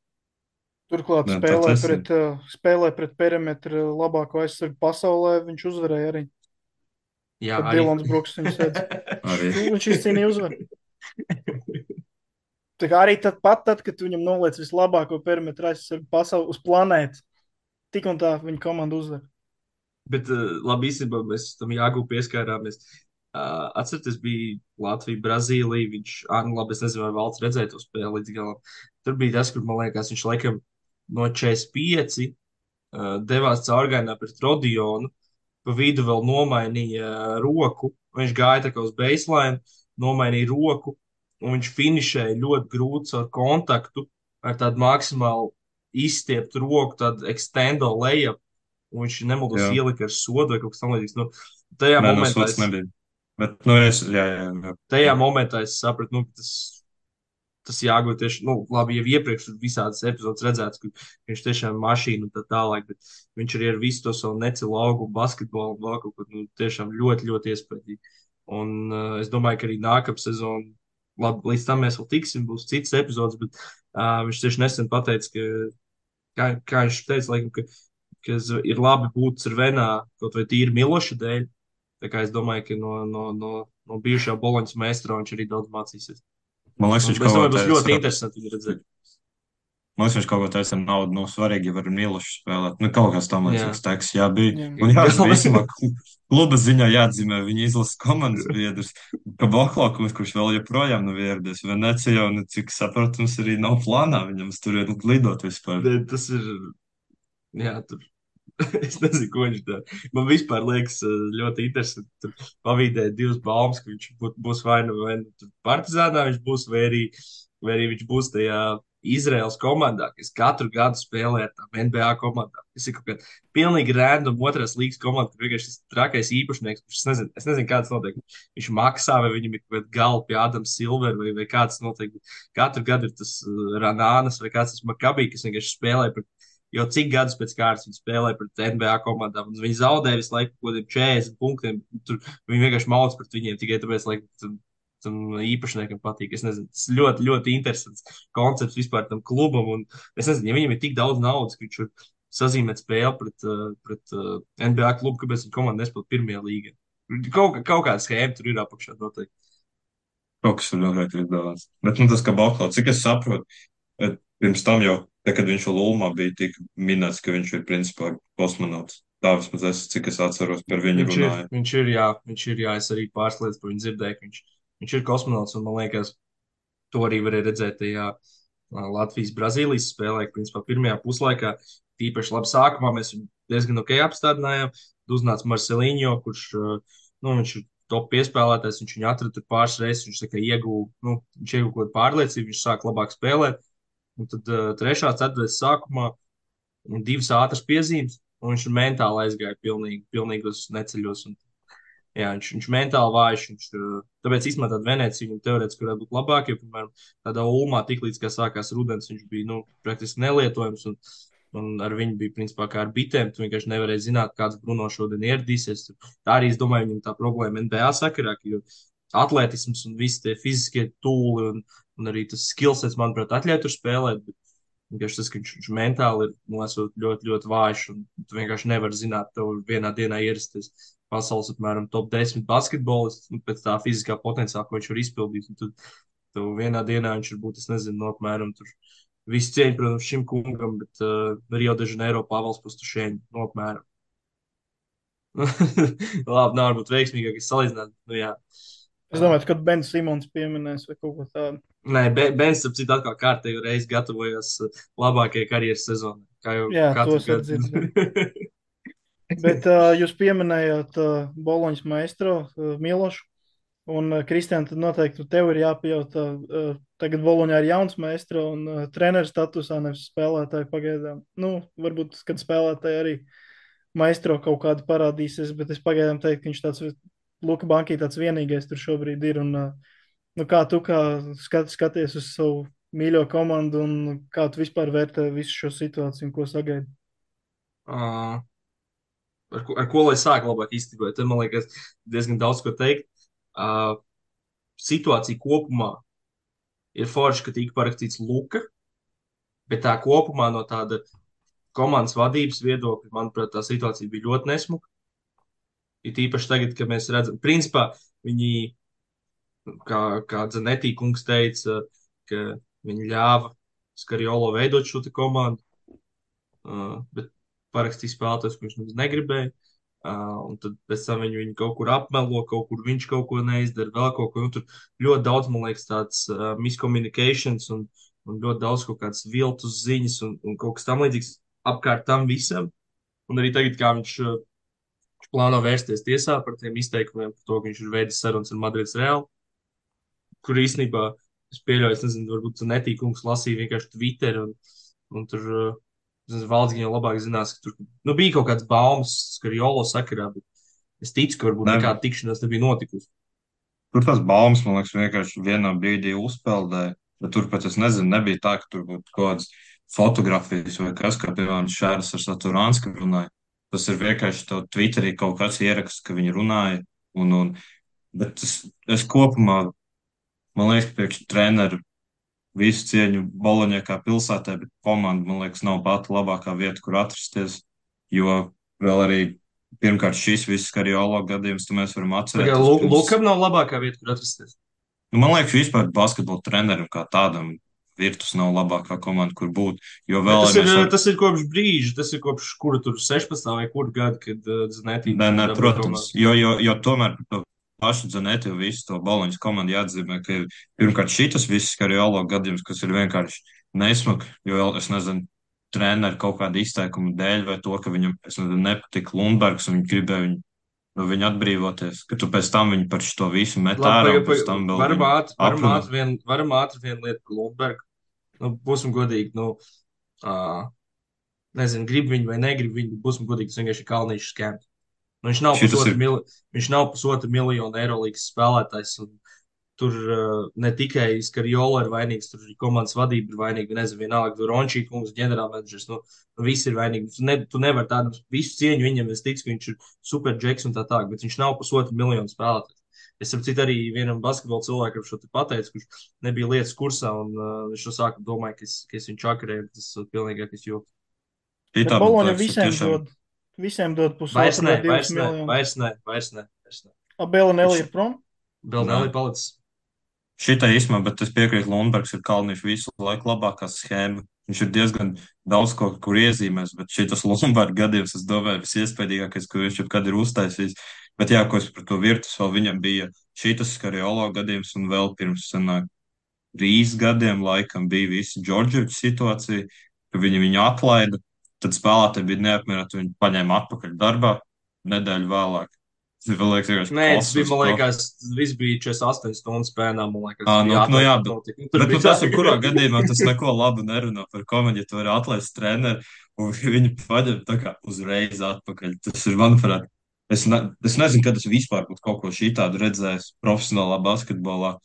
Turklāt Jā, tā tas ir. spēlē pret perimetru labāko aizsargu pasaulē. Viņš uzvarēja arī. Jā, Kad Dilans Bruks viņu sēdz. Arī. Viņš izcīnīja uzvaru. Tā kā arī tad, kad viņam noliec vislabāko perimetru aizsargu pasauli uz planētas, tik un tā viņa komanda uzvar. Bet labi, īstenībā mēs tam jāgūp pieskārāmies. Atcerieties, bija Latvija, Brazīlija. Viņš, nu labi, es nezinu, vai Valds redzēja to spēli līdz galam. Tur bija tas, kur, man liekas, viņš laikam no 45 devās caurgājienā pret Rodionu. Pa vidu vēl nomainīja roku. Viņš gāja tā kā uz baseline, nomainīja roku, un viņš finišēja ļoti grūti ar kontaktu, ar tādu maksimāli izstieptu roku, tādu extendo layup, un viņš nemaldos Jā. ielika ar sodu vai kaut kas tam līdzīgs. Nu, tajā Nē, no momentā sots nebija. Bet, nu, jā. tajā momentā es sapratu, nu, ka tas jāgūt tieši, nu, labi, jau iepriekš tur visādas epizodes redzēts, ka viņš tiešām ir mašīna un tā tālāk, bet viņš arī ar visu to savu necelu augumu, basketbolu un vēl kaut ko, nu, tiešām ļoti, ļoti iespaidīgi. Un es domāju, ka arī nākamā sezona, labi, līdz tam mēs vēl tiksim, būs citas epizodes, bet viņš tieši nesen pateica, ka, kā viņš teica, laikam, ka ir labi būt Cervenā kaut vai tīri Miloša dēļ. Tā kā es domāju, ka no bijušā Boloņas meistra viņš arī daudz mācīsies. Man liekas, Un viņš es kaut domāju, ko būs ļoti teica. interesanti viņu redzēt. Man liekas, viņš kaut ko teica ar naudu. Nu, svarīgi, ja var Milošu spēlēt. Nu, kaut kas tam līdzīgs teiks, jā, bija. Jā. Un jā, Bet labi. vismā kluba ziņā jāatzīmē viņa izlases komandas biedrs. Ka Boklākums, kurš vēl joprojām nav ieradies Venecijā, un cik saprotams, arī nav plānā viņam tur lidot vispār. Tas ir, jā, tur Es nezinu, ko viņš dara. Man vispār liekas ļoti interesanti. Tur pavīdēt divas baumas, ka viņš būs vai nu tur Partizānā, viņš būs, vai arī viņš būs tajā Izraels komandā, kas katru gadu spēlē ar tām NBA komandām. Tas ir kaut kāda pilnīgi random otrās līgas komanda, kur vienkārši tas trakais īpašnieks, kurš es nezinu, kāds notiek. Viņš maksā, vai viņam ir kaut kāda galva pie Ādama Silvera, vai kāds notiek. Katru gadu ir tas Ranānas vai kāds tas Makabī, kas vienkārši spēlē pret. Jo cik gadus pēc kārtas viņi spēlēja pret NBA komandām, un viņi zaudēja visu laiku kaut kādiem 40 punktiem. Tur viņi vienkārši mauc pret viņiem tikai tāpēc, lai tam īpašniekam patīk. Es nezinu, tas ļoti, ļoti interesants koncepts vispār tam klubam. Un es nezinu, ja viņam ir tik daudz naudas, ka viņš var sazīmēt spēli pret NBA klubu, kāpēc viņa komanda nespēlē pirmajā līgā. Kaut kāda schēma tur ir apakšā noteikti. Kaut kas tur noteikti ir izdevās. Bet, nu, tas, ka Bauhaus, cik es saprotu, pirms tam jau, te, kad viņš vēl Ulmā bija, tika minēts, ka viņš ir principā kosmonauts. Tā vismaz es, cik es atceros, par viņu Viņš ir, runāju. viņš ir, jā, viņš ir, jā, es arī pāris lietas par viņu dzirdēju, ka viņš ir kosmonauts, un man liekas, to arī varēja redzēt tajā Latvijas-Brazīlijas spēlē, ka principā pirmajā puslaikā tīpaši labi sākumā mēs viņu diezgan ok apstādinājām. Uznāca Marcelīņo, kurš, nu, viņš ir top piespēlētājs, viņš viņu atrada tur pāris reizes, viņš tā kā ieguva, nu, viņš ieguva kaut kādu pārliecību, viņš sāk labāk spēlēt. Un tad trešā, ceturtā sākumā divas ātras piezīmes, un viņš mentāli aizgāja pilnīgos neceļos. Un, jā, viņš mentāli vājš. Tāpēc īstenībā tāda Venecija viņam teorētiski varētu būt labāka. Jo, piemēram, tādā Ulmā tiklīdz kā sākās rudens, viņš bija nu, praktiski nelietojams. Un ar viņu bija principā kā ar bitēm. Tu vienkārši nevarēji zināt, kāds Bruno šodien ieradīsies. Tā arī, es domāju, viņam tā problēma NBA sakarā, jo atletisms un visi tie fiziskie tūli un arī tas skillsets, manuprāt, atļauj tur spēlēt. Bet vienkārši tas, ka viņš mentāli ir nosūt ļoti, ļoti vājš, un tu vienkārši nevari zināt, tev vienā dienā ierasties pasaules apmēram top 10 basketbolists, nu, pēc tā fiziskā potenciāla, ko viņš var izpildīt. Un tad tev vienā dienā viņš ir būt, es nezinu, no apmēram tur visu cieņu, protams, šim kungam, bet Rio de Janeiro Pāvils Pustušēņi, no apmēram. Labi, nav varbūt veiksmīgākais salīdzināt, nu jā. Es domāju, ka Bens Simons pieminēs vai kaut ko tādu. Nē, Bens, ap citu, atkal kārtējo reizi gatavojās labākajai karjeras sezonai. Kā jau Jā, katru tos var dzirdēt. gadu. Bet jūs pieminējāt Boloņas maestro Milošu. Un, Kristian, tad noteikti tev ir jāpajautā. Tagad Boloņā ir jauns maestro un treneris statusā, nevis spēlētāji pagaidām. Nu, varbūt, kad spēlētāji arī maestro kaut kādu parādīsies, bet es pagaidām teiktu, ka viņš tāds Luka Bankī tāds vienīgais tur šobrīd ir. Un, nu, kā tu skaties uz savu mīļo komandu un kā tu vispār vērtē visu šo situāciju un ko sagaidi? Uh, ar ko lai sāk labāk īstenībā? Te man liekas diezgan daudz ko teikt. Situācija kopumā ir forša, ka tika parakstīts Luka, bet tā kopumā no tāda komandas vadības viedokļa, manuprāt, tā situācija bija ļoti nesmuka. Ir īpaši tagad, kad mēs redzam, principā viņi, kā Zanetī kungs teica, ka viņi ļāva Skariolo veidot šo te komandu, bet parakstīja spēlētājs, ko viņš nemaz negribēja. Un tad pēc tam viņu kaut kur apmelo, kaut kur viņš kaut ko neizdara, vēl kaut ko. Un tur ļoti daudz, man liekas, tāds miscommunications un ļoti daudz kaut kādas viltus ziņas un kaut kas tam līdzīgs apkārt tam visam. Un arī tagad, kā viņš plāno vērsties tiesā par tiem izteikumiem, par to, ka viņš ir veidojis sarunas ar Madrides Reāli, kur īstenībā es pieļauju, es nezinu, varbūt netīkums lasīja vienkārši Twitter un tur. Valsts gan jau labāk zinās, ka tur nu, bija kaut kāds baumas, ka Jolo sakarā, bet es ticu, ka varbūt Ne, nekāda tikšanās nebija notikusi. tur tas baumas, man liekas, vienkārši vienā brīdī uzpeldēja. Bet tur pat es nezinu, nebija tā, ka tur būtu kaut kādas fotografijas vai kas, kā piemēram Šērs ar Saturānsku runāja. Tas ir vienkārši to Twitterī kaut kāds ieraksts, ka viņi runāja. Bet es kopumā, man liekas, priekš treneru visu cieņu Boloņai kā pilsētai, bet komanda, man liekas, nav pati labākā vieta, kur atrasties. Jo vēl arī pirmkārt šis viss Kariolo gadījums, tu mēs varam atcerēties. Lukam nav labākā vieta, kur atrasties. Nu, man liekas, vispār basketbola trenerim kā tādam Virtus nav labākā komanda, kur būt. Jo Bet vēl tas ja ir, mēs varam. tas ir kopš brīža, tas ir kopš kura tur 16. vai kura gada, kad Zanetī Nē, dabūja protams, komandu. jo tomēr par to pašu Zanetu visu to Boloņas komandu jāatzīmē, ka pirmkārt šitas viss Kariolo gadījums, kas ir vienkārši nesmuk, jo vēl es nezinu, treneru kaut kāda izteikuma dēļ, vai to, ka viņam, es nezinu, nepatika Lundbergs un viņi gribēja no viņa atbrīvoties, ka tu pēc tam viņu par šo visu met Labi, ārā un pēc tam vēl viņu aprunā. varam ātri vienu lietu par Lundbergu. Nu, būsim godīgi, nu, uh, nezinu, grib viņu vai negrib viņu, bet būsim godīgi, tas vienkārši ir Kalniņš skēmt. Nu, Šitas ir, viņš nav pusotra miljona eiro līgas spēlētājs. Tur ne tikai Skarjola ir vainīgs, tur arī komandas vadība ir vainīga. Nezinu, vienalga, tur Rončī kungs, ģenerālmenedžers. Nu, visi ir vainīgi. Tu nevari tādu visu cieņu viņam, es ticu, ka viņš ir super džeks un tā tālāk, bet viņš nav pusotra miljona spēlētājs. Es saprotu, arī vienam basketbola cilvēkam šo te pateicu, kurš nebija lietas kursā, un viņš to sāka domāt, ka es viņu čakarēju. Tas ir pilnīgākais joks. Bet šitā, man Boloņa liekas, ir tiešām. visiem dod Vairs pusotru nē, vai divus miljonus. vairs nē. Abela Nelī ir prom? Vēl Nē. nelī palicis. Šitai īstenībā, bet es piekrītu, Lundbergs ir Kalniņš visu laiku labākā schēma. Viņš ir diezgan daudz ko, kur iezīmēs, bet šitas Lundberga gadījums, es domāju, visiespējīgākais, ko viņš jebkad ir uztaisījis. Bet jā, ko es par to virtus, vēl viņam bija šitas Skariolo gadījums un vēl pirms sanāk 3 gadiem laikam bija visa Džordževiča situācija, ka viņu atlaida, tad spēlētāji bija neapmierināti, viņi paņēma atpakaļ darbā nedēļu vēlāk. Tas man liekas, vienkārši Nē, tas bija, kosmos. man liekas, viss bija 48 stundas spēnā, man liekas. Nu jā, Tur bet bija tas, tā, kurā gadījumā tas neko labu nerunā par komēdiju, ja tu vari atlaist treneri un viņi paņem tā kā uzreiz atpakaļ. Tas ir, manuprāt, es nezinu, kad es vispār būtu kaut ko šitādu redzējis profesionālā basketbolā.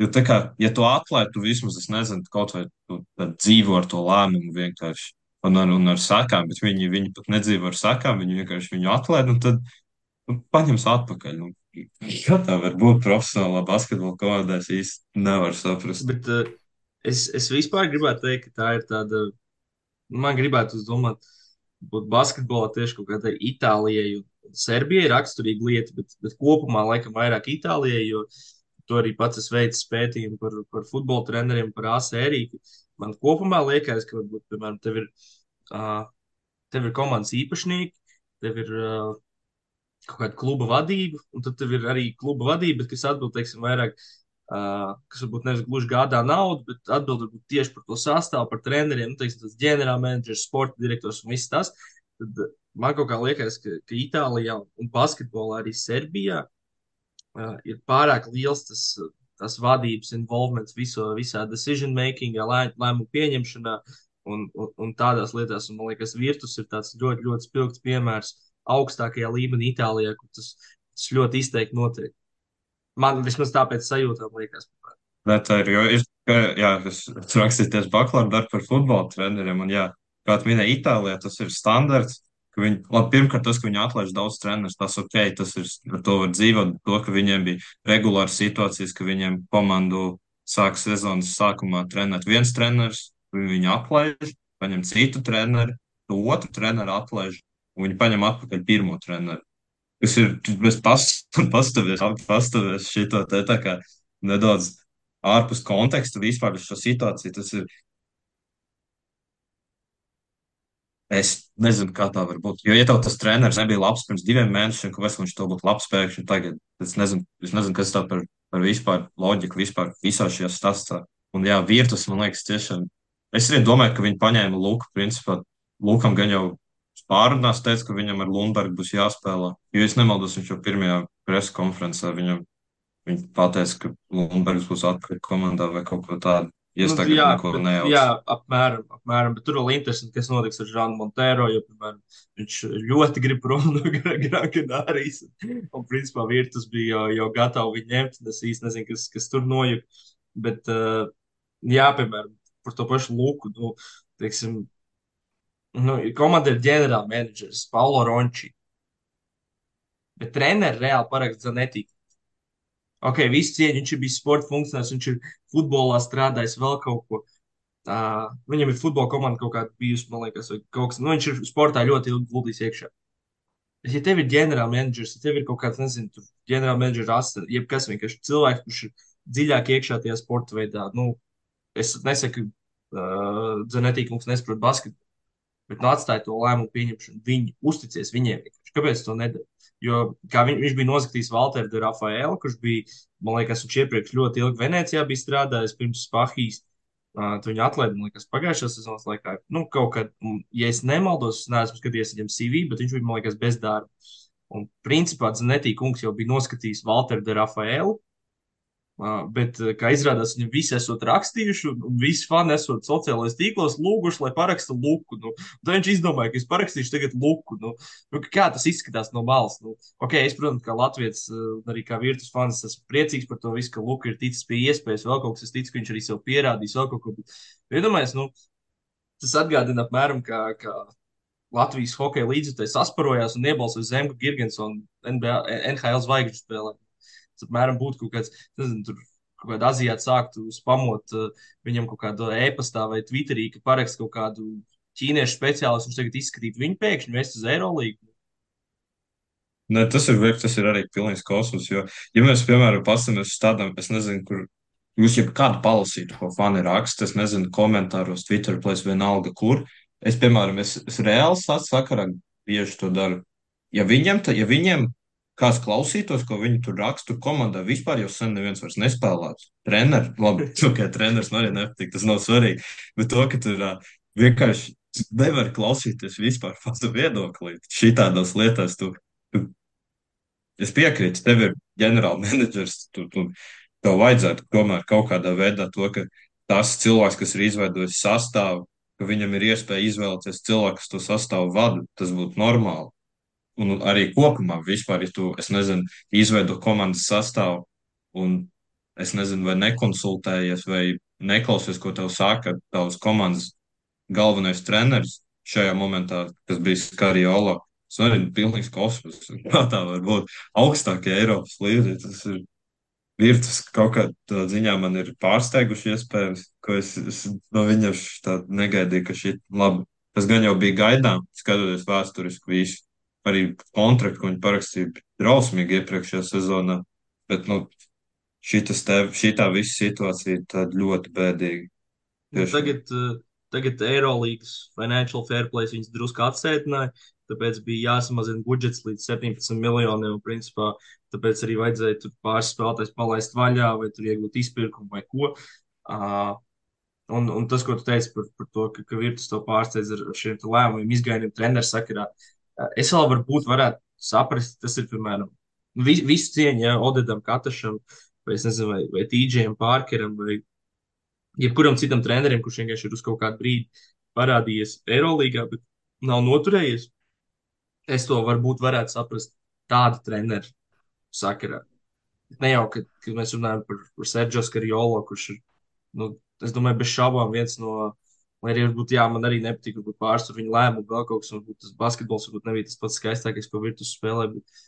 Jo tā kā, ja tu atlaid, tu vismaz, es nezinu, kaut vai tu tad dzīvo ar to lēmumu vienkārši un ar sakām, bet viņi pat nedzīvo ar sakām, viņi vienkārši viņu atlaid un tad paņems atpakaļ. Kā tā var būt profesionālā basketbola komandā, es īsti nevaru saprast. bet es vispār gribētu teikt, ka tā ir tāda, man gribētu uzdomāt, būt basketbolā tieši kaut kādai Itālijai un Serbijai raksturīga lieta, bet kopumā laikam vairāk Itālijai, jo to arī pats es veicu pētījumu par futbola treneriem, par A sēriju. Man kopumā liekas, ka varbūt, piemēram, uh, tev ir komandas īpašnieki, tev ir kaut kāda kluba vadība, un tad tev ir arī kluba vadība, kas atbild, teiksim, vairāk, kas varbūt nevis gluži gādā naudu, bet atbild varbūt tieši par to sastāvu, par treneriem, nu, teiksim, tas ģenerālmenedžers, sporta direktors un viss tas. Tad man kaut kā liekas, ka Itālijā un basketbolā arī Serbijā ir pārāk liels tas vadības involvements visā decision makingā, lēmumu pieņemšanā un tādās lietās. Un, man liekas, Virtus ir tāds ļoti, ļoti spilgts piemērs augstākajā līmenī Itālijā, kur tas ļoti izteikti notiek. Man vismaz tāpēc sajūtām liekas. Bet tā ir, jo jā, es rakstīties bakalaura darbu par futbola treneriem, un jā, kā tu minēji, Itālijā tas ir standarts, ka viņi, labi, pirmkārt tas, ka viņi atlaiž daudz trenerus, tas ok, tas ir, ar to var dzīvot, bet to, ka viņiem bija regulāras situācijas, ka viņiem komandu sāk sezonas sākumā trenēt viens treneris, viņi atlaiž, paņem citu treneri, to otru treneru atlaiž, un viņi paņem atpakaļ pirmo treneru. Kas ir, mēs pastāvēs šito te tā kā nedaudz ārpus konteksta vispār šo situāciju. Tas ir, es nezinu, kā tā var būt. Jo, ja tev tas treneris nebija labs pirms 2 mēnešiem, kāpēc viņš to būtu labs pēkšņi tagad? Es nezinu, kas tā par vispār loģiku vispār visā šajā stāstā. Un jā, Virtus, man liekas, tiešām. Es arī domāju, ka viņi paņēma Luku, principā. Lukam gan jau pārunās teica, ka viņam ar Lundbergu būs jāspēlē. Jo es nemaldos, viņš jau pirmajā presa konferencē viņi pateica, ka Lundbergs būs atpakaļ komandā vai kaut ko tādu. Ja es tagad neko nejaucu. Jā, apmēram, bet tur vēl interesanti, kas notiks ar Žānu Montero, jo, piemēram, viņš ļoti grib prom no Gran Canārijas, un, principā, Virtus bija jau gatavi viņu ņemt, es īsti nezinu, kas tur nojuk, bet, jā, piemēram, par to pašu Luku, nu, teiksim, nu, komanda ir ģenerālmenedžers Paulo Ronči, bet treneri reāli parakst Zanetti. Ok, viss cieņa, viņš ir bijis sporta funkcionārs, viņš ir futbolā strādājis vēl kaut ko. Viņam ir futbola komanda kaut kāda bijusi, man liekas, vai kaut kas. Nu, viņš ir sportā ļoti ilgi guldījis iekšā. Bet, ja tev ir ģenerālmenedžers, ja tev ir kaut kāds, nezinu, tur ģenerālmenedžera asistents, jebkas vienkārši cilvēks, kurš ir dziļāk iekšā tajā sporta veidā, nu, es nesaku, Zanetti kungs nesaprot basketbolu, bet nu atstāja to lēmumu pieņemšanu. Viņi uzticies viņiem vienkārši. Kāpēc to nedara? Jo kā viņš bija noskatījis Valteru de Rafaelu, kurš bija, man liekas, viņš iepriekš ļoti ilgi Venecijā bija strādājis pirms Spahijas. Tu viņu atlaidi, man liekas, pagājušā sezonas laikā. Nu, kaut kad, ja es nemaldos, es neesmu skatījies viņam CV, bet viņš bija, man liekas, bez darba. Un, principā, Zanetī kungs jau bija noskatījis Valteru de Rafaelu. Bet, kā izrādās, viņi visi esot rakstījuši, un visi fani esot sociālajos tīklos lūguši, lai paraksta Luku. Nu, tad viņš izdomāja, ka es parakstīšu tagad Luku. Kā tas izskatās no malas? Ok, es, protams, kā Latvijas, arī kā Virtus fans, esmu priecīgs par to visu, ka Luka ir ticis pie iespējas, vēl kaut kas, es ticu, ka viņš arī sev pierādīs, vēl kaut ko. Bet iedomājies, tas atgādina apmēram, kā Latvijas hokeja līdzekļi sasparojās un iebalsoja Zemgu Girgensonu NBA, NHL zvaigžņu spēlē. Tas apmēram būtu kaut kāds, nezinu, tur kaut kāda aziāta sāktu spamot viņam kaut kādu e-pastā vai Twitterī, ka parakst kaut kādu ķīniešu speciālistu, viņš tagad izskatītu viņu pēkšņi vest uz Eirolīgu. Ne, tas ir arī pilnīgs kosmos, jo, ja mēs, piemēram, paskatāmies uz tādām, es nezinu, kur jūs jau kādu palasītu, ko fani raksta, es nezinu, komentāros, Twitter, plēs vienalga, kur. Es, piemēram, es reāli sakarā bieži to daru. Ja viņiem kāds klausītos, ko viņi tur raksta, tur komandā vispār jau sen neviens vairs nespēlēts. Trener, labi, ok, treneris man arī nepatīk, tas nav svarīgi, bet to, ka tur vienkārši nevar klausīties vispār pats viedoklī. Šī tādās lietās tu es piekrītu, tev ir ģenerāla menedžers, tev vajadzētu tomēr kaut kādā veidā to, ka tas cilvēks, kas ir izveidojis sastāvu, ka viņam ir iespēja izvēlēties cilvēku, kas to sastāvu vada, tas būtu normāli. Un arī kopumā vispār, ja tu, es nezinu, izveido komandas sastāvu un es nezinu, vai nekonsultējies vai neklausies, ko tev saka tavs komandas galvenais treneris šajā momentā, kas bija Skariola. Tas arī ir pilnīgs kosmos. Kā tā var būt augstākie Eiropas līderi? Tas ir Virtus kaut kādā ziņā man ir pārsteiguši iespējams, ko es no viņa tā negaidīju, ka šī labi. Tas gan jau bija gaidām, skatoties vēsturiski visu. Arī kontraktu, ko viņi parakstīja, bija drausmīgi iepriekšējā sezonā. Bet, šī tā visa situācija ir tāda ļoti bēdīga. Tiešām. Tagad Eirolīgas Financial Fair Play viņas drusku atsētināja, tāpēc bija jāsamazina budžets līdz 17 miljoniem. Principā, tāpēc arī vajadzēja tur pāris spēlētājs palaist vaļā vai tur iegūt izpirkumu vai ko. Uh, un tas, ko tu teici par to, ka Virtus to pārsteidz ar šiem lēmumiem, izgainiem treneru sakarā, es vēl varētu saprast, tas ir, piemēram, visu cieņu, ja Odedam Katašam, vai es nezinu, vai TJam Parkeram, vai jebkuram citam trenerim, kurš vienkārši ir uz kaut kādu brīdi parādījies Eirolīgā, bet nav noturējies. Es to varētu saprast tādu treneru sakarā. Ne jau, kad mēs runājam par Sergio Skariolo, kurš ir, es domāju, bez šaubām viens no, lai arī varbūt, jā, man arī nepatīk, varbūt pārstāv viņa lēmumu, vēl kaut kas, varbūt tas basketbols, varbūt nebija tas pats skaistākais, ko Virtus spēlē, bet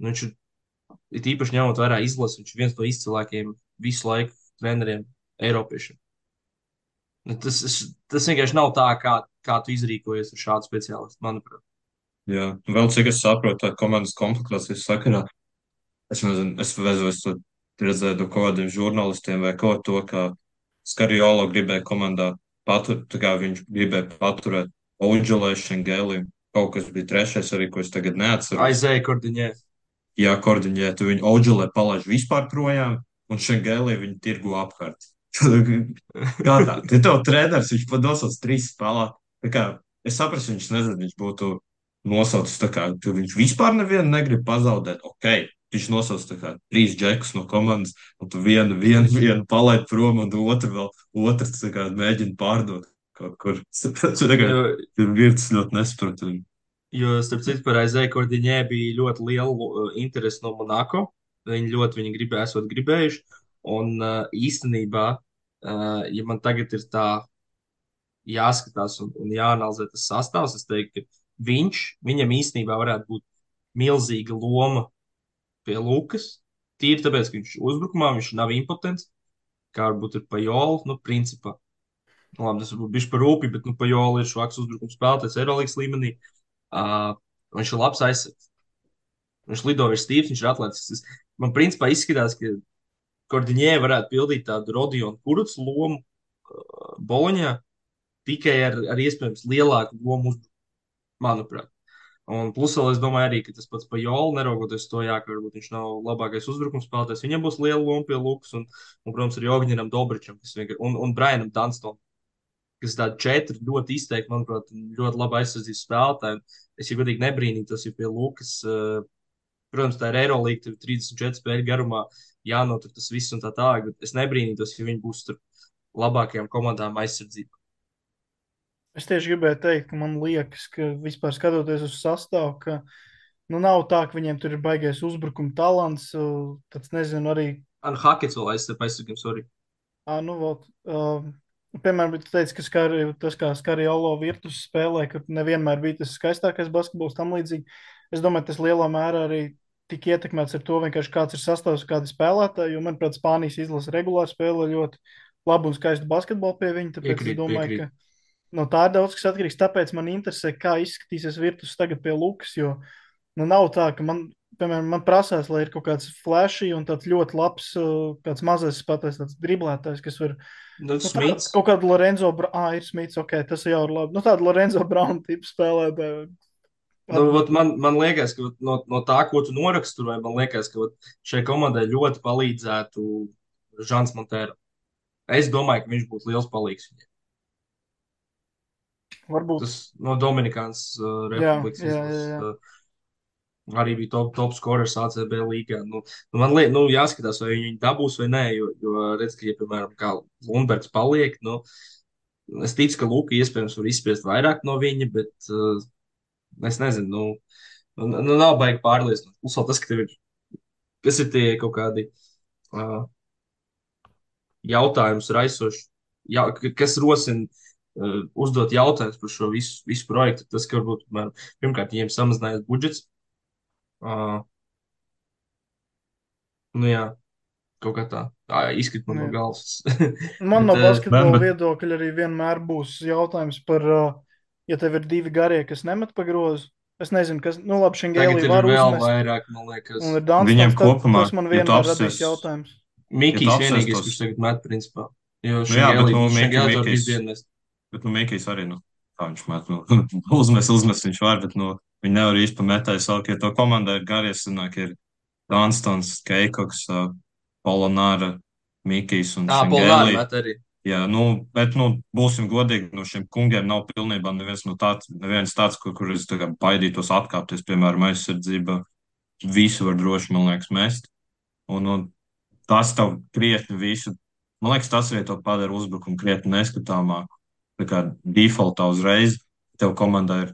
viņš ir īpaši ņemot vērā izlasi, viņš ir viens no izcilākajiem visu laiku treneriem Eiropiešiem. Tas vienkārši nav tā, kā tu izrīkojies ar šādu speciālistu, manuprāt. Jā, vēl cik es saprotu, tā komandas komplektācijas sakarā. Es nezinu, es to redzēju no kaut kādiem žurnālistiem vai ko to, ka Skariolo gribēja komandā paturēt, tā kā viņš gribēja paturēt Oudželē, Šengēlī. Kaut kas bija trešais arī, ko es tagad neatceros. Aizēja Kordiņē. Jā, Kordiņē, tu viņu Oudželē palaiž vispār projām, un Šengēlī viņu tirgu apkārt. Kā tā? Te tev treneris, viņš pat nosauc 3 spēlēt. Tā kā es saprastu, viņš nezinu, viņš būtu nosaucis tā kā, ka viņš vispār nevienu negrib pazaudēt. Ok, viņš nosauc tā kā 3 džekus no komandas, un tu vienu palaid prom, un otrs tā kā mēģina pārdot kaut kur. Tā kā ir Virtus ļoti nesaprot. Jo, starp citu, par Aizēju Kordiņē bija ļoti liela interese no Monako. Viņi ļoti esot gribējuši. Un īstenībā, ja man tagad ir tā jāskatās un jāanalizē tas sastāvs, es teiktu, ka viņam īstenībā varētu būt milzīga loma pie Lukas. Tīri tāpēc, ka viņš uzbrukumā viņš nav impotents, kā varbūt ir Pajola, principā. Labi, tas varbūt bišķi par rūpi, bet Pajola ir švaks uzbrukums spēlētājs Eirolīgas līmenī. Viņš ir labs aizsargs. Viņš lido virs stīvs, viņš ir atletisks. Man principā izskatās, ka Kordiņē varētu pildīt tādu Rodionu Kurucu lomu Boloņā, tikai ar iespējams lielāku lomu uzbrukumu, manuprāt. Un plus vēl es domāju arī, ka tas pats Pajoli, neraugoties to, jā, ka varbūt viņš nav labākais uzbrukums spēlētājs, viņam būs liela loma pie Lukas protams, arī Ogņinam Dobričam, un Brianam Dunstonam, kas tādi četri ļoti izteikti, manuprāt, ļoti labi aizsardzības spēlētāji. Es jau godīgi nebrīnītos, ja pie Lukas, protams, tā ir Eirolīga, tur 34 spēļu garumā jānotur tas viss un tā tālāk, bet es nebrīnītos, ja viņi būs tur labākajām komandām aizsardzībā. Es tieši gribēju teikt, ka man liekas, ka vispār skatoties uz sastāvu, ka nu, nav tā, ka viņiem tur ir baigais uzbrukuma talants. Tāds nezinu, arī. Hakets vēl aizsargiem, sorry. Nu, vot, piemēram, tu teici, ka tas, kā Skariolo Virtus spēlē, ka nevienmēr bija tas skaistākais basketbols tam līdzīgi. Es domāju, tas lielā mērā arī tik ietekmēts ar to, vienkārši kāds ir sastāvs, kādi spēlētāji, jo, manuprāt, Spānijas izlase regulāri spēlē ļoti labu un skaistu basketbolu pie viņa, tāpēc es domāju, ka no tā ir daudz kas atkarīgs. Tāpēc man interesē, kā izskatīsies Virtus tagad pie Lukas, jo nu, nav tā, ka piemēram, man prasās, lai ir kaut kāds flashy un tāds ļoti labs, kāds mazais spēlētājs, tāds driblētājs, kas var. Kaut kāda Lorenzo Brown, ir Smits, ok, tas jau ir labi. Nu, tāda Lorenzo Brown tipa spēlētāja. Nu, man liekas, ka no tā, ko tu noraksturoji, man liekas, ka šai komandai ļoti palīdzētu Žants Montēra. Es domāju, ka viņš būtu liels palīgs viņiem. Varbūt. Tas no Dominikānas Republikas izlases. Arī bija top scorers ACB līgā. Man liekas, jāskatās, vai viņi dabūs vai nē, jo redz, ka, ja, piemēram, kā Lundbergs paliek, es ticu, ka Luka iespējams var izspiest vairāk no viņa, bet es nezinu, nav baigi pārliecināt. Plus vēl tas, ka tev ir, kas ir tie kaut kādi jautājumus raisoši, kas rosina uzdot jautājumus par šo visu projektu. Tas, ka varbūt, pirmkārt, viņiem samazinājās budžets. Jā, kaut kā tā izkrīt man no galvas. Man no basketbola viedokļa arī vienmēr būs jautājums par, ja tev ir divi garie, kas nemet pa grozu. Es nezinu, kas, labi, Šengēlī var uzmest. Vairāk, man liekas. Un ir Dunstons, viņiem kopumā, tas man vienmēr radīs jautājums. Mikijs vienīgais, kurš tagad met, principā. Jo Šengēlī var izdienest. Bet, Mikijs arī, kā viņš met, uzmest viņš var, bet, viņi nevar īsti pametēt savu, ja to komandā ir garie, sanāk, ir Dunstons, Keikoks, Polonāra, Mikijs un Šengēlī. Jā, bet, būsim godīgi, no šiem kungiem nav pilnībā neviens tāds, kur es baidītos atkāpties, piemēram, aizsardzība. Visu var droši, man liekas, mest. Un tas tev krietni visu, man liekas, tas arī to padara uzbrukumu krietni neskatāmāku. Tā kā defaultā uzreiz tev komandā ir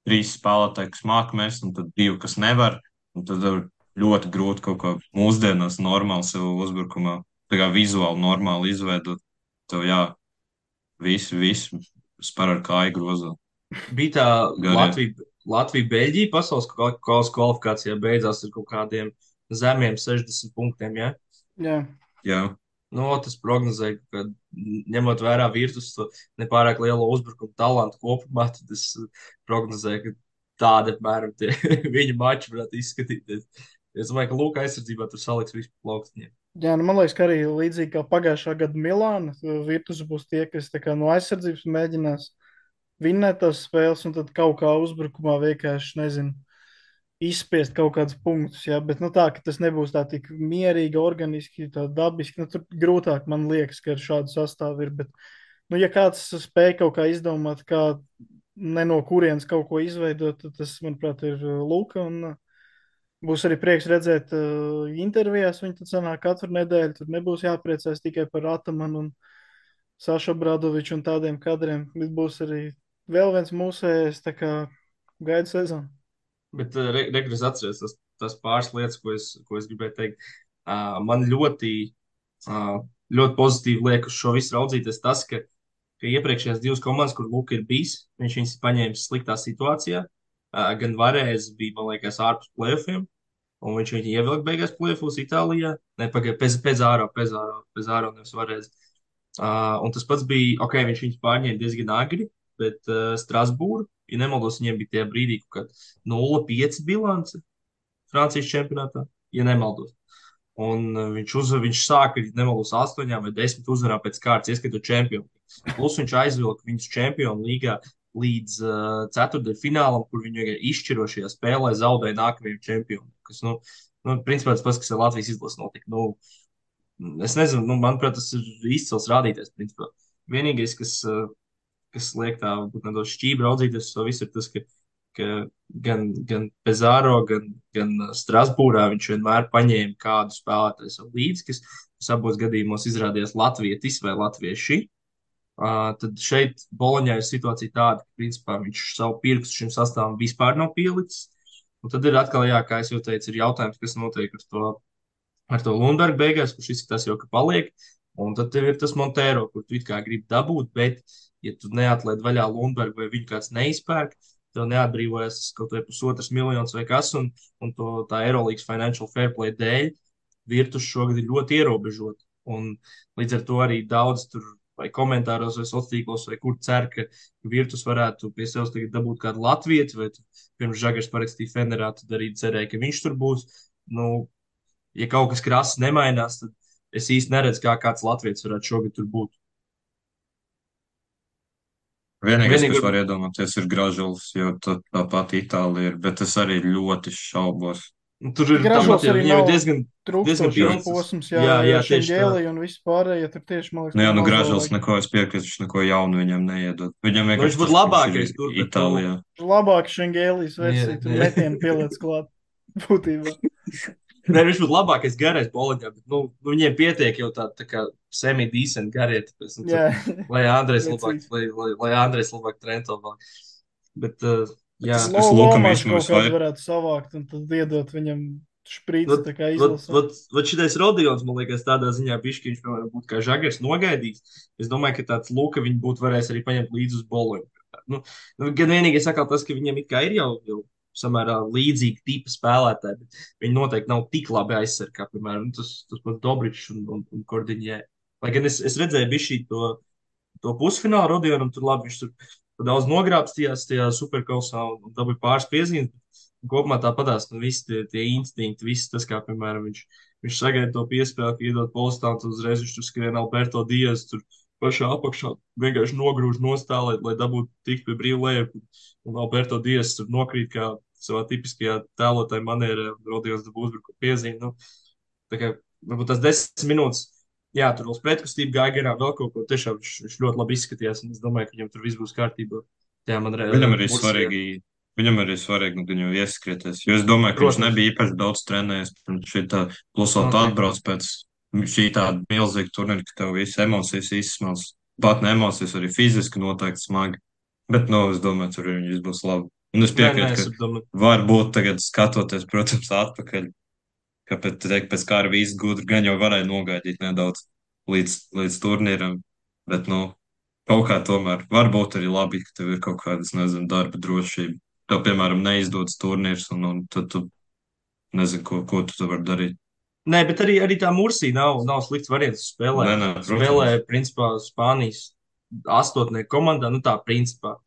3 spēlētāji, kas māk mest, un tad 2, kas nevar. Un tad ir ļoti grūti kaut ko mūsdienās normāli sev uzbrukumā, tā kā vizuāli normāli izveidot. Tev visu spēr ar kāju grozā. Bija tā Latvija-Beļģija pasaules kvalifikācijā beidzās ar kaut kādiem zemiem 60 punktiem, ja? Jā. Tas prognozēja, ka ņemot vērā Virtus nepārāk lielo uzbrukumu talantu kopumā, tad es prognozēju, ka tāda apmēram tie viņa mači varētu izskatīties. Es domāju, ka Luka aizsardzībā tur saliks visu plaukstņiem. Jā, man liekas, ka arī līdzīgi kā pagājušā gada Milāna, Virtus būs tie, kas no aizsardzības mēģinās vinnēt tās spēles, un tad kaut kā uzbrukumā vienkārši, nezinu, izspiest kaut kādus punktus, jā, bet tā, ka tas nebūs tā tik mierīgi, organiski, tā dabiski, tur grūtāk man liekas, ka ar šādu sastāvu ir, bet, ja kāds spēj kaut kā izdomāt, kā ne no kurienes kaut ko izveidot, tad tas, manuprāt, ir Luka, un būs arī prieks redzēt intervijās. Viņi tad sanāk katru nedēļu. Tur nebūs jāpriecājas tikai par Atamanu un Sašu Bradoviču un tādiem kadriem. Bet būs arī vēl viens mūsējais, tā kā gaida sezonu. Bet regres atceries tas pāris lietas, ko es gribēju teikt. Man ļoti pozitīvi liek uz šo visu raudzīties tas, ka iepriekšējās 2 komandas, kur Luka ir bijis, viņš viņus paņēmis sliktā situācijā. Gan varēs bija, man liekas, ārpus play-offiem. Un viņš viņu ievilka beigās play-offos Itālijā. Nē, Pezāro nevis varēs. Un tas pats bija, viņš viņus pārņēma diezgan agri, bet Strasbūra, ja nemaldos, viņiem bija tajā brīdī kaut kāda 0-5 bilance Francijas čempionātā, ja nemaldos. Un viņš sāka, ja nemaldos, 8 vai 10 uzvarām pēc kārtas, ieskatot čempionu. Plus viņš aizvilka viņus čempionu līgā līdz ceturtdaļfinālam, kur viņi izšķirošajā spēlē zaudēja nākamajam čempionam. Kas, principā tas pats, kas ar Latvijas izlases notika. Es nezinu, manuprāt, tas ir izcils rādītājs. Principā. Vienīgais, kas liek tā būt nedaudz šķīvi raudzīties, to visu ir tas, ka gan Pezāro, gan Strasbūrā viņš vienmēr paņēma kādu spēlētāju līdzi, kas abos gadījumos izrādījās latvietis vai latvieši. Tad šeit Boloņā ir situācija tāda, ka principā viņš savu pirkstu šim sastāvam vispār nav pielicis. Un tad ir atkal, jā, kā jau teicu, ir jautājums, kas notiek ar to Lundbergu beigās, kurš izskatās jau, ka paliek. Un tad tev ir tas Montero, kur tu it kā gribi dabūt, bet, ja tu neatlaid vaļā Lundbergu vai viņu kāds neizpērk, tev neatbrīvojas kaut vai $1,5 miljonus vai kas, un tā Eirolandes Financial Fair Play dēļ Virtus šogad ir ļoti ierobežota. Un līdz ar to arī daudz tur vai komentāros, vai sociālos tīklos, vai kur cer, ka Virtus varētu pie sevis tagad dabūt kādu latvieti, vai pirms Žagars parakstīja Fenerā, tad arī cerēja, ka viņš tur būs. Nu, ja kaut kas krāsas nemainās, tad es īsti neredzu, kā kāds latviets varētu šogad tur būt. Vienīgais, kas Vienīgi, var iedomāties, ir Gražulis, jo tāpat Itālija ir, bet es arī ļoti šaubos. tur ir Gražulis tāpat, arī viņam ir nav diezgan trūkstošais pilns. posms, Jā, tieši tā. Šengēlī un viss pārējie, tur tieši, man liekas, Nu jā, maz Gražulis vēl neko, es piekrītu, viņš neko jaunu viņam neiedod. Viņam Viņš vienkārši būtu tas, ka viņš labākais ir tur, bet, Itālijā. labāk Šengēlīs versija, Jā, tur jā. metienu pieliec klāt būtībā. Nē, viņš būtu labākais garais boliņā, bet viņiem pietiek jau tā kā semi-decent garie. Tāpēc, Jā, lai Andrejs precīzi. labāk trento vēl. Bet, Bet jā. es Lukam Lomačs īstenībā kaut kādu visvairāk. varētu savākt un tad iedot viņam šprīci, Vat, tā kā vat, izlasē. vat šitais Rodions, man liekas, tādā ziņā bišķi viņš piemēram, būtu kā Žagars nogaidījis. Es domāju, ka tāds Luka viņi būtu varējis arī paņemt līdzi uz boloņu. Gan vienīgais sakal tas, ka viņiem it kā ir jau samērā līdzīgi tipa spēlētāji, bet viņi noteikti nav tik labi aizsargāti, kā, piemēram, tas pats Dobričs un Kordiņē. Lai gan es redzēju bišķi to pusfinālu Rodionam, tur labi, viņš tur daudz nogrābstījās tajā superkausā un dabūja pāris piezīmes. Kopumā tāpatās, visi tie instinkti, viss tas, kā, piemēram, viņš sagaida to piespēli, ka iedod postānu, tad uzreiz viņš tur skrien Alberto Diaz, tur pašā apakšā vienkārši nogrūž nostālēt, lai dabūtu tikt pie brīvu lejup. Un Alberto Diaz tur nokrīt kā savā tipiskajā tēlotāja manierē, Rodions dabū uzbruku piezīmi. Tā kā varbūt tas 10 minūtes, jā, tur vēl pretkustība gāja garām, vēl kaut ko. Tiešām viņš ļoti labi izskatījās, un es domāju, ka viņam tur viss būs kārtībā. Jā, man Viņam arī Mursijā. svarīgi, viņu ieskrieties, jo es domāju, ka viņš Protams. nebija īpaši daudz trenējies pirms šī tā, plus vēl tu Noteikti. atbrauc pēc šī tāda milzīga turnīra, ka tev visas emocijas izsmels. Pat ne emocijas, arī fiziski noteikti smagi. Bet, es domāju, tur viņš būs labi. Un es Nē, piekrītu, es ka domāju, varbūt tagad skatoties, protams, atpakaļ, ka pēc kara viss gudri gan jau varēja nogaidīt nedaudz līdz turnīram, bet, kaut kā tomēr varbūt arī labi, ka tev ir kaut kādas, nezinu, darba drošība. Tev, piemēram, neizdodas turnīrs, un tad tu nezini, ko tu tur vari darīt. nē, bet arī tā Mursija nav slikts variants spēlē. Nē, Spēlē, protams. principā, Spānijas astotnieku komandā, tā principā.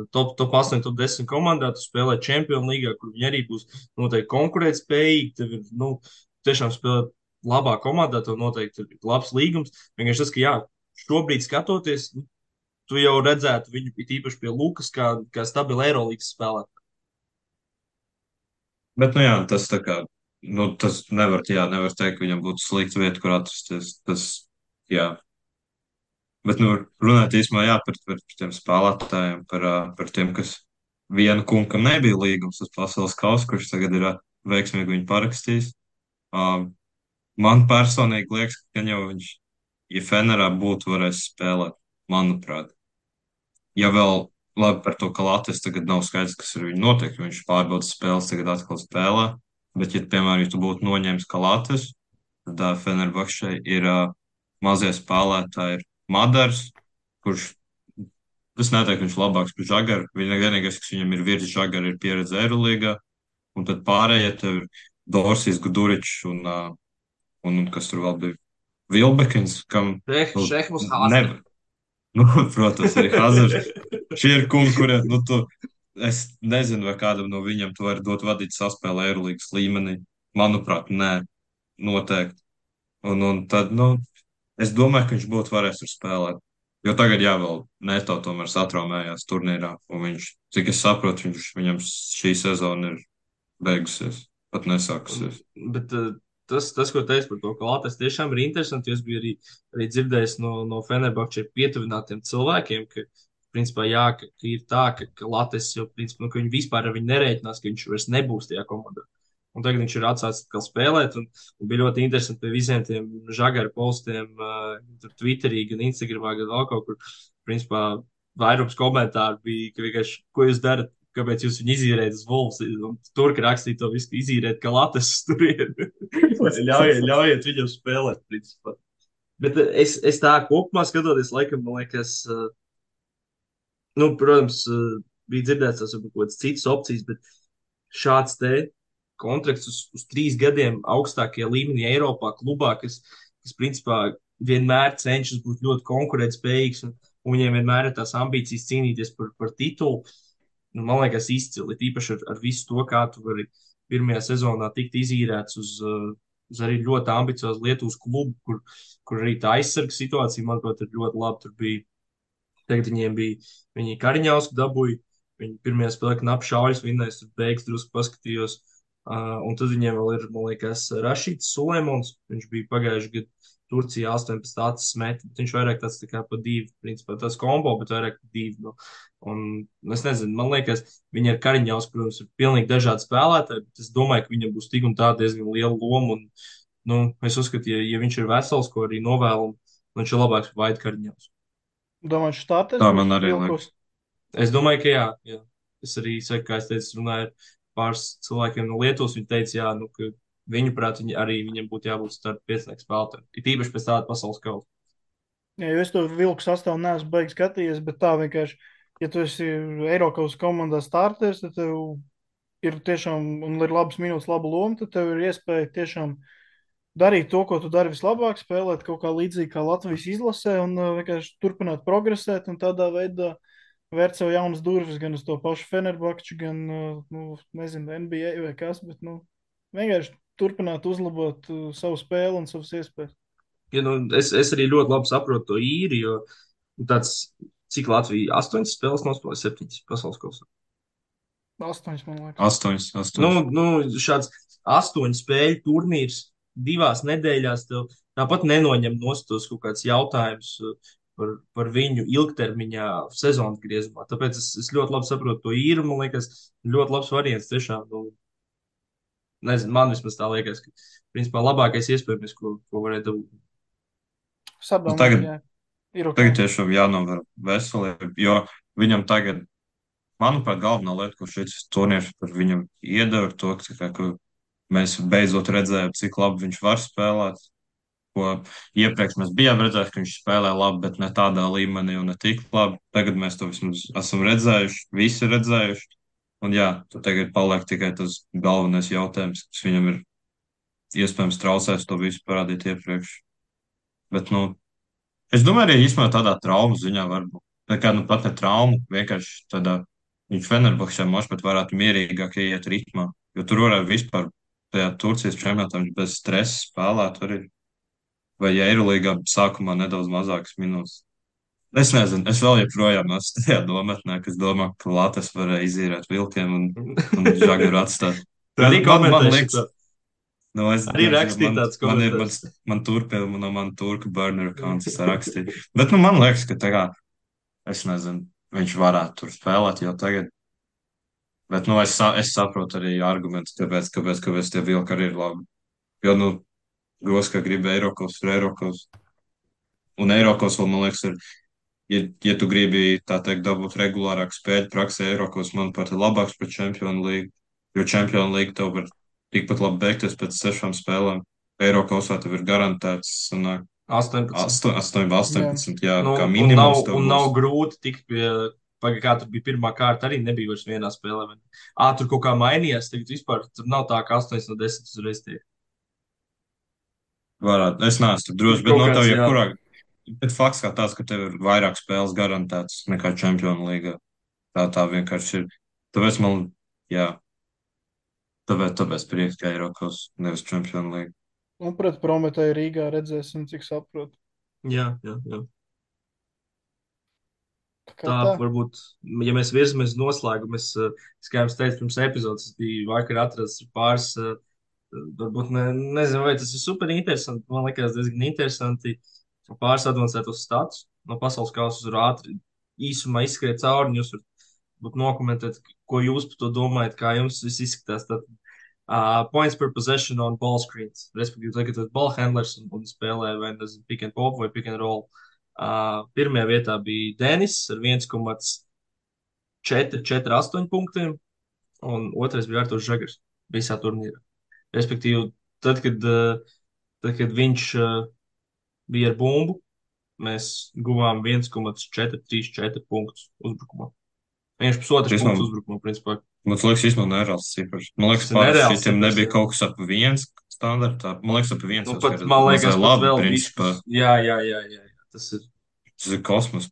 Top 8, top 10 komandā, tu spēlē Champions League, kur viņi arī būs noteikti konkurētspējīgi. Tev ir, tiešām spēlēt labā komandā, tev noteikti ir labs līgums. Vienkārši tas, ka, jā, šobrīd skatoties, tu jau redzētu viņu īpaši pie Lukas, kā stabilu Eirolandes spēlētāju. Bet, jā, tas tā kā, tas nevar teikt, ka viņam būtu slikta vieta, kur atrasties. Tas, jā. Bet, runāt īsumā, jā, par tiem spēlētājiem, par tiem, kas vienu kungam nebija līgums uz pasaules kausa, kurš tagad ir veiksmīgi viņu parakstījis. Man personīgi liekas, ka jau viņš, ja Fenerā būtu varējis spēlēt, manuprāt, ja vēl labi par to, ka Latvijas tagad nav skaidrs, kas ar viņu notiek, jo viņš pārbaudas spēles, tagad atkal spēlē, bet, ja, piemēram, ja tu būtu noņēmis ka Latvijas, tad Fenerbahčē ir mazie spēlētāji, ir Madars, kurš, es neteiktu, ka viņš labāks par Žagaru, vienīgais, kas viņam ir virs Žagara, ir pieredze Eirolīgā, un tad pārējie tev ir Dorsijs, Guduričs un kas tur vēl bija Vilbekins, kam Šehmus nevar. Protams, arī Hazards. Šie ir kungi, kuriem, es nezinu, vai kādam no viņiem tu vari dot vadīt saspēli Eirolīgas līmenī. Manuprāt, nē, noteikti. Un tad, es domāju, ka viņš būtu varējis tur spēlēt. Jo tagad jā, vēl Neto tomēr satraumējās turnīrā, un viņš, cik es saprotu, viņam šī sezona ir beigusies, pat nesākusies. Bet tas, ko teicu par to, ka Latvijas tiešām ir interesanti, jo es biju arī dzirdējis no Fenerbahča pietuvinātiem cilvēkiem, ka, principā, jā, ka ir tā, ka Latvijas jau, principā, nu, ka viņi vispār ar viņu nerēķinās, ka viņš vairs nebūs tajā komandā. Un tagad viņš ir atsācis atkal spēlēt, un bija ļoti interesanti pie visiem tiem žagaru postiem, tur Twitterī, gan Instagramā, gan vēl kaut kur. Principā, vairums komentāru bija, ka vienkārši, ko jūs darat, kāpēc jūs viņu izīrējat uz Wolves. Un tur, ka rakstīja to visu, izīrēt, ka Latvijas tur ir. Ļaujiet viņam spēlēt, principā. Bet es tā kopumā skatoties, laikam, man liekas, nu, protams, bija dzirdēts tas varbūt kaut kādas citas opcijas, bet šāds te kontrakts uz 3 gadiem augstākajā līmenī Eiropā, klubā, kas principā vienmēr cenšas būt ļoti konkurētspējīgs un viņiem vienmēr ir tās ambīcijas cīnīties par titulu. Nu, man liekas, izcili. Tīpaši ar visu to, kā tu vari pirmajā sezonā tikt izīrēts uz arī ļoti ambiciozu Lietuvas klubu, kur arī tā aizsarga situācija, manuprāt, ir ļoti laba. Tur bija, tagad viņiem bija, viņi Kariņausku dabūja, viņi pirmajā spēlē knapi šaujas vinnēs, tur beigas drusku paskatījos. Un tad viņiem vēl ir, man liekas, Rašīts Sulēmons, viņš bija pagājuši gadu Turcijā 18 acis meti, bet viņš vairāk tāds tā kā pa divi, principā tas kombo, bet vairāk pa divi. Nu. Un es nezinu, man liekas, viņi ar Kariņaus, protams, ir pilnīgi dažādi spēlētāji, bet es domāju, ka viņam būs tik un tā diezgan liela loma. Un, nu, es uzskatu, ja viņš ir vesels, ko arī novēlu, viņš ir labāks par Vaidu Kariņaus. Domāju, štātes Tā būs man arī Vilkos. liekas. Es domāju, ka jā, jā. Es arī saku, kā es teicu, runāju ar pāris cilvēkiem no Lietuvas. Viņi teica, jā, nu, ka viņuprāt, arī viņam būtu jābūt starp piecnieku spēlētājiem. Ir īpaši pēc tāda pasaules kausa. Jā, jo es to vilku sastāvu neesmu baigi skatījies, bet tā vienkārši, ja tu esi Eiropas komandā starters, tad tev ir tiešām, un ir labas minūtes, laba loma, tad tev ir iespēja tiešām darīt to, ko tu dari vislabāk, spēlēt kaut kā līdzīgi kā Latvijas izlasē un vienkārši turpināt progresēt un tādā veidā vērt sev jaunas durvis gan uz to pašu Fenerbahču, gan, nu, nezinu, NBA vai kas, bet, nu, vienkārši turpināt uzlabot savu spēli un savas iespējas. Ja, nu, es arī ļoti labi saprotu to īri, jo nu, tāds, cik Latvija 8 spēles nospēlēja, 7 pasaules kausā. 8, man liekas. 8, Nu, 8. nu, šāds 8 spēļu turnīrs 2 nedēļās tev tāpat nenoņem tos kaut kāds jautājums par viņu ilgtermiņā sezonas griezumā. Tāpēc es ļoti labi saprotu to īru. Man liekas, ļoti labs variants tiešām. Nu, nezinu, man vismaz tā liekas, ka principā labākais iespējams, ko varētu dabūt. Nu, Sadomāju, tagad, jā, ir ok. tagad tiešām jānovēr veselība, jo viņam tagad, manuprāt, galvenā lieta, ko šis turnīrs par viņam iedeva, ir to, ka mēs beidzot redzējām, cik labi viņš var spēlēt. Ko iepriekš mēs bijām redzējuši, ka viņš spēlē labi, bet ne tādā līmenī un ne tik labi. Tagad mēs to vismaz esam redzējuši, visi redzējuši. Un jā, tad tagad paliek tikai tas galvenais jautājums, kas viņam ir iespējams traucēs to visu parādīt iepriekš. Bet, nu, es domāju, arī īstenībā tādā traumas ziņā varbūt. Tā kā, nu, pat ne trauma, vienkārši tādā viņš Fenerbahčē možda pat varētu mierīgāk iet ritmā. Jo tur varētu vispār tajā Turcijas čempionātā viņš bez stresa spēlēt arī. Vai ja Eirolīgā sākumā nedaudz mazākas minūtes. Es nezinu, es vēl joprojām esmu tajā domatnē, kas domā, ka Latvijas varēja izīrēt vilkiem un žagaru atstāt. Tā arī Man komentēšu liekas, to. nu, es Arī nezinu, rakstīt tāds man ir komentārs. man turka, no man turka burner accounts es rakstīju. Bet, nu, man liekas, ka tā kā, es nezinu, viņš varētu tur spēlēt jau tagad. Bet, nu, es saprotu arī argumentus, kāpēc tie vilki arī ir labi. Jo, nu, gros, ka grib Eiropas, ir Eiropas. Un Eiropas vēl, man liekas, ja tu gribi, tā teikt, dabūt regulārāku spēļu praksē, Eiropas, manuprāt, ir labāks par Čempionu līgu. Jo Čempionu līga tev var tikpat labi beigties pēc 6 spēlēm. Eiropasā tev ir garantēts, sanāk, 18. 18, jā, Nu, kā un minimums tev nav būs. grūti tikt pie, kā tur bija pirmā kārta, arī nebija vairs vienā spēlē. Tur kaut kā mainījās, tagad vispār tur nav tā, ka 8 no 10 uzreiz tiek. Varētu, es neesmu tur drošs, bet Kaut no tev kāds, jā. jebkurā. Bet fakts kā tāds, ka tev ir vairāk spēles garantētas nekā Čempionu līgā. Tā vienkārši ir. Tāpēc man, jā, tāpēc prieks, ka Eiropas nevis Čempionu līga. Un pret Prometēju Rīgā redzēsim, cik saprotu. Jā, jā, jā. kā tā tā. varbūt, ja mēs virzamies uz noslēgumu, kā jums teicu, pirms epizodes, es biju vakar atrasts pāris, varbūt nezinu, vai tas ir super interesanti. Man liekas, diezgan interesanti pāris advancētos status no pasaules kausa uz ātri īsumā izskriet cauri, un jūs varat būt nokomentēt, ko jūs par to domājat, kā jums viss izskatās. Tad, points per possession on ball screens, respektīvi, tagad tas ball handlers un spēlē vai nezinu, pick and pop vai pick and roll. Pirmajā vietā bija Denis ar 1,448 punktiem, un otrais bija Arthurs Žagars visā turnīrā. Respektīvi, tad, kad, tad, kad viņš bija ar bumbu, mēs guvām 1,434 punktus uzbrukumā. Viņš pusotrs Tas punkts man, uzbrukumā, principā. man liekas, īstenībā nereāls cipars. Man liekas, Tas ir parasti nereāls šitiem cipars, nebija jā. kaut kas ap viens standartā. Man liekas, ap viens Nu, jau pat, skaitās man mazai liekas, pat labi, vēl principā. bišķis. Jā. Tas ir. Tas ir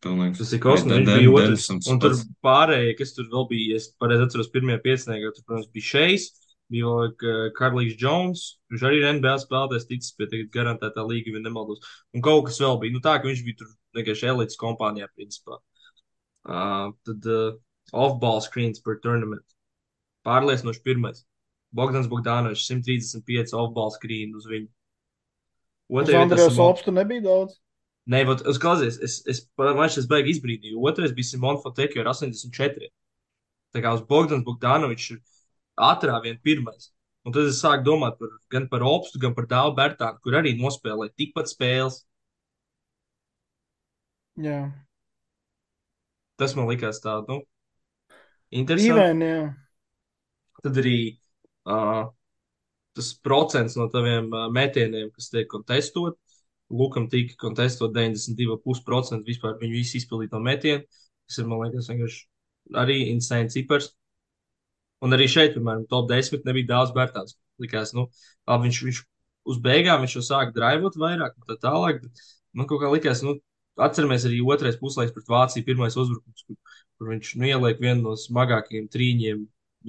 pilnīgs. Tas ir Arī kosmos. Viņš bija otrs. Denisons Un tur pats. pārējie, kas tur vēl bija, es pareizi atceros, pirmajā pieciniekā, tur, protams, bija Šejs, bija vēl Karlīks Jones. Viņš arī ir NBA spēlētājs, ticis pie tagad garantētā līga, ja nemaldos. Un kaut kas vēl bija. Nu, tā, ka viņš bija tur vienkārši elites kompānijā, principā. Tad off-ball screens per tournament. Pārliecinoši pirmais. Bogdans Bogdanovičs 135 off-ball screen uz viņu. Uz Otrajā vietā Andrejs Simon. Opstu nebija daudz. Nē, es klausies, man šis baigi izbrīdīju. Otrais bija Simon Fotekio ar 84. Tā kā uz Bogdans Bogdanovičs ir ātrā vien pirmais. Un tad es sāku domāt gan par Opstu, gan par Dāvu Bērtānu, kur arī nospēlēja tikpat spēles. Jā. Tas man likās tā, nu, interesanti. Dīvaini, jā. Tad arī tas procents no taviem metieniem, kas tiek kontestot, Lukam tika kontestot 92,5% vispār viņu visu izpildīto metienu, kas ir, man liekas, vienkārši arī insane cipars. Un arī šeit, piemēram, top 10 nebija daudz Bērtāns. Likās, nu, labi, viņš uz beigām viņš jau sāka draivot vairāk un tā tālāk, bet man kaut kā likās, nu, atceramies arī otrais puslaiks pret Vāciju, pirmais uzbrukums, kur viņš nu, ieliek vienu no smagākajiem trīņiem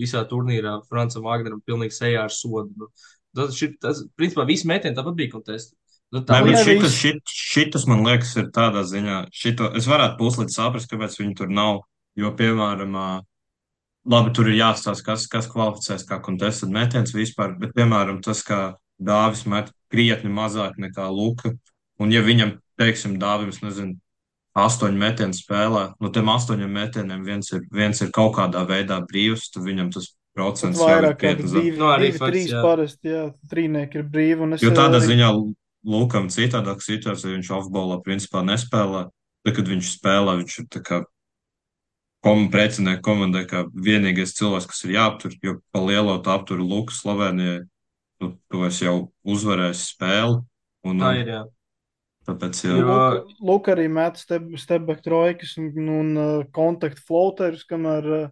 visā turnīrā Francam Wagneram pilnīgi sejā ar sodu. Nu, tas, principā, visi metieni tāpat bija kontesti. Nu, tā Nē, bet nevis. šitas, man liekas, ir tādā ziņā, šito es varētu puslīdz saprast, kāpēc viņi tur nav. Jo, piemēram, labi, tur ir jāstāsta, kas kvalificēs kā contested metiens vispār, bet, piemēram, tas, kā Dāvis met krietni mazāk nekā Luka, un ja viņam, teiksim, Dāvim, nezinu, 8 metienu spēlē, no tiem 8 metieniem viens ir kaut kādā veidā brīvs, tad viņam tas Pat procents jau ir vairāk kādi krietni zem. nu, arī divi, fakts, trīs jā. parasti, jā, trīnieki ir brīvi. Un es Jo tādā arī ziņā Lukam citādāk situācija, viņš offballā principā nespēlē. Tad, kad viņš spēlē, viņš ir tā kā precinieku komandai, kā vienīgais cilvēks, kas ir jāaptur, jo pa lielo tā aptur Luku Slovenijai. Nu, tu esi jau uzvarējis spēli, Tā un ir, jā. tāpēc Jo, jau. Luka arī met step-back trojkas un kontaktu floaterus, kamēr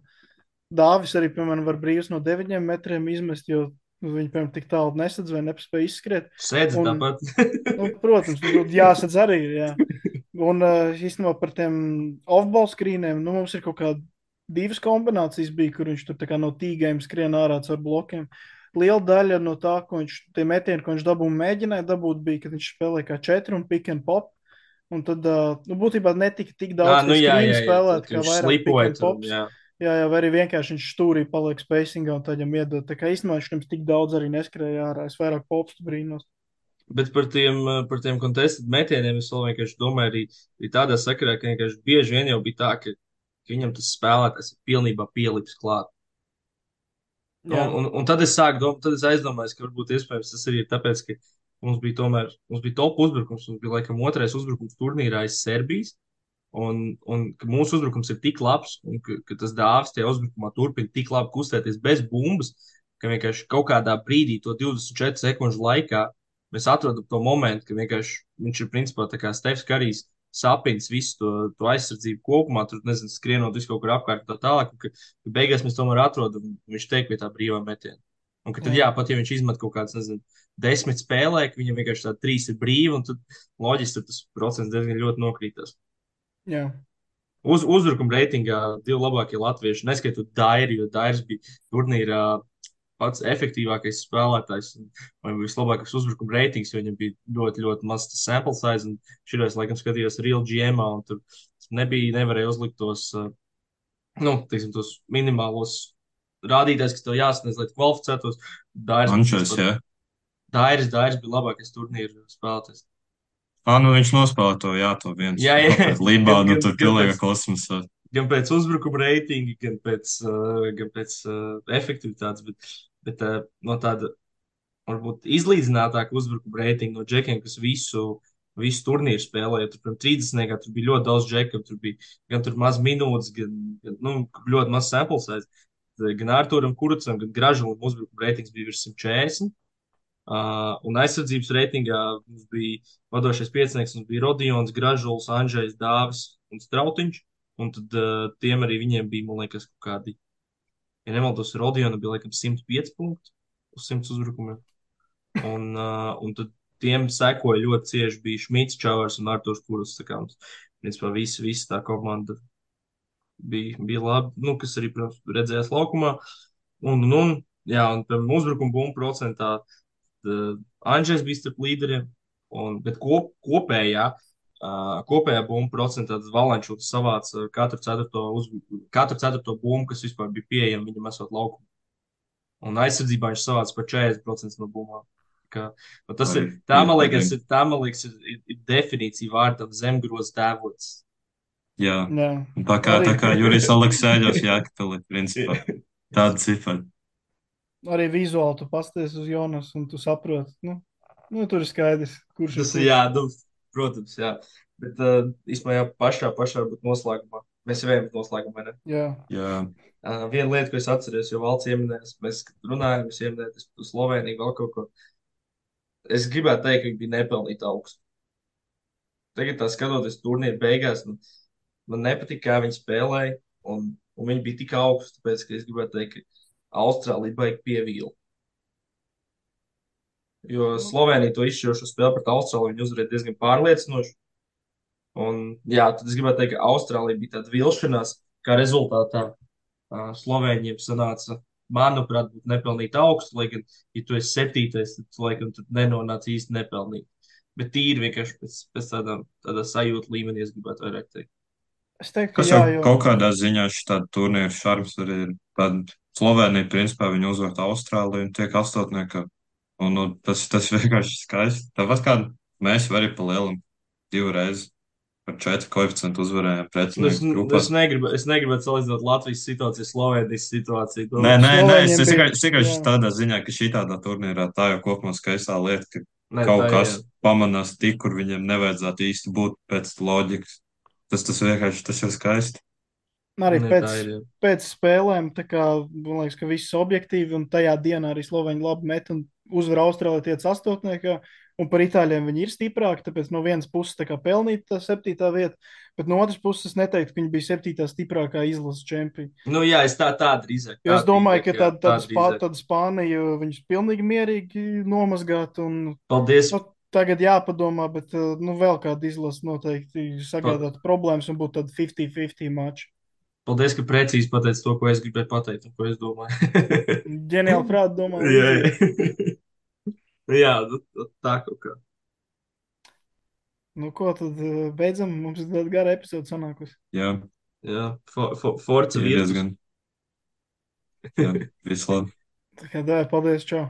Dāvis arī, piemēram, var brīvs no 9 metriem izmest, jo viņi, piemēram, tik tālu nesadz vai nepaspēja izskriet. sēdz Un, tāpat. nu, protams, jāsadz arī ir, jā. Un īstenībā par tiem off-ball screeniem, nu, mums ir kaut kāda divas kombinācijas bija, kur viņš tur tā kā no tīgajiem skrien ārā caur blokiem. Liela daļa no tā, ko viņš, tie metieni, ko viņš mēģināja dabūt, bija, kad viņš spēlēja kā 4 un pick and pop. Un tad, nu, būtībā netika tik daudz nu, jā, screen spēlēt, tad, kā viņš vairāk pick slipoja and tur, pops. jā. Jā, vai arī vienkārši viņš stūrī paliek spacingā un tad viņam iedod. Tā kā īstenībā viņš nemaz tik daudz arī neskrēja ārā. Es vairāk popstu brīnos. Bet par tiem contested metieniem es vēl vienkārši domāju arī tādā sakarā, ka vienkārši bieži vien jau bija tā, ka viņam tas spēlētājs ir pilnībā pielips klāt. Jā, Un tad es sāku domāt, tad es aizdomājos, ka varbūt iespējams tas arī ir tāpēc, ka mums bija top uzbrukums, mums bija laikam otrais uzbrukums turnīrā aiz Serbijas. Un ka mūsu uzbrukums ir tik labs, un ka tas Dāvis tajā uzbrukumā turpina tik labi kustēties bez bumbas, ka vienkārši kaut kādā brīdī, to 24 sekundžu laikā, mēs atrodam to momentu, ka vienkārši viņš ir principā tā kā Stefs Karijs sapnis visu to aizsardzību kopumā, tur nezinu, skrienot visu kaut kur apkārt un tā tālāk, un ka beigās mēs tomēr atrodam, viņš tiek pie tā brīvā metiena. Un ka tad, jā, pat ja viņš izmet kaut kāds, nezinu, 10 spēlē, ka viņam vienkārši tā 3 ir brīvi, un tad loģiski tas procents diezgan ļoti nokrītas. jā. Uzbrukuma reitingā divi labākie latvieši, neskaitot Dairi, jo Dairis bija turnīrā pats efektīvākais spēlētājs vai vislabākais uzbrukuma reitings, jo viņam bija ļoti, ļoti mazs tas sample size. Un šī laikam skatījos Real GM, un tur nevarēja uzlikt tos, nu, teiksim, tos minimālos rādītājus, kas tev jāsasniedz, lai tu kvalificētos. Dairis bija Ančers, vispār, jā. Dairis bija labākais turnīra spēlētājs. Nu viņš nospēlē to, jā, to viens. Jā, jā, Pēc Libānu, gan, tur gan pilnīga pēc kosmosa. gan pēc uzbrukuma reitinga, gan pēc efektivitātes, bet no tāda varbūt izlīdzinātāka uzbrukuma reitinga no džekiem, kas visu turnīru spēlēja. Tur, piemēram, 30. tur bija ļoti daudz džeku, tur bija gan tur maz minūtes, gan nu, ļoti maz sample size. Gan Arturam Kurucam, gan Gražulim uzbrukuma reitings bija virs 140. Un aizsardzības reitingā mums bija vadošais piecinieks, mums bija Rodions, Gražuls, Andrzejs, Dāvis un Strautiņš. Un tad tiem arī viņiem bija, man liekas, kaut kādi, ja nemaldos, Rodionam bija laikam 105 punkti uz 100 uzbrukumiem. Un tad tiem sekoja ļoti cieši bija Šmits, Čavars un Arturs Kurus. Tā kā mums, principā, visa tā komanda bija labi, nu, kas arī, protams, redzējās laukumā. Jā, un piemēram, uzbrukuma bumbu procentā Andrzejs bija starp līderiem, bet kopējā bumbu procentā tas Valančūks savāca katru ceturto bumbu, kas vispār bija pieejama viņam esot laukumā. Un aizsardzībā viņš savāca par 40% no bumbām. Tas ir, man liekas, ir definīcija vārdam zemgros tēvots. Jā, Jā. tā kā Jurijs Aleksēļos Jākapeli, principā, tāda cifra. Arī vizuāli tu pasties uz Jonas un tu saproti, nu tur ir skaidrs, kurš Tas ir. Jā, nu, protams, jā. Bet īstenībā jā, pašā būt noslēgumā. Mēs jau ejam noslēgumā, vai ne? Jā. Viena lieta, ko es atceros, jo valsts ieminējās, mēs runājam, es ieminēju uz Sloveniju vēl kaut ko. Es gribētu teikt, ka viņi bija nepelnīti augstu. Tagad tā skatoties turnīru beigās, man nepatika, kā viņi spēlēja, un viņi bija tik augsti, tāpēc, ka es gribētu teikt, ka Austrālija baigi pievīla. Jo Slovenija to izšķirošo spēli pret Austrāliju viņi uzvarēja diezgan pārliecinoši. Un, jā, tad es gribētu teikt, ka Austrālija bija tāda vilšanās, kā rezultātā Slovēņiem sanāca, manuprāt, būt nepelnīt augstu, lai gan, ja tu esi septītais, tad, laikam, tur nenonāca īsti nepelnīt. Bet tīri vienkārši pēc tādā sajūta līmenī es gribētu vairāk teikt. Es teiktu, ka Kas jau kaut kādā ziņā šī tāda turnīra šarms arī ir. Tad Slovēnija, principā, viņi uzvar Austrāliju un tiek astotnieka. Un tas vienkārši skaisti. Tāpat kā mēs arī pa lielam divreiz par 4 koeficientu uzvarējām pretinieku grupā. Es negribu salīdzināt Latvijas situāciju, Slovenijas situāciju. Nē, es Slovēņiem tikai jā. tādā ziņā, ka šī tādā turnīrā tā jau kopumā skaistā lieta, ka Nē, kaut tā kas jā. pamanās tik, kur viņiem nevajadzētu īsti būt pēc loģikas. Tas vienkārši tas ir skaisti. Arī Nē, pēc, tā ir, jā. pēc spēlēm, tā kā man liekas, ka viss objektīvi, un tajā dienā arī Slovēņi labi met un uzvar Austrāliju tiec astotniekā, un par Itāļiem viņi ir stiprāki, tāpēc no vienas puses tā kā pelnīt tā 7. vieta, bet no otras puses es neteiktu, ka viņi bija 7. stiprākā izlases čempioni. Nu, jā, es tā drīzāk. Jo es domāju, ka tā drīzāk. tāda Spānija viņus pilnīgi mierīgi nomazgāt, un Paldies. tagad jāpadomā, bet vēl kāda izlase noteikti sagādāt problēmas un būtu tāda 50-50 mača. Paldies, ka precīzi pateici to, ko es gribēju pateikt un ko es domāju. Ģeniāli prāti domā. Jā, jā, tā kaut kā. Nu, ko tad beidzam? Mums ir tāda gara epizode sanākusi. Jā, Forza ir Virtus. diezgan. Jā, viss labi. Tā kā paldies, čau!